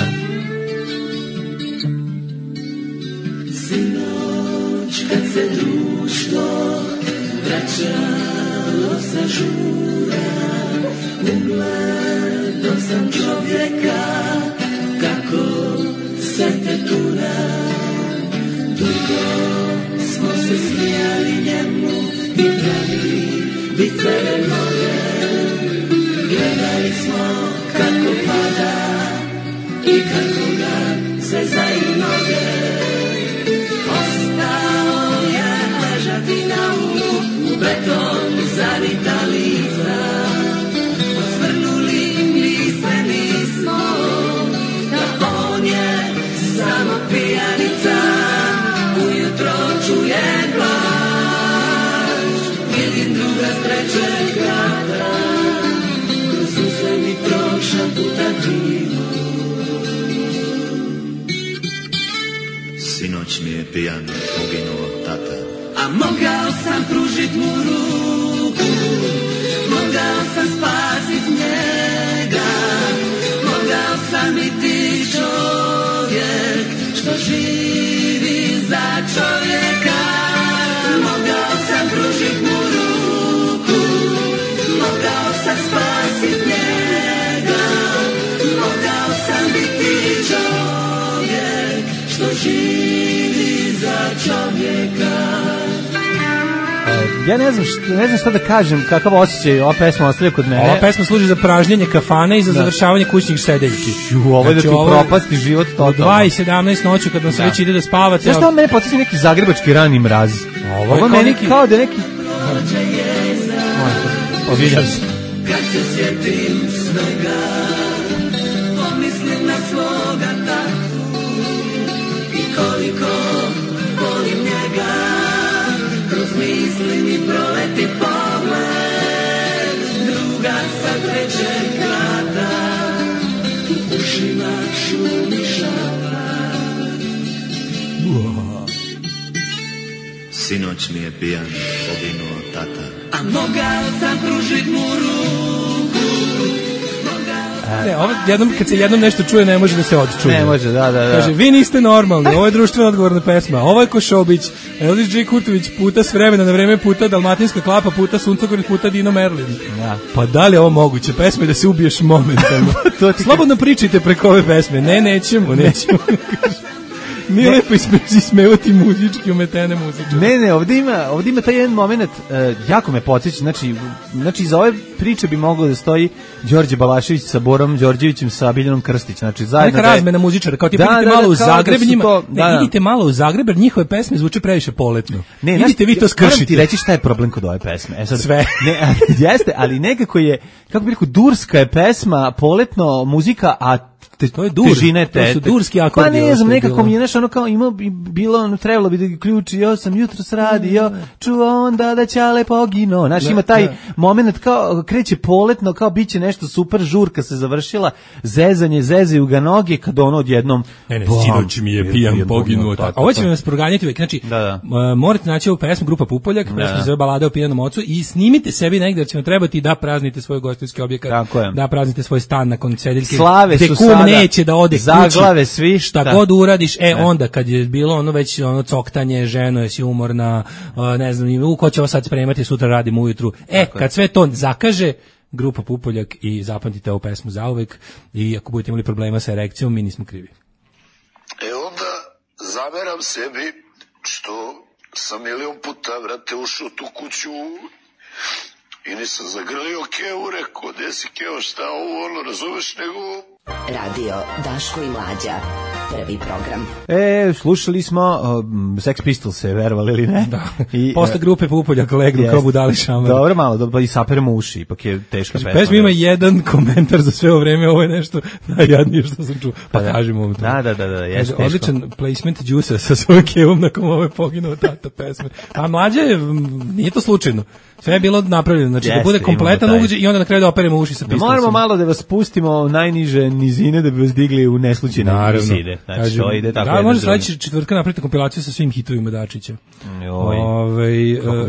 Sinoć kad se društvo vraćalo sa žura, ugledao sam čovjeka kako se tetura. Dugo smo se smijali njemu i pravili viceve mnoge. Gledali smo kako pada i kako ga se zaju noge. Ostao je ležati na umu, u beton zavita lica. Osvrnuli mi se nismo, da on je samo pijanica. Ujutro čuje plač, vidim druga s trećeg grada. Kroz suze mi prošla puta krivo. Sinoć mi je pijan poginuo tata. A mogao sam pružit mu ruku, mogao sam spasit njega, mogao sam biti čovjek što živi za čovjeka. Mogao sam pružit mu ruku, mogao sam spasit njega, mogao sam biti čovjek što živi za čovjeka. Ja ne znam šta da kažem, kakav osjećaj ova pesma ostavlja kod mene. Ova pesma služi za pražnjenje kafane i za završavanje kućnih sedeljki. Ovo je da ti propasti život totalno. 2:17 noću kad vam se već ide da spavate. Znaš što mene podsjeti neki zagrebački rani mraz? Ovo meni kao da neki... Poviđam se. Kad se sjetim svega, pomislim na svoga tatu i koliko volim njega. Kroz misli mi proleti pogled druga sa trećeg grada. U ušima šumi šapat. Sinoć mi je pijan poginuo tata. A mogao sam pružit mu ruku. Ne, ovo kad se jednom nešto čuje, ne može da se odčuje. Ne može, da. Kaže, vi niste normalni, ovo je društveno odgovorna pesma, ovo je Košobić, Elvis J. Kurtović puta s vremena na vreme, puta Dalmatinska klapa, puta Suncogorec, puta Dino Merlin. Ja. Pa da li je ovo moguće? Pesma je da se ubiješ momentalno. Slobodno pričajte preko ove pesme. Ne, nećemo. Nije lepo ismevati muzički umetene muzičke. Ne, ovdje ima taj jedan moment, jako me podsjeća, znači za ove priče bi moglo da stoji Đorđe Balašević sa Borom Đorđevićem sa Biljanom Krstić, znači zajedno. Neka razmena muzičara, kao ti idite malo u Zagreb njima, idite malo u Zagreb, jer njihove pesme zvuče previše poletno. Ne, idite vi to skršite. Moram ti reći šta je problem kod ove pesme. Sad, sve. Ne, jeste, ali nekako je, kako bih rekao, durska je pesma, poletno muzika, a to je dur, to su durski akordi. Pa ne znam, nekako mi je nešto ono kao bilo, trebalo bi da ključio sam jutros radio, čuo onda da ćale pogino. Znaš, ima taj moment kao kreće poletno, kao bit će nešto super, žurka se završila, zezaju ga noge, kad ono odjednom... Ne, sinoć mi je pijan poginuo. Ovo će nas proganjati uvijek, znači, morate naći ovu pesmu Grupa Pupoljak, pesma se zove Balada o pijanom ocu i snimite sebi negdje, jer će vam trebati da praznite svoj gostinski objekat, da praznite svoj stan nakon cedeljke. Slave su sada neće da ode zaglave svi šta god uradiš, onda kad je bilo ono već ono coktanje, ženo jesi umorna, ne znam, ko će ovo sad spremati, sutra radimo ujutru. Kad sve to zakaže, Grupa Pupoljak i zapamtite ovu pesmu zauvek i ako budete imali problema sa erekcijom, mi nismo krivi. Onda zameram sebi što sam milion puta, vrate, ušao tu kuću i nisam zagrlio Keo, rekao, gde si Keo, šta ovo, ono, razumeš, nego... Radio Daško i Mlađa, prvi program. Slušali smo Sex Pistols, verovali ili ne? Da. Posle Grupe Pupoljak legnu kao budali šamar. Dobro, malo, pa i saperemo uši, ipak je teška pesma. Pesma ima jedan komentar za sve ovo vreme, ovo je nešto najjadnije što sam čuo. Pa kažemo vam to. Da, jeste teško. Odličan placement Đusa sa svojom kevom nakon ove poginuo tata pesme. A Mlađa je, nije to slučajno. Sve je bilo napravljeno, znači da bude kompletan ugođaj i onda na kraju da operemo uši sa Pistolsima. Moramo malo da vas spustimo najniže nizine da bi vas digli u neslučajne visine. Znači, to ide tako. Da, može sledeći četvrtka napraviti kompilaciju sa svim hitovima Dačića.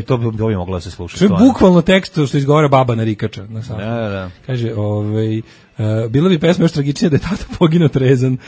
Kako bi to bi moglo da se sluša? To je bukvalno tekst što izgovara baba narikača. Da. Kaže, bilo bi pesma još tragičnija da je tata poginuo trezan.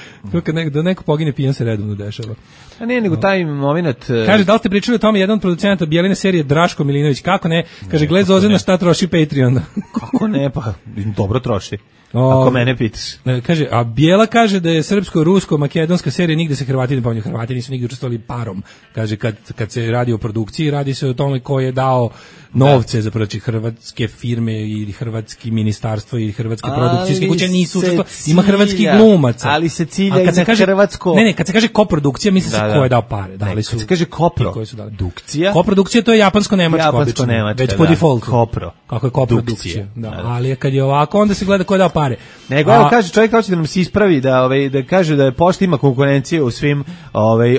Da neko pogine pijan se redovno dešava. A ne, nego taj moment... Kaže, da li ste pričali o tome, jedan od producenta Bijeline serije Draško Milinović, kako ne? Kaže, gled Zozana šta troši Patreon. Kako ne, pa dobro troši. Ako mene pitaš. Kaže, a Bijela kaže da je srpsko-rusko-makedonska serija, nigde se Hrvati ne pominju. Hrvati nisu nigde učestvovali parom. Kaže, kad se radi o produkciji, radi se o tome ko je dao novce za hrvatske firme ili hrvatski ministarstvo ili hrvatske produkcijske kuće nisu učestvovali. Ima hrvatskih glumaca. Ali se cilja i na hrvatsko... Ne, kad se kaže koprodukcija, misli se ko je dao pare. Kad se kaže koprodukcija... Koprodukcija to je japansko-nemačko obično. Već po defaultu. Kopro. Kako je koprodukcija. Ali kad je ovako, onda se gleda ko je dao pare. Nego, evo kaže, čovjek hoće da nam se ispravi, da kaže da je pošta ima konkurencije u svim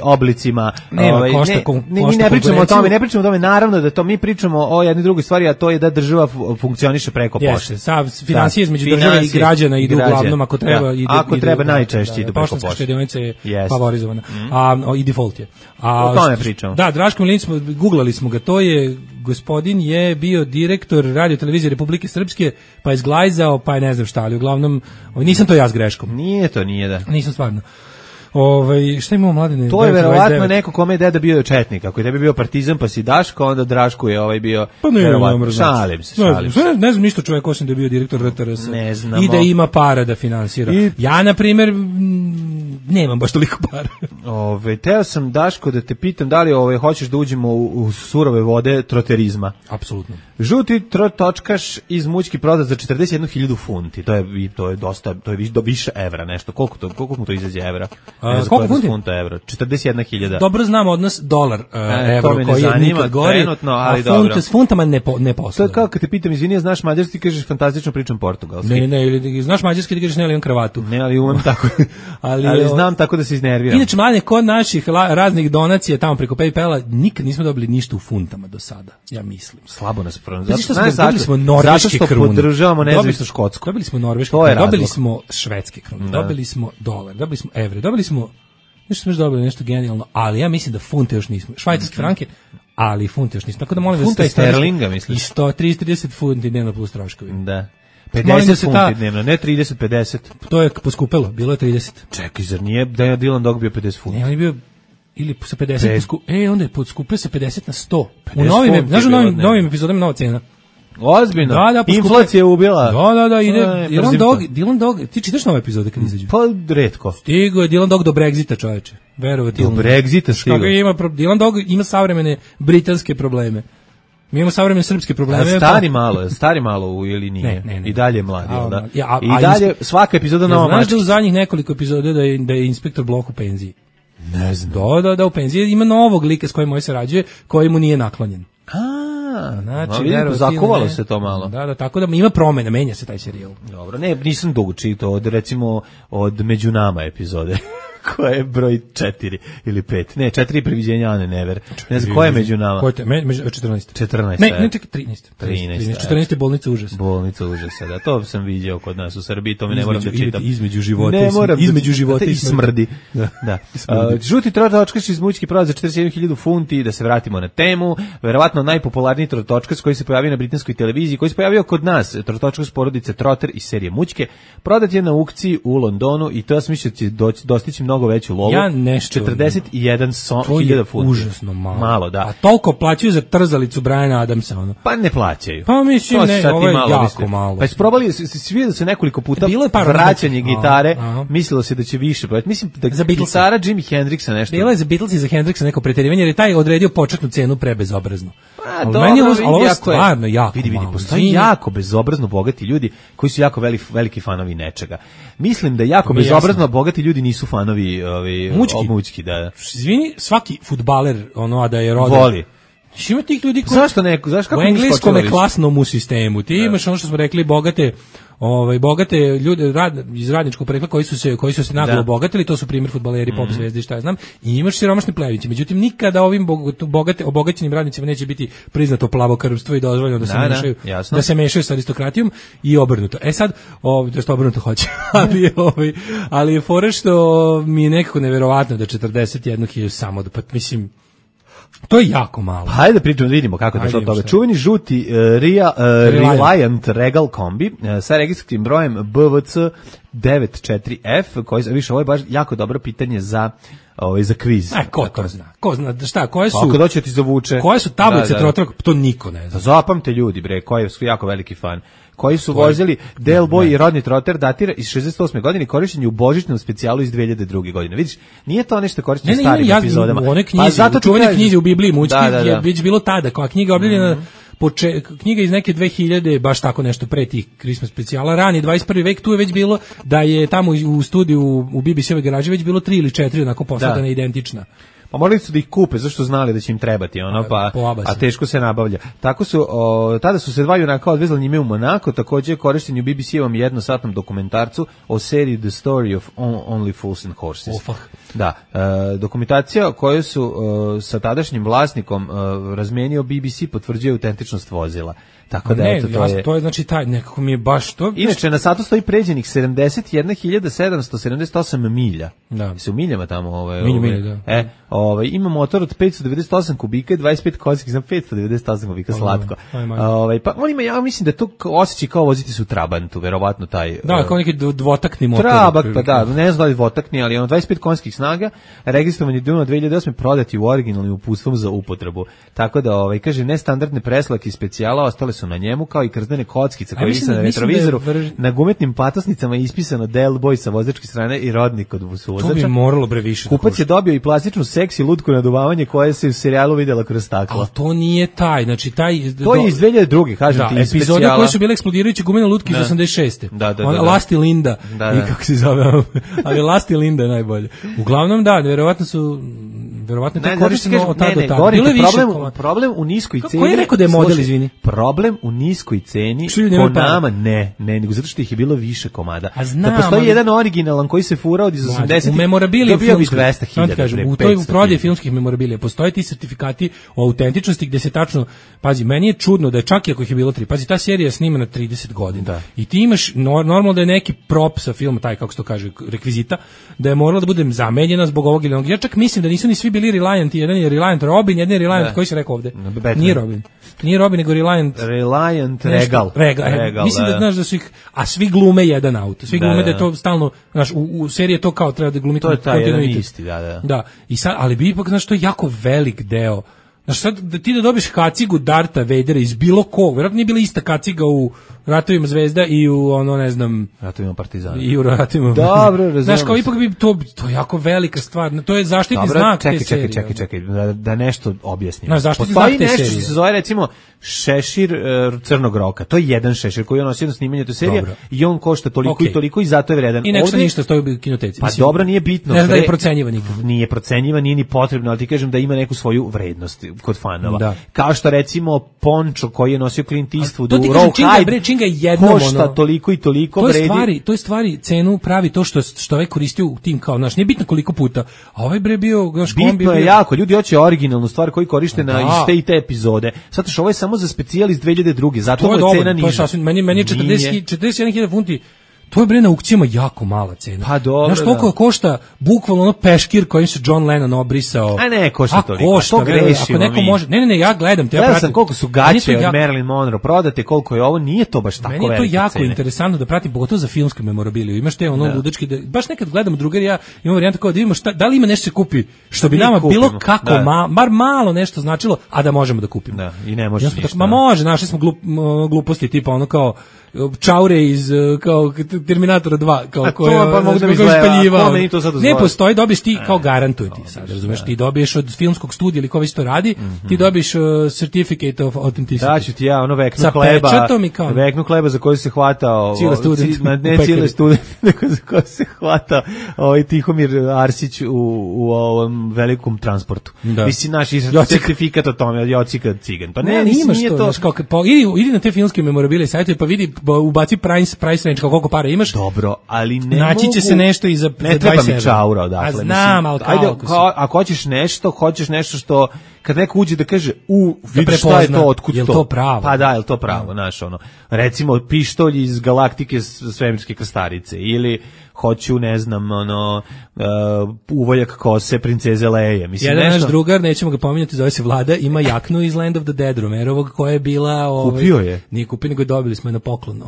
oblicima. Mi ne pričamo o tome, naravno da to mi pričamo o jednoj drugoj stvari, a to je da država funkcioniše preko pošte. Financije između države i građana idu uglavnom, ako treba. Ako treba, najčešće idu preko pošte. Poštanska štedionica je favorizovana. I default je. O tome pričamo. Da, Draško Milinović, googlali smo ga, to je, gospodin je bio direktor Radio televizije Republike Srpske, pa je zglajzao, pa je ne znam šta, ali uglavnom, nisam to ja s greškom. Nije da. Nisam stvarno. Šta imamo, Mladine? To je verovatno neko kome je deda bio četnik. Ako je tebi bio Partizan pa si Daško, onda Draško je bio... Pa ne, šalim se. Ne znam ništa čovjek osim da je bio direktor RTRS. Ne znamo. I da ima para da finansira. Ja, na primjer, nemam baš toliko para. Teo sam, Daško, da te pitam da li hoćeš da uđemo u surove vode troterizma. Apsolutno. Žuti točkaš iz mućki prodat za 41.000 funti. To je dosta, to je više evra nešto. Koliko mu to izađe evra? Koliko funti? Funta evra? 41.000. Dobro znam odnos dolar evro koji je nikad gori, ali s funtama ne poslujem. To je kao kad te pitam, izvini, znaš mađarski, ti kažeš fantastično pričam portugalski. Ne, ili znaš mađarski, ti kažeš ne, ali imam kravatu. Ne, ali umem tako. ali znam tako da se iznerviram. Inače, Mladine, kod naših raznih donacija tamo preko PayPala nikad nismo dobili ništa u funtama do sada, ja mislim. Slabo nas dobili smo norveške krune. Podržavamo nezavisnu Škotsku. Dobili smo norveške krune, dobili smo švedske krune, dobili smo dolar, dobili smo evre, dobili smo nešto genijalno, ali ja mislim da funte još nismo. Švajcarske franke, ali funte još nismo. Tako da molim funte sterlinga, misliš? I 130 funti dnevno plus troškovi. Da. 50 funti dnevno, ne 30-50. To je poskupelo, bilo je 30. Čekaj, zar nije da je Dylan Dog bio 50 funti? Ne, on je bio ili sa 50, onda je poskupio sa 50 na 100. U novim, znaš, u novim epizodama nova cena. Ozbiljno. Da, inflacija je ubila. Da, ide Dylan Dog, ti čitaš nove epizode kad izađu? Pa retko. Stigo je Dylan Dog do Brexita, čoveče. Verovati. Do Brexita stigo. Dylan Dog ima savremene britanske probleme. Mi imamo savremene srpske probleme. Stari malo ili nije? Ne. I dalje je mladi, da? I dalje svaka epizoda nova mačica. Znaš da u zadnjih nekoliko epizoda da je inspektor Bloch u penziji? Ne znam. Da, u penziji ima novog lika s kojim se rađuje, koji mu nije naklonjen. Znači, zakovalo se to malo. Da, tako da ima promene, menja se taj serijal. Dobro, nisam dugo čitao od Među nama epizode. Koja je broj 4 ili 5? Ne, 4 previđenja Ane Never. Ne znam, koja je Među nama? 14. Ne, čekaj, 13. 14 je Bolnica užasa. Bolnica užasa, da, to sam vidio kod nas u Srbiji, to mi ne moram da čitam. Između života i smrdi. Da. Žuti trotočkaš iz Mućki prodaje za 41.000 funti, da se vratimo na temu. Verovatno najpopularniji trotočkaš koji se pojavio na britanskoj televiziji, koji se pojavio kod nas, trotočkaš porodice Trotter iz serije Mućke, prodat je na aukciji u Londonu i to ja sam mislio da će dostići mnogo veću lovu. 41.000 funti. Užasno malo. Da. A toliko plaćaju za trzalicu Briana Adamsa, ono. Pa ne plaćaju. Pa mislim, ovo je jako malo. Pa isprobali, sviđa se nekoliko puta vraćanje gitare, mislilo se da će više. Mislim da za gitara Jimi Hendrixa nešto. Bilo je za Beatles i za Hendrixa neko preterivanje, jer je taj odredio početnu cenu prebezobrazno. Ali ovo je stvarno jako malo. Postoji jako bezobrazno bogati ljudi koji su jako veliki fanovi nečega. Mislim da jako bezobrazno bogati ljudi nisu fanovi Mućki, da. Izvini, svaki fudbaler, a da je rodan. Voli. Ima tih ljudi koji... Zašto u engleskom je klasnom u sistemu. Ti imaš ono što smo rekli, bogate ljude iz radničkog porekla koji su se naglo obogatili, to su primjer fudbaleri, pop zvezde i šta ja znam, i imaš siromašne pleviće. Međutim, nikada ovim obogaćenim radnicima neće biti priznato plavokrvstvo i dozvoljeno da se mešaju sa aristokratijom i obrnuto. Sad, to obrnuto hoće, ali je fora što mi je nekako neverovatno da 41.000 samo, mislim, to je jako malo. Hajde pričamo, vidimo kako je došlo do toga. Čuveni žuti Reliant Regal kombi sa registrarskim brojem BVC 94F, koji više, ovo je baš jako dobro pitanje za kviz. Ko to zna? Ko zna šta, koje su? Ako doće ti zavuče. Koje su tablice trotraka, to niko ne zna. Zapamte ljudi, bre, koji su jako veliki fan. Koji su vozili Del Boy i rodni troter, datira iz 68. godine, korišćen je u božićnom specijalu iz 2002. godine. Vidiš, nije to nešto korišćeno u starim epizodama. U one knjizi, u čuvenoj knjizi u Bibliji Mućki je već bilo tada, kao knjiga objavljena, knjiga iz neke 2000, baš tako nešto pre tih Christmas specijala, rani 21. vek, tu je već bilo da je tamo u studiju u BBC-ovoj garaži već bilo 3 ili 4 onako posladana identična. Pa morali su da ih kupe, zašto znali da će im trebati, a teško se nabavlja. Tako su, tada su se dva junaka odvezali njime u Monako, također je korišten u BBC-ovom jednosatnom dokumentarcu o seriji The Story of Only Fools and Horses. Da, dokumentacija koju su sa tadašnjim vlasnikom razmenio BBC potvrđuje autentičnost vozila. Tako da to je znači taj nekako mi je baš to. Inače na satu stoji pređenih 71.778 milja. Da. Se u miljama tamo milja, da. Ima motor od 598 kubika i 25 konjskih, znam 598 kubika slatko. Pa on ima, ja mislim da to osjećaj kao voziti su Trabantu, verovatno taj. Da, kao neki dvotakni motor. Trabant, pa da, ne znam da li dvotakni, ali 25 konjskih snaga, registrovan je Duna 2008 prodati u originalnim uputstvom za upotrebu. Tako da kaže nestandardne preslake i specijala ostale su na njemu, kao i krzdene kockice koje vise na retrovizoru, na gumetnim patosnicama je ispisano Del Boy sa vozačke strane i rodnik kod vozača. To bi moralo bre više. Kupac je dobio i plastičnu seksi lutku naduvavanje koje se u serijalu vidjela kroz staklo. A to nije taj, znači taj... To je iz 2002. kažem ti, iz epizode koje su bile eksplodirajuće gumene lutke iz 86. Da. Lasti Linda, i kako se zove, ali Lasti Linda je najbolje. Uglavnom da, verovatno to korišteno od tada do tada. Problem u niskoj ceni... Ko je rekao da je model, izvini? Problem u niskoj ceni po nama nego zato što ih je bilo više komada. Da postoji jedan originalan koji se fura od iz 80. U memorabiliji filmskoj, 200.000. U toj prodaji filmskih memorabilija postoje ti sertifikati o autentičnosti gde se tačno, pazi, meni je čudno da je čak i ako ih je bilo 3, pazi, ta serija je snimana 30 godina. Da. I ti imaš, normalno da je neki prop sa filma, taj, kako se to kaže, rekvizita, da je morala da bude zamenjena zbog ovog ili onog. Ja čak mislim da nisu ni svi bili Reliant, jedan je Reliant Robin, jedan je Reliant, koji se rekao ovde? Nije Robin. Nije Robin, nego Reliant Regal. Mislim da znaš da su ih, a svi glume jedan auto. Svi glume da je to stalno, znaš, u seriji je to kao treba da glumi kontinuitet. To je taj jedan isti, da. Da, i sad, ali bi ipak, znaš, to je jako velik deo. Znaš, sad da ti da dobiš kacigu Darta Vadera iz bilo kog, vjerojatno nije bila ista kaciga u Ratovima Zvezda i u ono, ne znam, Ratovima Partizana. I u Ratovima. Dobro, razumem. Znaš, kao ipak bi to je jako velika stvar. To je zaštitni znak te serije. Čekaj, da nešto objasnim. Znaš, zaštitni znak te serije. Postoji nešto što se zove, recimo, šešir Crnog roka. To je jedan šešir koji on nosi na snimanje te serije i on košta toliko i toliko i zato je vredan. I nešto ništa stoji u kinoteci. Pa dobro, nije bitno. Ne znam da je procenjivan nikad. Nije procenjivan, nije ni potrebno, ali ti kažem da ima neku svoju vrednost kod fanova. Kao što recimo pončo koji je nosio Clint Eastwood u Rawhide košta toliko i toliko vredi. To je stvari cenu pravi to što ovaj koristio u tim kao naš, nije bitno koliko puta, a ovaj bre bio naš kombi. Bitno je jako, ljudi hoće originalnu stvar koju koriste na iz te epizode. Zato što ovo je samo za specijal iz 2002. Zato mu je cena niža. To je sasvim, meni je 41.000 funti. To je bre na aukcijama jako mala cena. Pa dobro. Znaš toliko košta bukvalno ono peškir kojim se John Lennon obrisao. A ne, košta toliko. To grešimo. Ako neko može, ne, ja gledam, ja pratim koliko su gaće od Marilyn Monroe prodate, koliko je ovo, nije to baš tako velike cene. Meni je to jako interesantno da pratim, pogotovo za filmsku memorabiliju. Imaš te ono ludački, baš nekad gledamo drugari, ja imam varijantu kao da vidimo da li ima nešto se kupi, što bi nama bilo kako, bar malo nešto značilo, a da možemo da kupimo. Da, i ne može ništa. Ma može, našli smo gluposti tipa ono kao čaure iz kao Terminatora 2 kao koje pa mogu da mi izgleda, ne postoji, dobiješ ti kao garantuje ti sad, razumeš, ti dobiješ od filmskog studija ili ko već to radi, ti dobiješ certificate of authenticity. Daću ti ja ono veknu kleba za koju se hvatao cijeli student, nego za koju se hvatao Tihomir Arsić u ovom velikom transportu. Mislim, naš certifikat o tome, Jocika Cigan. Pa ne, imaš to, idi na te filmske memorabilije sajtove pa vidi, ubaci price range koliko para imaš. Dobro, ali ne naći će se nešto i za 27. Ne treba mi čaura odakle. Znam, ali ako hoćeš nešto što kad neko uđe da kaže vidi šta je to, otkud to. Je to pravo? Pa da, je to pravo, znaš ono. Recimo pištolj iz Galaktike svemirske krstarice ili hoću, ne znam, uvoljak kose princeze Leje. Mislim, jedan naš drugar, nećemo ga pominjati, zove se Vlada, ima jaknu iz Land of the Dead Romerovog, koja je bila... Kupio je? Nije kupio, nego dobili smo je na poklon.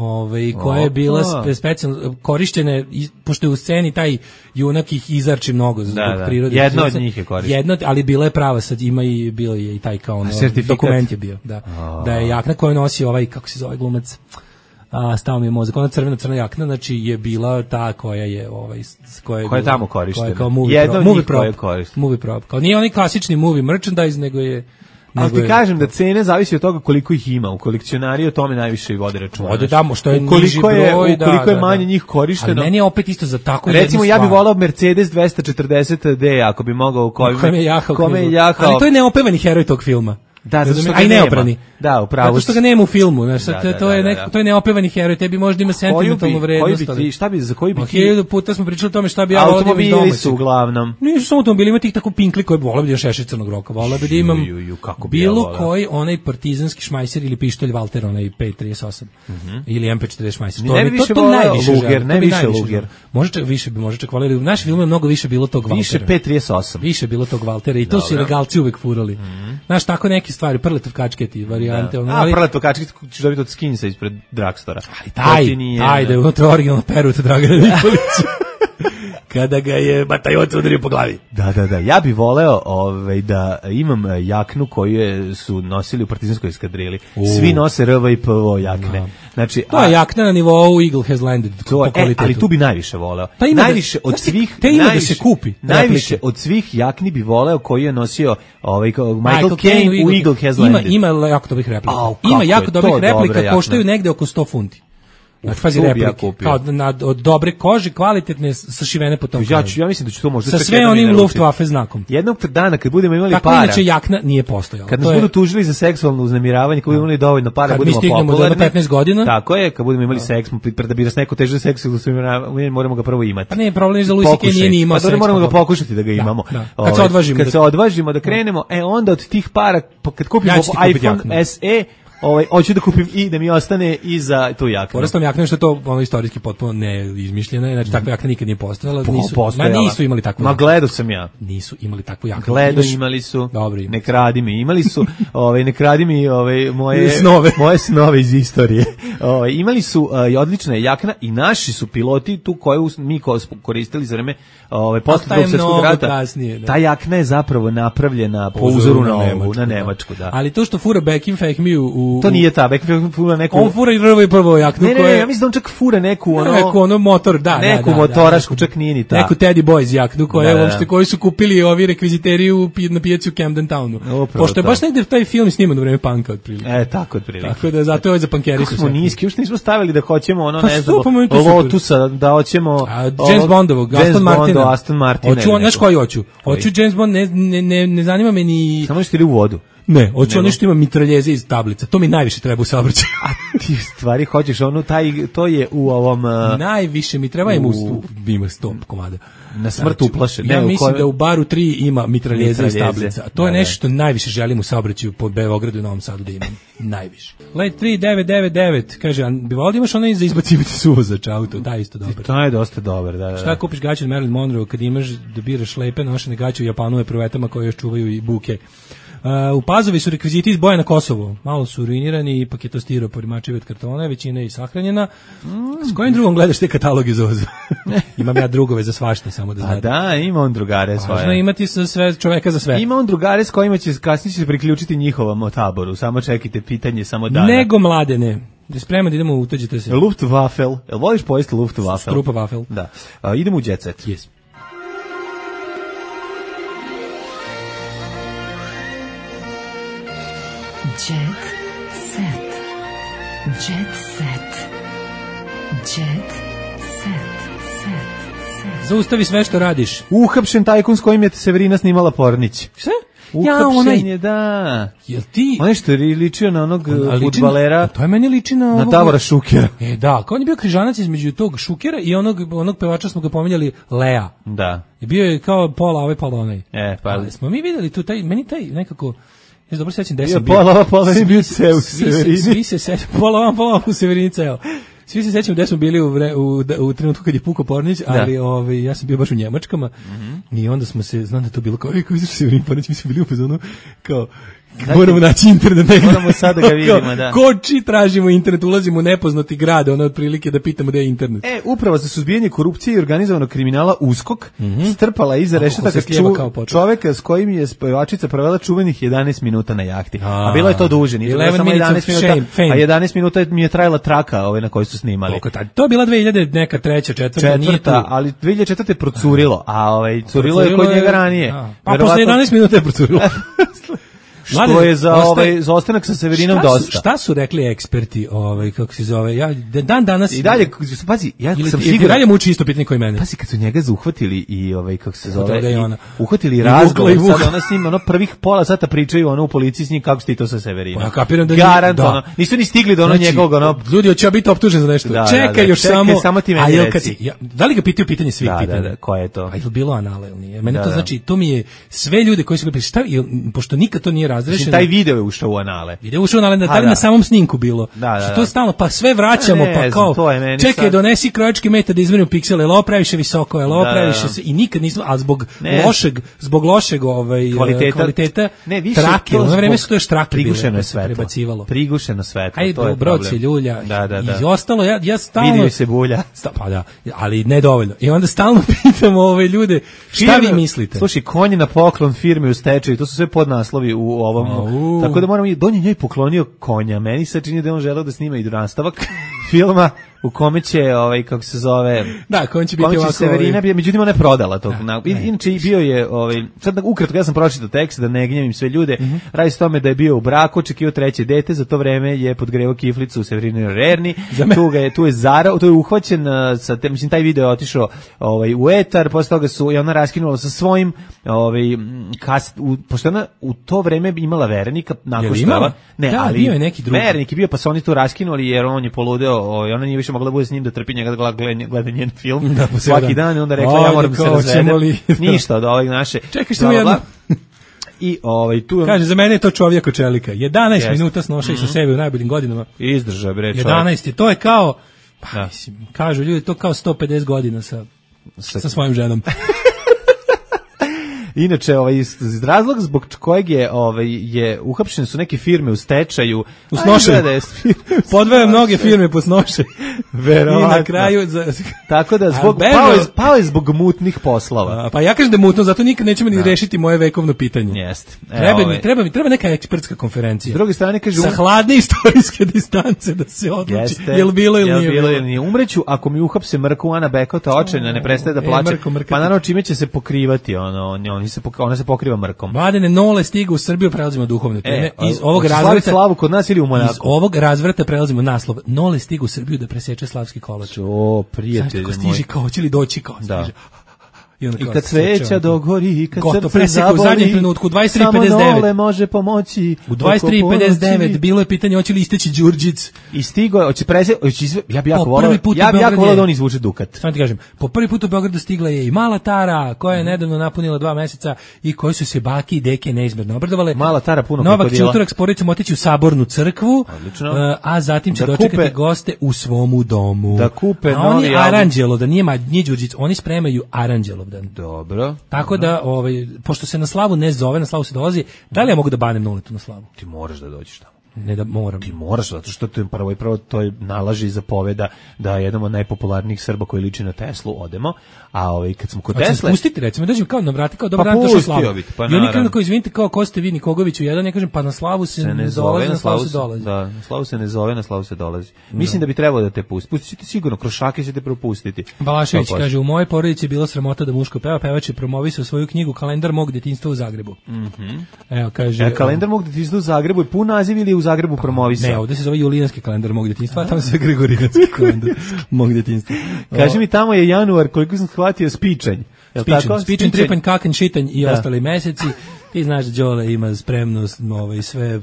Koja je bila specijalno korišćena, pošto je u sceni taj junak ih izarči mnogo zbog prirode. Jedno od njih je korišteno. Ali bila je prava, sad ima i bio je i taj kao dokument je bio. Da je jakna koju nosi ovaj, kako se zove glumac, stao mi je mozak, ona crna jakna, znači je bila ta koja je koja je tamo korištena. Kao movie prop. Kao nije onaj klasični movie merchandise, nego je... Ali ti kažem da cene zavisi od toga koliko ih ima. U kolekcionari o tome najviše i vode računa. Što je niži broj, ukoliko je manje njih korišteno. Ali meni je opet isto za tako jednu stvar. Recimo, ja bih volao Mercedes 240D, ako bi mogao kome je jahao. Ali to je neopevani heroj tog filma. Da, zato što ga neoprani. Da, upravo. Zato što ga nema u filmu, znači to je neopevani heroj, tebi možda ima sentimentalnu vrednost. Za koji bi 1000 puta smo pričali o tome šta bi ja volio iz domaćih. Automobili su uglavnom. Nisu samo automobili, ima tih tako pinkli koji voleo bi da šešir Crnog roka, voleo bi da imam bilo koji onaj partizanski šmajser ili pištolj Walter, onaj P38 ili MP40 šmajser. To najviše Luger. Može čak voleli. U našem filmu je mnogo više bilo tog Waltera. Više P38. Više bilo tog Waltera i to su legalci uvek furali. Znaš, tako neke stvari, Prletov kačketi, varijante. Prletov kačket ćeš dobiti od Skinsa ispred Dragstora. Taj da je unutra originalno perut Dragana Nikolića. Kada ga je batajot udario po glavi. Da. Ja bih voleo da imam jaknu koju su nosili u partizanskoj eskadrili. Svi nose RV i PVO jakne. Znači, to je jakna na nivou Eagle Has Landed. Ali tu bi najviše voleo. Najviše od svih... Te ima da se kupi. Najviše od svih jakni bi voleo koji je nosio Michael Caine u Eagle Has Landed. Ima jako dobrih replika. Ima jako dobrih replika, koštaju negde oko 100 funti. Znači, pazi replike, kao od dobre kože, kvalitetne, sašivene po tom kraju. Ja mislim da ću to možda... Sa sve onim Luftwaffe znakom. Jednog dana, kad budemo imali para... Tako inače jakna nije postojala. Kad nas budu tužili za seksualno uznemiravanje, kad budemo imali dovoljno para, budemo popularni. Kad mi stignemo do 15 godina... Tako je, kad budemo imali seks, da bi nas neko teže seksualno uznemiravanje, moramo ga prvo imati. Pa ne, problem je da Louis C.K. nije ni imao seks. Pa moramo ga pokušati da ga imamo. Kad se odvažimo da krenemo, onda od tih para, kad kupimo iPhone SE, hoću da kupim i da mi ostane i za tu jaknu. Porastom jakna što je to ono istorijski potpuno neizmišljeno, znači takva jakna nikad nije postojala, nisu imali takvu. Ma gledao sam ja. Nisu imali takvu jaknu. Gledao imali su. Dobri. Ne kradi mi, imali su, ne kradi mi moje snove iz istorije. Imali su odlična jakna i naši su piloti tu koju mi koristili za vreme posle Drugog svjetskog rata. Kasnije, ta jakna je zapravo napravljena po uzoru na Nemačku, da. Ali to što fura Bekim Fehmiju to nije ta, Bekim fura neku. On fura i prvo jaknu koja. Ne, ja mislim da on čak fura neku motor, da. Neku motorašku, čak nije ni ta. Neku Teddy Boys jaknu koju su kupili ovi rekviziteri na pijaci u Camden Townu. Pošto je baš negde taj film sniman u vreme panka otprilike. Tako otprilike. Tako da zato je za pankeri su. Kako smo niski, još nismo stavili da hoćemo ne znam, Lotusa, da hoćemo James Bondovog, Aston Martina. Znaš koji hoću? Hoću James Bond, ne zanima me ni... Samo što ide u vodu. Ne, hoću ono što ima mitraljeze iz tablica. To mi najviše treba u saobraćaju. A ti stvari hoćeš to je u ovom... Najviše mi treba ima 100 komada. Na smrt uplaše. Ja mislim da u baru 3 ima mitraljeze iz tablica. To je nešto što najviše želim u saobraćaju po Beogradu i Novom Sadu da imam. Najviše. Late 3999 kaže, bi volio imaš onaj za izbacivati suvozač auto, da isto dobro. To je dosta dobar, da. Šta kupiš gaće od Marilyn Monroe kad imaš da biraš lepe nošene gaće u Japanu je provetama koje još čuvaju i buke. U Pazovi su rekviziti iz boja na Kosovo. Malo su ruinirani, ipak je to stiropor i mačevi od kartona, većina je i sahranjena. S kojim drugom gledaš te kataloge za Ozu? Imam ja drugove za svašta, samo da znate. Da, ima on drugare svoje. Važno imati sve čoveka za sve. Ima on drugare s kojima će kasnije se priključiti njihovom taboru. Samo čekajte pitanje, samo dana. Nego mladene. Spremno da idemo, utađite se. Luftwaffe. Jel voliš pojesti Luftwaffe? Strupa wafel. Da. Idemo u Jet Set. Yes. Jet set. Jet set. Jet set. Zaustavi sve što radiš. Uhapšen tajkun s kojim je Severina snimala Pornić. Sve? Uhapšen je, da. Jel ti? On je što je ličio na onog fudbalera. To je meni liči na Davora Šukera. Da, kao on je bio križanac između tog Šukera i onog pevača smo ga pominjali, Lea. Da. I bio je kao pola onaj. Pa smo mi videli tu meni taj nekako. Ja se dobro sećam da sam bio. Pola je bio ceo u Severini. Svi se sećam, pola u Severini ceo. Svi se sećam da smo bili u trenutku kad je pukao Pornić, ali ja sam bio baš u Njemačkama i onda smo se, znam da to bilo kao, kako izašao Severin Pornić, mi smo bili u fazonu kao, moramo naći internet. Moramo sad da ga vidimo, da. Koči tražimo internet, ulazimo u nepoznati grad, otprilike da pitamo gde je internet. Upravo za suzbijanje korupcije i organizovanog kriminala USKOK strpala iza rešetaka čoveka s kojim je pevačica provela čuvenih 11 minuta na jahti. A bilo je to duže, nije bilo samo 11 minuta, a 11 minuta mi je trajala traka na kojoj su snimali. To je bila 2000 neka treća, četvrta, ali 2004 procurilo, a curilo je kod njega ranije. Pa posle 11 minuta je procurilo. Što je za ostanak sa Severinom dosta. Šta su rekli eksperti, kako se zove, ja dan danas i dalje, pazi, ja sam siguran. I dalje muči isto pitanje koji mene. Pazi, kad su njega zauhvatili i kako se zove, uhvatili razgovor, sad ona s njim, prvih pola sata pričaju u policiji s njim kako ste to sa Severinom. Ja kapiram da garant, nisu ni stigli do njegovog, ljudi hoće biti optužen za nešto. Čekaj još samo ti meni reci. Da li ga pitaju pitanje svih pitanja? Da, ko je to? A je bilo anale ili nije? Mene to znači, to mi je sve ljude koji su ga šta, pošto nikad to nije razrešeno. Taj video je ušao u anale. Video ušao u anale, da na samom snimku bilo. Što to stalno, pa sve vraćamo, pa kao, čekaj, donesi krojački metar da izmerim piksele, jel ovo previše visoko, jel ovo previše se, i nikad nismo, ali zbog lošeg kvaliteta trake, u ono vreme su to još trake prebacivalo. Prigušeno svetlo, to je problem. Broci, ljulja, i ostalo, ja stalno... Vidio se bulja. Pa da, ali nedovoljno. I onda stalno pitamo ljude, šta vi mislite? Slušaj, konji na poklon firme u stečaju, to su sve podnaslovi u ovom. Tako da moramo i Don je njoj poklonio konja. Meni se čini da on želeo da snima i nastavak filma u kome će kako se zove, da, konj će biti ovako Severina, međutim ona je prodala to. Inače i bio je sad ukratko, ja sam pročitao tekst da ne gnjavim sve ljude. Radi se tome da je bio u braku, očekivao treće dete, za to vreme je podgrevao kiflicu u Severinoj Rerni. Tu je zarao, to je uhvaćen sa mislim taj video je otišao u etar, posle toga su i ona raskinula sa svojim pošto ona u to vreme imala verenika nakon što ali bio je neki drugi vernik je bio, pa su oni to raskinuli jer on je poludeo, ona nije više mogla da bude s njim da trpi njega da gleda njen film svaki dan i onda rekla ja moram se razvedem ništa od ovog naše. Čekaj što jedno I tu kaže, za mene je to čovjek od čelika. 11 minuta snoša i sa sebe u najboljim godinama. Izdrža, bre, čovjek. 11 je, to je kao, mislim, kažu ljudi, to kao 150 godina sa svojim ženom. Inače, iz razlog zbog kojeg je uhapšene su neke firme u stečaju. U snoše. Podvaja mnoge firme po snoše. Verovatno. I na kraju... Tako da, pao je zbog mutnih poslova. Pa ja kažem da je mutno, zato nikad nećemo ni rešiti moje vekovno pitanje. Jeste. Treba neka ekspertska konferencija. S druge strane, kaže... Sa hladne istorijske distance da se odluči. Je li bilo ili nije? Umreću ako mi uhapse Mrku Ana Bekota, očajna, ne prestaje da plače. Pa naravno, čime će se pokrivati ona se pokriva mrkom. Mladene, Nole stiga u Srbiju, prelazimo duhovne teme. Iz ovog razvrata slavu kod nas ili u Monaku. Iz ovog razvrata prelazimo naslov. Nole stiga u Srbiju da preseče slavski kolač. O, prijatelj moj. Stiže kao, će li doći kao, stiže. I kad sveća dogori, kad srce zaboli, u zadnjem trenutku, u 23.59. Samo Nole može pomoći. U 23.59 bilo je pitanje hoće li isteći Đurđic. I stigo, ja bi jako volao da on izvuče dukat. Samo ti kažem, po prvi put u Beogradu stigla je i Mala Tara, koja je nedavno napunila 2 meseca i koji su se baki i deke neizmerno obradovale. Mala Tara puno Novak će utorak s porodicom otići u Sabornu crkvu, a zatim će dočekati goste u svomu domu. Da kupe novi album. Oni Aranđelo, da nije Đurđic, oni spremaju Aranđelov. Dobro. Tako da, pošto se na slavu ne zove, na slavu se dolazi, da li ja mogu da banem Nuletu na slavu? Ti moraš da dođeš tamo. Ne da moram. Ti moraš, zato što to je prvo to je nalaži i zapoveda da jednom od najpopularnijih Srba koji liči na Teslu odemo, a kad smo kod Tesle... Pustiti, recimo, dođem kao na vrati, kao dobar dan, došao slavu. I oni krenu kao, izvinite, kao ko ste vi Nikogoviću jedan, ja kažem, pa na slavu se ne dolazi, na slavu se dolazi. Da, na slavu se ne zove, na slavu se dolazi. Mislim da bi trebalo da te pusti. Pustit sigurno, Krošake ćete propustiti. Balašević kaže, u mojoj porodici je bilo sramota da muško peva, pevač je promovisao svoju knjigu Kalendar mog detinjstva u Zagrebu. Evo, kaže... Kalendar mog detinjstva u Zagrebu je pun naziv ili je u Zagrebu promovisao? Ne, ovdje se zove Julijanski kalendar mog djetinjstva, a tamo se Gregorijanski kalendar mog djetinjstva. Kaži mi, tamo je januar, koliko sam shvatio, spičanj. Spičanj, tripanj, kakanj, šitanj i ostali meseci. Ti znaš da Đole ima spremno sve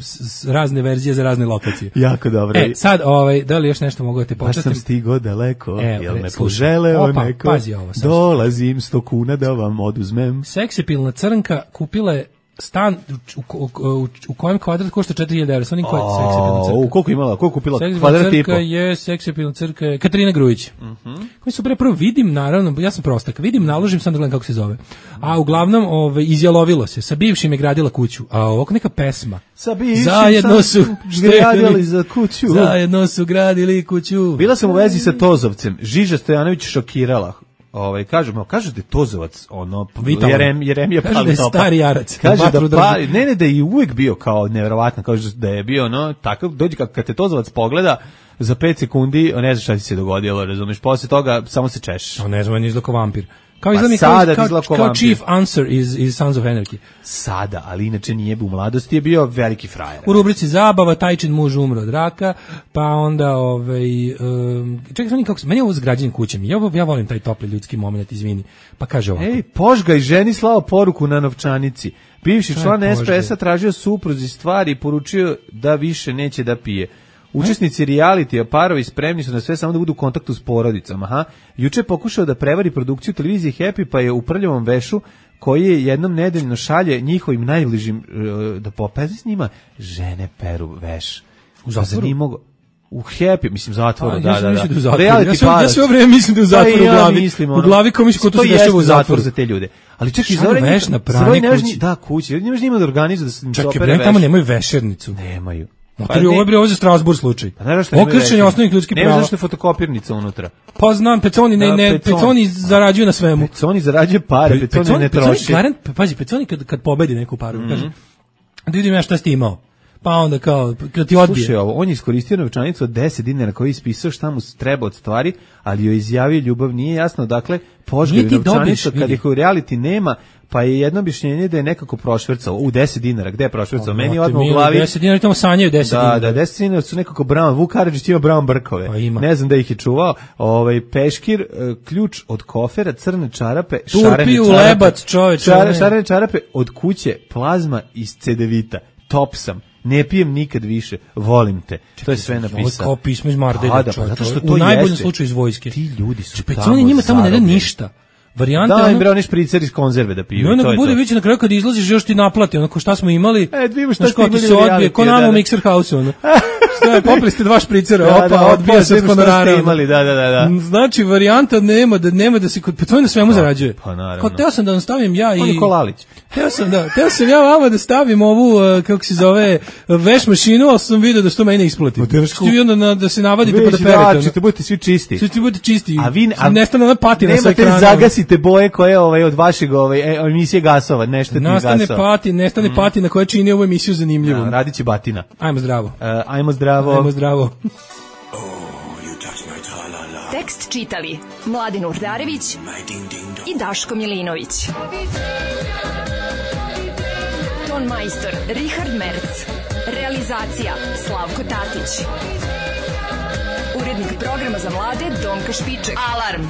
razne verzije za razne lokacije. Jako dobro. Sad, da li još nešto mogu da te počastim? Baš sam stigao daleko, jel me poželeo neko? Pazi ovo. Dolazim 100 kuna da vam oduzmem. Seksipilna crnka kupila je stan u kojem kvadrat košta 4.000 €. Onim koja je seksipilna crka. Koliko imala? Koliko kupila kvadrat i po? Seksipilna crka je Katarina Grujić. Koji su prvo vidim, naravno, ja sam prostak, vidim, naložim, sam da gledam kako se zove. A uglavnom izjalovilo se. Sa bivšim je gradila kuću. A ovako neka pesma. Sa bivšim zajedno su gradili za kuću. Zajedno su gradili kuću. Bila sam u vezi sa Tozovcem. Žiža Stojanović šokirala. Kažu da je Tozovac Jeremija kaže da je stari jarac, kaže da je uvijek bio kao neverovatno, kaže da je bio takav, dođe kad te Tozovac pogleda za 5 sekundi, ne znaš šta ti se dogodilo, razumiješ, posle toga samo se češeš. Ne znam, on je izgleda kao vampir. Kao Chief Answer iz Sons of Anarchy. Sada, ali inače nije u mladosti, je bio veliki frajer. U rubrici zabava, Tajčin muž umro od raka, pa onda čekaj, meni je ovo s građenim kućem. Ja volim taj topli ljudski moment, izvini. Pa kaže ovako. Požgaj ženi slao poruku na novčanici. Bivši član SPS-a tražio supruzi stvari i poručio da više neće da pije. Učesnici realitija, parovi spremni su na sve samo da budu u kontaktu s porodicama. Juče je pokušao da prevari produkciju televizije Happy, pa je u prljavom vešu koji je jednom nedeljno šalje njihovim najbližim da popeze s njima, žene peru veš. U zatvoru? U Happy, mislim, zatvoru, da. Ja sve vreme mislim da je u zatvoru u glavi. U glavi kao mislim ko to se dešava u zatvoru za te ljude. Ali čekaj, veš na prani kući. Da, kući. Nemaš njima da organizuju da se opere veš. Čekaj, tamo nemaju vešernicu. Nemaju. Ovo je za Strasbourg slučaj. Okršenje osnovnih ljudskih prava. Ne zašto je fotokopirnica unutra. Pa znam, Peconi zarađuju na svemu. Peconi zarađuje pare, Peconi ne troši. Pazi, Peconi kad pobedi neku paru, kaže, da vidim ja šta si ti imao. Pa onda kao, kad ti odbije. Slušaj ovo, on je iskoristio novčanicu od 10 dinara koji je ispisao šta mu treba od stvari, ali joj izjavio ljubav, nije jasno, dakle, požgavi novčanicu kad ih u reality nema, pa je jedno objašnjenje da je nekako prošvercao u 10 dinara. Gde je prošvercao? Meni je odmah u glavi 10 dinara, tamo sanjaju 10 dinara. Da, 10 dinara su nekako brown. Vuk Karadžić ima brown brkove. Pa ne znam da ih je čuvao. Peškir, ključ od kofera, crne čarape, Turpi u lebac, čoveče. Šarene čarape od kuće, plazma iz cedevita. Top sam. Ne pijem nikad više, volim te. To je sve napisano. Ovo je kao pismo iz Mardelja. Zato što to u najboljem slučaju iz vojske. Ti ljudi su Peconi njima tamo ne da ništa. Varijanta da, im bre oni špricer iz konzerve da piju. No, bude već na kraju kad izlaziš još ti naplati, onako šta smo imali. Vidimo šta ste imali. Se odbije, ko nama u Mixer House-u, ono. Šta je, popili ste 2 špricera, odbija se od honorara. Da. Znači, varijanta nema da se, pa to je na svemu zarađuje. Pa naravno. Kao teo sam da vam stavim ja i... On je Kolalić. Teo sam ja vama da stavim ovu, kako se zove, veš mašinu, ali sam vidio da što mene isplati. Što vi onda da se navadite pa da perete. Ćete budete svi čisti. Svi budete čisti. A nestane ona patina sa ekrana. Nemate zagasite boje koje od vašeg emisije gasova, nešto ti gasova. Nestane patina koja čini ovu emisiju zanimljivom. Radit će batina. Ajmo zdravo. Ajmo zdravo. Tekst čitali Mladin Urdarević i Daško Milinović. Ton majstor Richard Merc. Realizacija Slavko Tatić. Urednik programa za mlade Donka Špiček. Alarm!